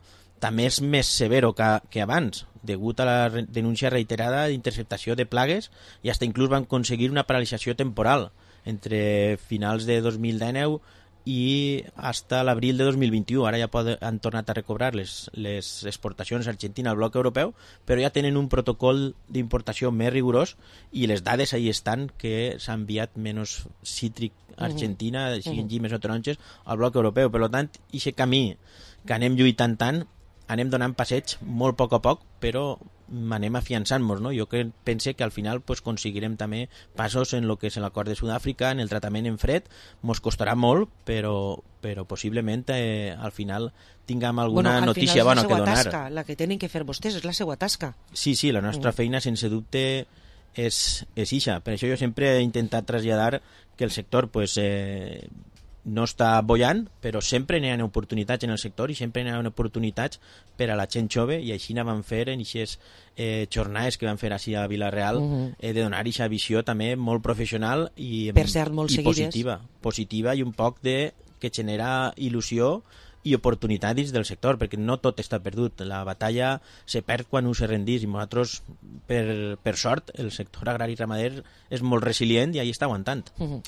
també és més severo que, que abans, degut a la re denúncia reiterada d'interceptació de plagues i fins inclús van aconseguir una paralització temporal entre finals de dos mil dinou i fins a l'abril de dos mil vint-i-u. Ara ja poden, han tornat a recobrar les, les exportacions a Argentina al bloc europeu, però ja tenen un protocol d'importació més rigorós i les dades ahí estan que s'ha enviat menys cítric a Argentina, uh -huh. siguin llimes o taronges, al bloc europeu. Per tant, aquest camí que anem lluitant tant, anem donant passeig molt a poc a poc, però anem afiançant-nos, no? Jo que pense que al final pues, aconseguirem també passos en el que és l'acord de Sud-àfrica, en el tractament en fred, mos costarà molt, però, però possiblement eh, al final tinguem alguna bueno, notícia bona que donar. Tasca, la que tenen que fer vostès, és la seva tasca. Sí, sí, la nostra mm. feina, sense dubte, és, és ixa. Per això jo sempre he intentat traslladar que el sector pues, eh, no està bollant, però sempre n'hi ha oportunitats en el sector i sempre n'hi ha oportunitats per a la gent jove, i així van fer en aquestes eh, jornades que van fer així a Vila-real, uh -huh. eh, de donar aquesta visió també molt professional i, per cert, molt i seguides. positiva, positiva i un poc de que genera il·lusió i oportunitat dins del sector, perquè no tot està perdut. La batalla se perd quan un se rendís i nosaltres, per, per sort, el sector agrari i ramader és molt resilient i ahí està aguantant. Uh -huh.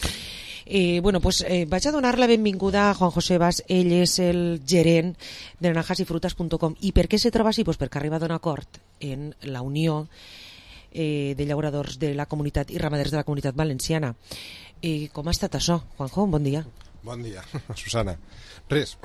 Eh, bueno, pues, eh, vaig a donar la benvinguda a Juan José Bas. Ell és el gerent de naranjas y frutas punto com. I per què se troba així? Pues perquè ha arribat a un acord en la Unió eh, de Llauradors de la Comunitat i Ramaders de la Comunitat Valenciana. Eh, com ha estat això, Juanjo? Bon dia. Bon dia, Susana. Res,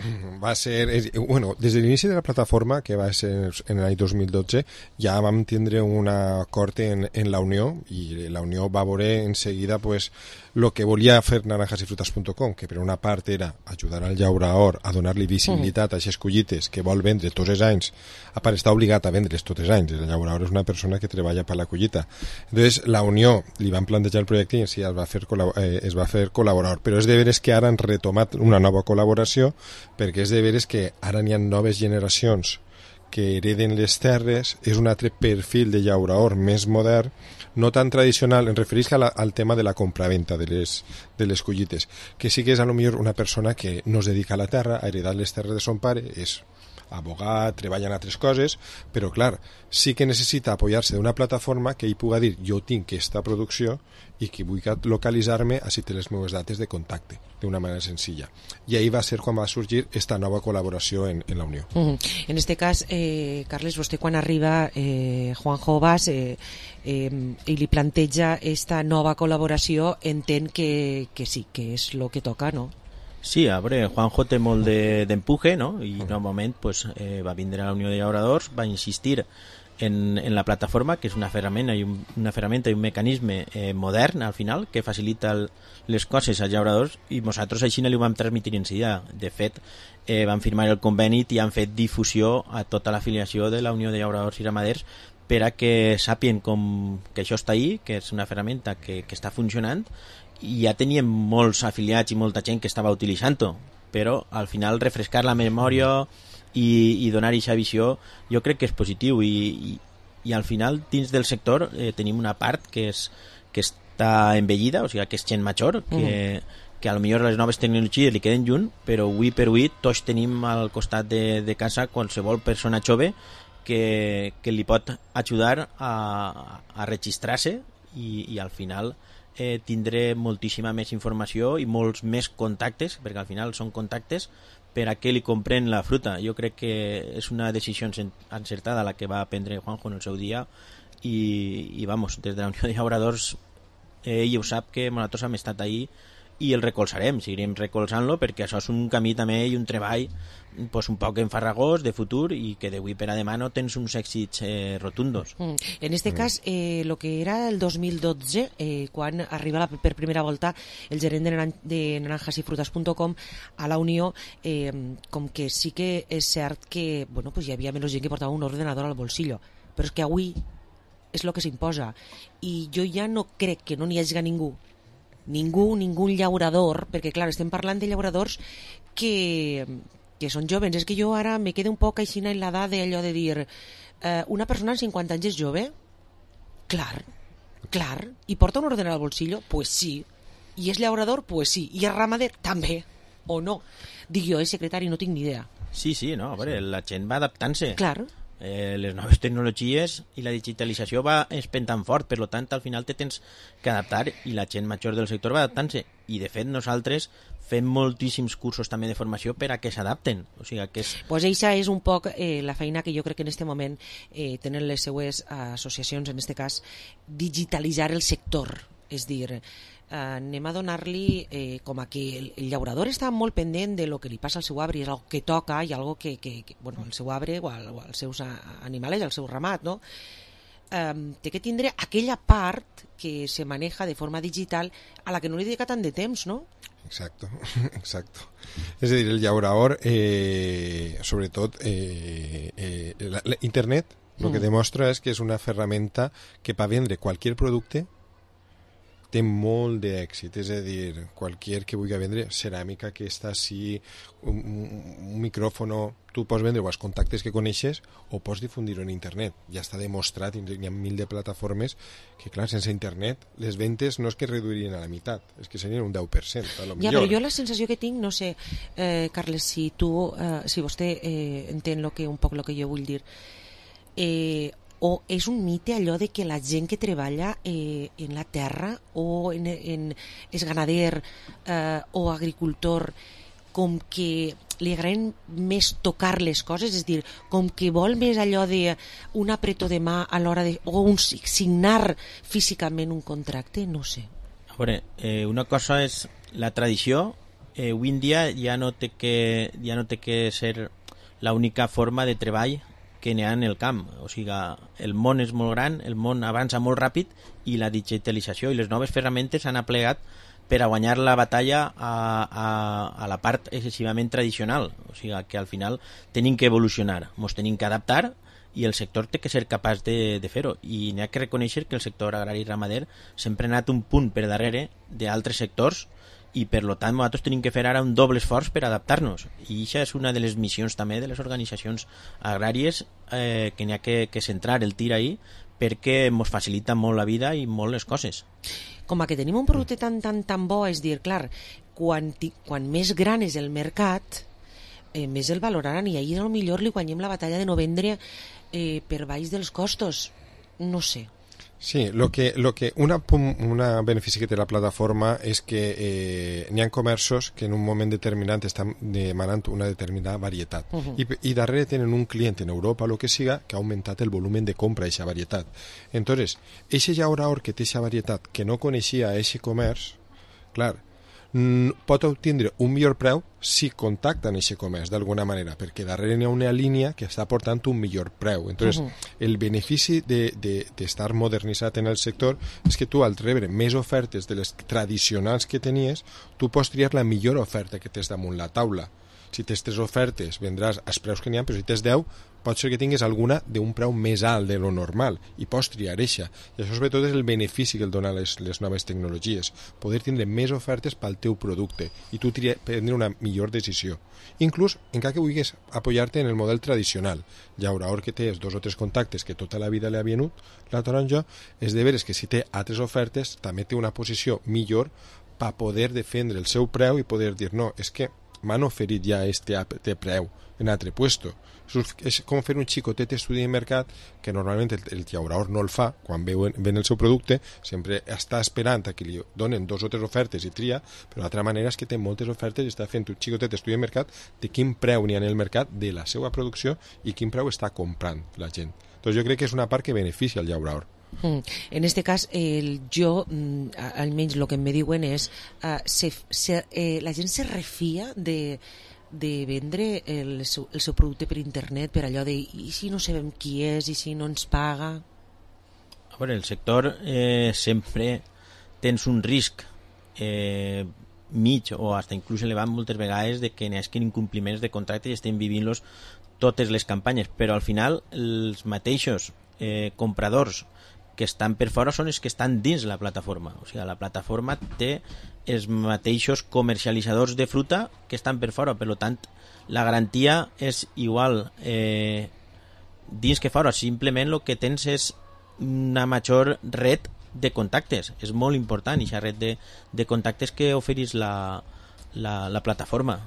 va ser... Bueno, des de l'inici de la plataforma, que va ser en l'any dos mil dotze, ja vam tindre un acord en, en la Unió, i la Unió va veure en seguida pues, lo que volia fer naranjas y frutas punto com, que per una part era ajudar al llaurador a donar-li visibilitat a aquestes collites que vol vendre tots els anys, a part està obligat a vendre's tots els anys. El llaurador és una persona que treballa per la collita. Entonces, la Unió li van plantejar el projecte i sí, es va fer, eh, es va fer col·laborador, però és de veres que ara han retomat una nova col·laboració, perquè és de veres que ara n'hi ha noves generacions que hereden les terres, és un altre perfil de llaurador més modern, no tan tradicional, em refereix a la, al tema de la compraventa de les, de les collites, que sí que és a lo millor una persona que no es dedica a la terra, ha heredat les terres de son pare, és abogat, treballa en altres coses, però clar, sí que necessita apoyar-se d'una plataforma que ell pugui dir jo tinc aquesta producció i que vull localitzar-me, així té les meves dates de contacte, d'una manera senzilla. I ahí va ser quan va sorgir esta nova col·laboració en, en la Unió. Uh -huh. En este cas, eh, Carles, vostè quan arriba, eh, Juanjo Bas, eh, eh, i li planteja esta nova col·laboració, entén que, que sí, que és el que toca, no? Sí, a veure, Juanjo té molt d'empuje, de, no? I en un moment pues, eh, va vindre a la Unió de Llauradors, va insistir en, en la plataforma, que és una ferramenta i un, una ferramenta i un mecanisme eh, modern, al final, que facilita el, les coses als llauradors, i nosaltres així no li ho vam transmitir en seguida. De fet, eh, vam firmar el conveni i han fet difusió a tota l'afiliació de la Unió de Llauradors i Ramaders per a que sàpien com, que això està ahí, que és una ferramenta que, que està funcionant, i ja teníem molts afiliats i molta gent que estava utilitzant-ho, però al final refrescar la memòria i, i donar aquesta visió jo crec que és positiu, i, i, i al final dins del sector eh, tenim una part que, és, que està envellida, o sigui que és gent major, que, mm. que a lo millor les noves tecnologies li queden lluny, però avui per avui tots tenim al costat de, de casa qualsevol persona jove que, que li pot ajudar a, a registrar-se i, i al final eh, tindré moltíssima més informació i molts més contactes, perquè al final són contactes per a què li compren la fruta. Jo crec que és una decisió encertada la que va prendre Juanjo en el seu dia i, i vamos, des de la Unió de Llauradors ell ho sap que nosaltres hem estat ahí i el recolzarem, seguirem recolzant-lo perquè això és un camí també i un treball pues, un poc enfarragós de futur i que d'avui per a demà no tens uns èxits eh, rotundos. Mm. En este mm. cas, eh, lo que era el dos mil dotze, eh, quan arriba la, per primera volta el gerent de, naran de naranjas y frutas punto com a la Unió, eh, com que sí que és cert que bueno, pues hi havia menys gent que portava un ordenador al bolsillo, però és que avui és el que s'imposa i jo ja no crec que no n'hi hagi ningú ningú, ningú llaurador, perquè clar, estem parlant de llauradors que, que són jovens. És que jo ara me quedo un poc així en l'edat d'allò de dir eh, una persona amb cinquanta anys és jove? Clar, clar. I porta un ordenador al bolsillo? Pues sí. I és llaurador? Pues sí. I és ramader? També. O no. Dic jo, eh, secretari, no tinc ni idea. Sí, sí, no, a veure, la gent va adaptant-se. Clar. Eh, les noves tecnologies i la digitalització va espentant fort, per tant al final te tens que adaptar i la gent major del sector va adaptant-se, i de fet nosaltres fem moltíssims cursos també de formació per a que s'adapten, o sigui que és... Pues eixa és un poc eh, la feina que jo crec que en este moment eh, tenen les seues associacions, en este cas digitalitzar el sector, és dir, eh, anem a donar-li eh, com a que el, el llaurador està molt pendent de lo que li passa al seu arbre, és algo que toca i algo que, que, que bueno, el seu arbre o, al, o als seus animals, al seu ramat, no? Um, té que tindre aquella part que se maneja de forma digital a la que no li dedica tant de temps, no? Exacto, exacto. És a dir, el llaurador, eh, sobretot, eh, eh, la, la, internet, el mm. que demostra és que és una ferramenta que per vendre qualsevol producte té molt d'èxit, és a dir, qualsevol que vulgui vendre ceràmica, que està així, un, un micròfono, tu pots vendre els contactes que coneixes o pots difundir-ho en internet. Ja està demostrat, hi ha mil de plataformes que, clar, sense internet les ventes no és que reduirien a la meitat, és que serien un deu per cent, a lo ja, millor. Però jo la sensació que tinc, no sé, eh, Carles, si tu, eh, si vostè eh, entén lo que, un poc el que jo vull dir, eh, o és un mite allò de que la gent que treballa eh, en la terra o en, en, és ganader eh, o agricultor, com que li agraden més tocar les coses, és dir, com que vol més allò de un apretó de mà a l'hora de... o un signar físicament un contracte, no sé. A veure, eh, una cosa és la tradició, eh, avui en dia ja no té que, ja no té que ser l'única forma de treball que n'hi ha en el camp, o sigui, el món és molt gran, el món avança molt ràpid i la digitalització i les noves ferramentes s'han aplegat per a guanyar la batalla a, a, a la part excessivament tradicional, o sigui que al final tenim que evolucionar, ens tenim que adaptar i el sector té que ser capaç de, de fer-ho, i n'hi ha que reconèixer que el sector agrari i ramader sempre ha anat un punt per darrere d'altres sectors i per lo tant nosaltres tenim que fer ara un doble esforç per adaptar-nos, i això és una de les missions també de les organitzacions agràries, eh, que n'hi ha que, que centrar el tir ahí perquè ens facilita molt la vida i molt les coses. Com a que tenim un producte tan tan tan bo, és dir, clar, quan, quan més gran és el mercat, eh, més el valoraran, i ahir potser li guanyem la batalla de no vendre eh, per baix dels costos, no sé. Sí, lo que, lo que una, una benefici que té la plataforma és que eh, n'hi ha comerços que en un moment determinat estan demanant una determinada varietat. Uh-huh. I, i darrere tenen un client en Europa o el que siga que ha augmentat el volumen de compra d'aquesta varietat. Entonces, eixe llaurador que té aquesta varietat que no coneixia eixe comerç, clar, pot obtindre un millor preu si contacta en aquest comerç d'alguna manera, perquè darrere hi ha una línia que està portant un millor preu. Entonces, uh-huh. el benefici d'estar de, de, modernitzat en el sector és que tu, al rebre més ofertes de les tradicionals que tenies, tu pots triar la millor oferta que tens damunt la taula. Si tens tres ofertes, vendràs als preus que n'hi ha, però si tens deu, pot ser que tinguis alguna d'un preu més alt de lo normal, i pots triar eixa. I això sobretot és el benefici que el donen les, les noves tecnologies, poder tindre més ofertes pel teu producte i tu triar, prendre una millor decisió. Inclús, encara que vulguis apoyar-te en el model tradicional, llaurador que té dos o tres contactes que tota la vida li ha venut la taronja, és de veres que si té altres ofertes també té una posició millor per poder defendre el seu preu i poder dir, no, és que m'han oferit ja este preu en altre puesto. És com fer un xicotet estudi de mercat que normalment el, el llaurador no el fa quan ven, ven el seu producte, sempre està esperant a que li donen dos o tres ofertes i tria, però d'altra manera és que té moltes ofertes i està fent un xicotet estudi de mercat de quin preu n'hi ha en el mercat de la seva producció i quin preu està comprant la gent. Doncs jo crec que és una part que beneficia el llaurador. Mm. En este cas, el, jo, mm, almenys el que em diuen és uh, se, se, eh, la gent se refia de de vendre el seu, el seu producte per internet, per allò de i si no sabem qui és, i si no ens paga. A veure, el sector eh, sempre tens un risc eh, mig o hasta inclús elevat moltes vegades de que n'hi hagi incompliments de contracte i estem vivint-los totes les campanyes, però al final els mateixos eh, compradors que estan per fora són els que estan dins la plataforma. O sigui, la plataforma té els mateixos comercialitzadors de fruta que estan per fora, per tant, la garantia és igual eh, dins que fora. Simplement el que tens és una major red de contactes. És molt important aquesta red de, de contactes que oferís la, la, la plataforma,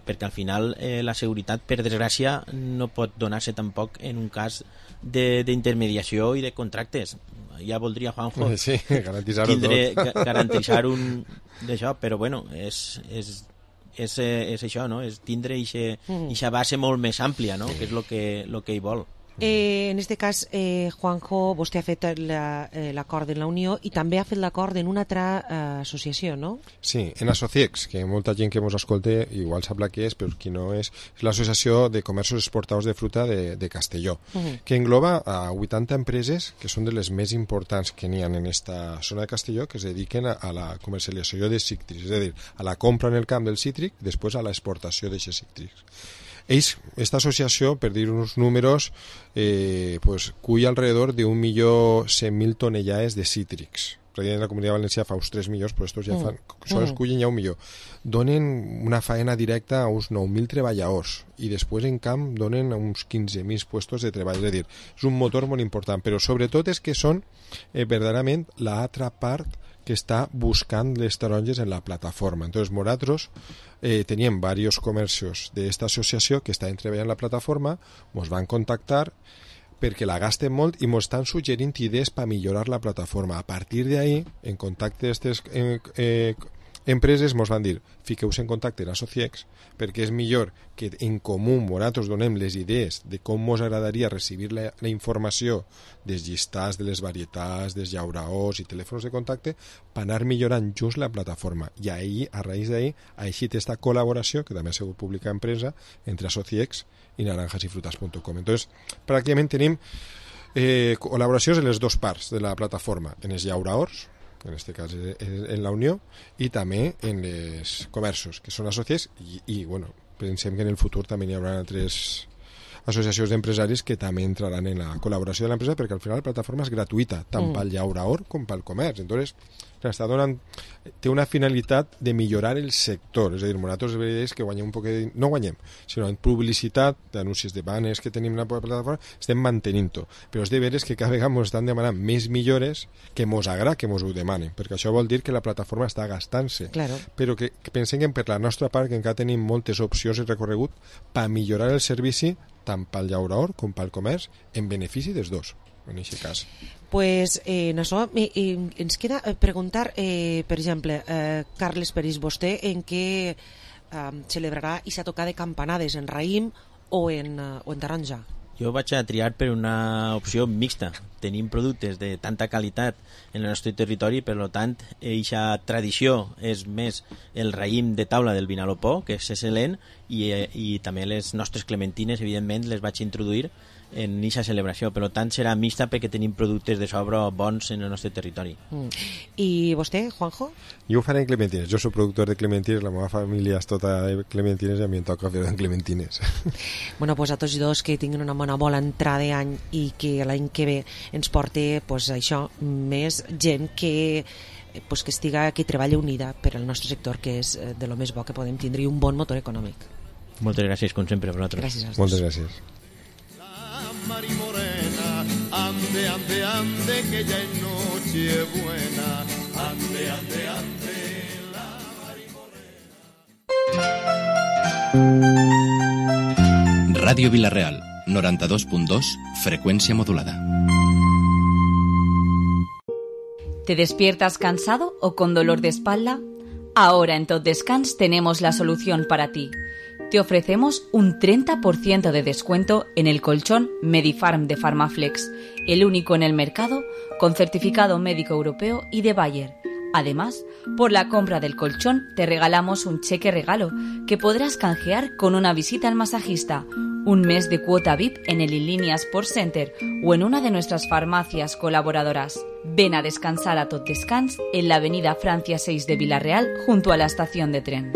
perquè al final eh, la seguretat, per desgràcia, no pot donar-se tampoc en un cas d'intermediació i de contractes. Ja voldria, Juanjo, sí, garantitzar-ho tindre, tot. garantitzar un d'això, però bueno, és, és, és, és això, no? És tindre aquesta base molt més àmplia, no? Que és el que, lo que hi vol. Eh, en este cas, eh, Juanjo, vostè ha fet l'acord la, eh, en la Unió i també ha fet l'acord en una altra eh, associació, no? Sí, en Asociex, que molta gent que ens escolta igual sap la que és, però qui no és, és l'Associació de Comerços Exportadors de Fruta de, de Castelló, uh -huh. que engloba a vuitanta empreses que són de les més importants que n'hi ha en esta zona de Castelló, que es dediquen a, a la comercialització de cítrics, és a dir, a la compra en el camp del cítric, després a l'exportació d'aquests cítrics. Ells, esta associació, per dir uns números, eh, pues, cull alrededor d'un milió cent mil tonellades de cítrics. Perquè en la Comunitat Valenciana fa uns tres milions, però estos ja fan, mm. sols cullen ja un milió. Donen una faena directa a uns nou mil treballadors i després en camp donen uns quinze mil puestos de treball. És a dir, és un motor molt important, però sobretot és que són eh, verdaderament l'altra part que està buscant les taronges en la plataforma. Entonces, nosaltres eh, teníem varios comercios de esta associació que estaven treballant en la plataforma, ens van contactar perquè la gasten molt i ens estan suggerint idees per millorar la plataforma. A partir d'ahí, en contacte d'aquestes eh, eh, empreses, ens van dir, fiqueu-vos en contacte amb Asociex, perquè és millor que en comú nosaltres donem les idees de com ens agradaria recibir la, la informació dels llistats de les varietats, dels llauraors i telèfons de contacte per anar millorant just la plataforma. I ahir, a raïs d'ahir, ha eixit aquesta col·laboració, que també ha sigut publicada en premsa, entre Asociex i naranjas y frutas punto com. Entonces, pràcticament tenim eh, col·laboracions en les dues parts de la plataforma, en els llauraors, en este cas en la Unió, i també en els comerços, que són associats, i, i bueno, pensem que en el futur també hi haurà altres associacions d'empresaris que també entraran en la col·laboració de l'empresa, perquè al final la plataforma és gratuïta, tant mm. pel llauraor com pel comerç. Entonces, està donant, té una finalitat de millorar el sector, és a dir, nosaltres és que guanyem un poc de, no guanyem, sinó en publicitat, d'anuncis de banners que tenim en la plataforma, estem mantenint-ho, però és de veres que cada vegada ens estan demanant més millores que mos agrada que mos ho demanen, perquè això vol dir que la plataforma està gastant-se, claro. Però que, que pensem que per la nostra part que encara tenim moltes opcions i recorregut per millorar el servici tant pel llauraor com pel comerç en benefici dels dos, en aquest cas. Pues eh, en això eh, eh, ens queda preguntar, eh, per exemple, eh, Carles Peris, vostè en què eh, celebrarà aquesta tocar de campanades, en raïm o en, uh, o en taronja? Jo vaig a triar per una opció mixta. Tenim productes de tanta qualitat en el nostre territori, per tant, eixa tradició és més el raïm de taula del Vinalopó, que és excel·lent, i, i també les nostres clementines, evidentment, les vaig introduir en eixa celebració. Per tant, serà mixta perquè tenim productes de sobre bons en el nostre territori. Mm. I vostè, Juanjo? Jo ho faré en clementines. Jo soc productor de clementines, la meva família és tota de clementines i a mi em toca fer en clementines. Bueno, pues a tots dos que tinguin una bona bona entrada d'any i que l'any que ve ens porti pues, això, més gent que pues, que estiga, que treballa unida per al nostre sector, que és de lo més bo que podem tindre, i un bon motor econòmic. Moltes gràcies, com sempre, per vosaltres. Gràcies a Moltes gràcies. Mari Morena, ande, ande, ande, que ya es noche buena. Ande, ande, ande, la Mari Morena. Ràdio Vila-real, noranta-dos punt dos, frecuencia modulada. ¿Te despiertas cansado o con dolor de espalda? Ahora en Tot Descans tenemos la solución para ti. Te ofrecemos un treinta por ciento de descuento en el colchón Medifarm de Pharmaflex, el único en el mercado con certificado médico europeo y de Bayer. Además, por la compra del colchón te regalamos un cheque regalo que podrás canjear con una visita al masajista, un mes de cuota V I P en el Inlínea Sports Center o en una de nuestras farmacias colaboradoras. Ven a descansar a Tot Descans en la avenida Francia seis de Vila-real junto a la estación de tren.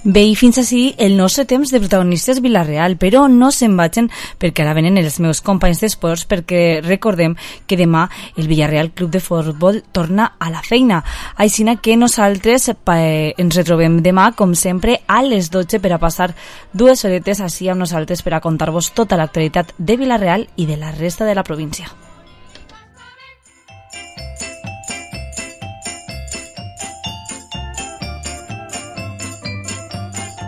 Bé, i fins així el nostre temps de protagonistes Vila-real, però no se'n vagin perquè ara venen els meus companys d'esports, perquè recordem que demà el Villarreal Club de Futbol torna a la feina. Així que nosaltres eh, ens retrobem demà, com sempre, a les dotze per a passar dues horetes així amb nosaltres per a contar-vos tota l'actualitat de Vila-real i de la resta de la província.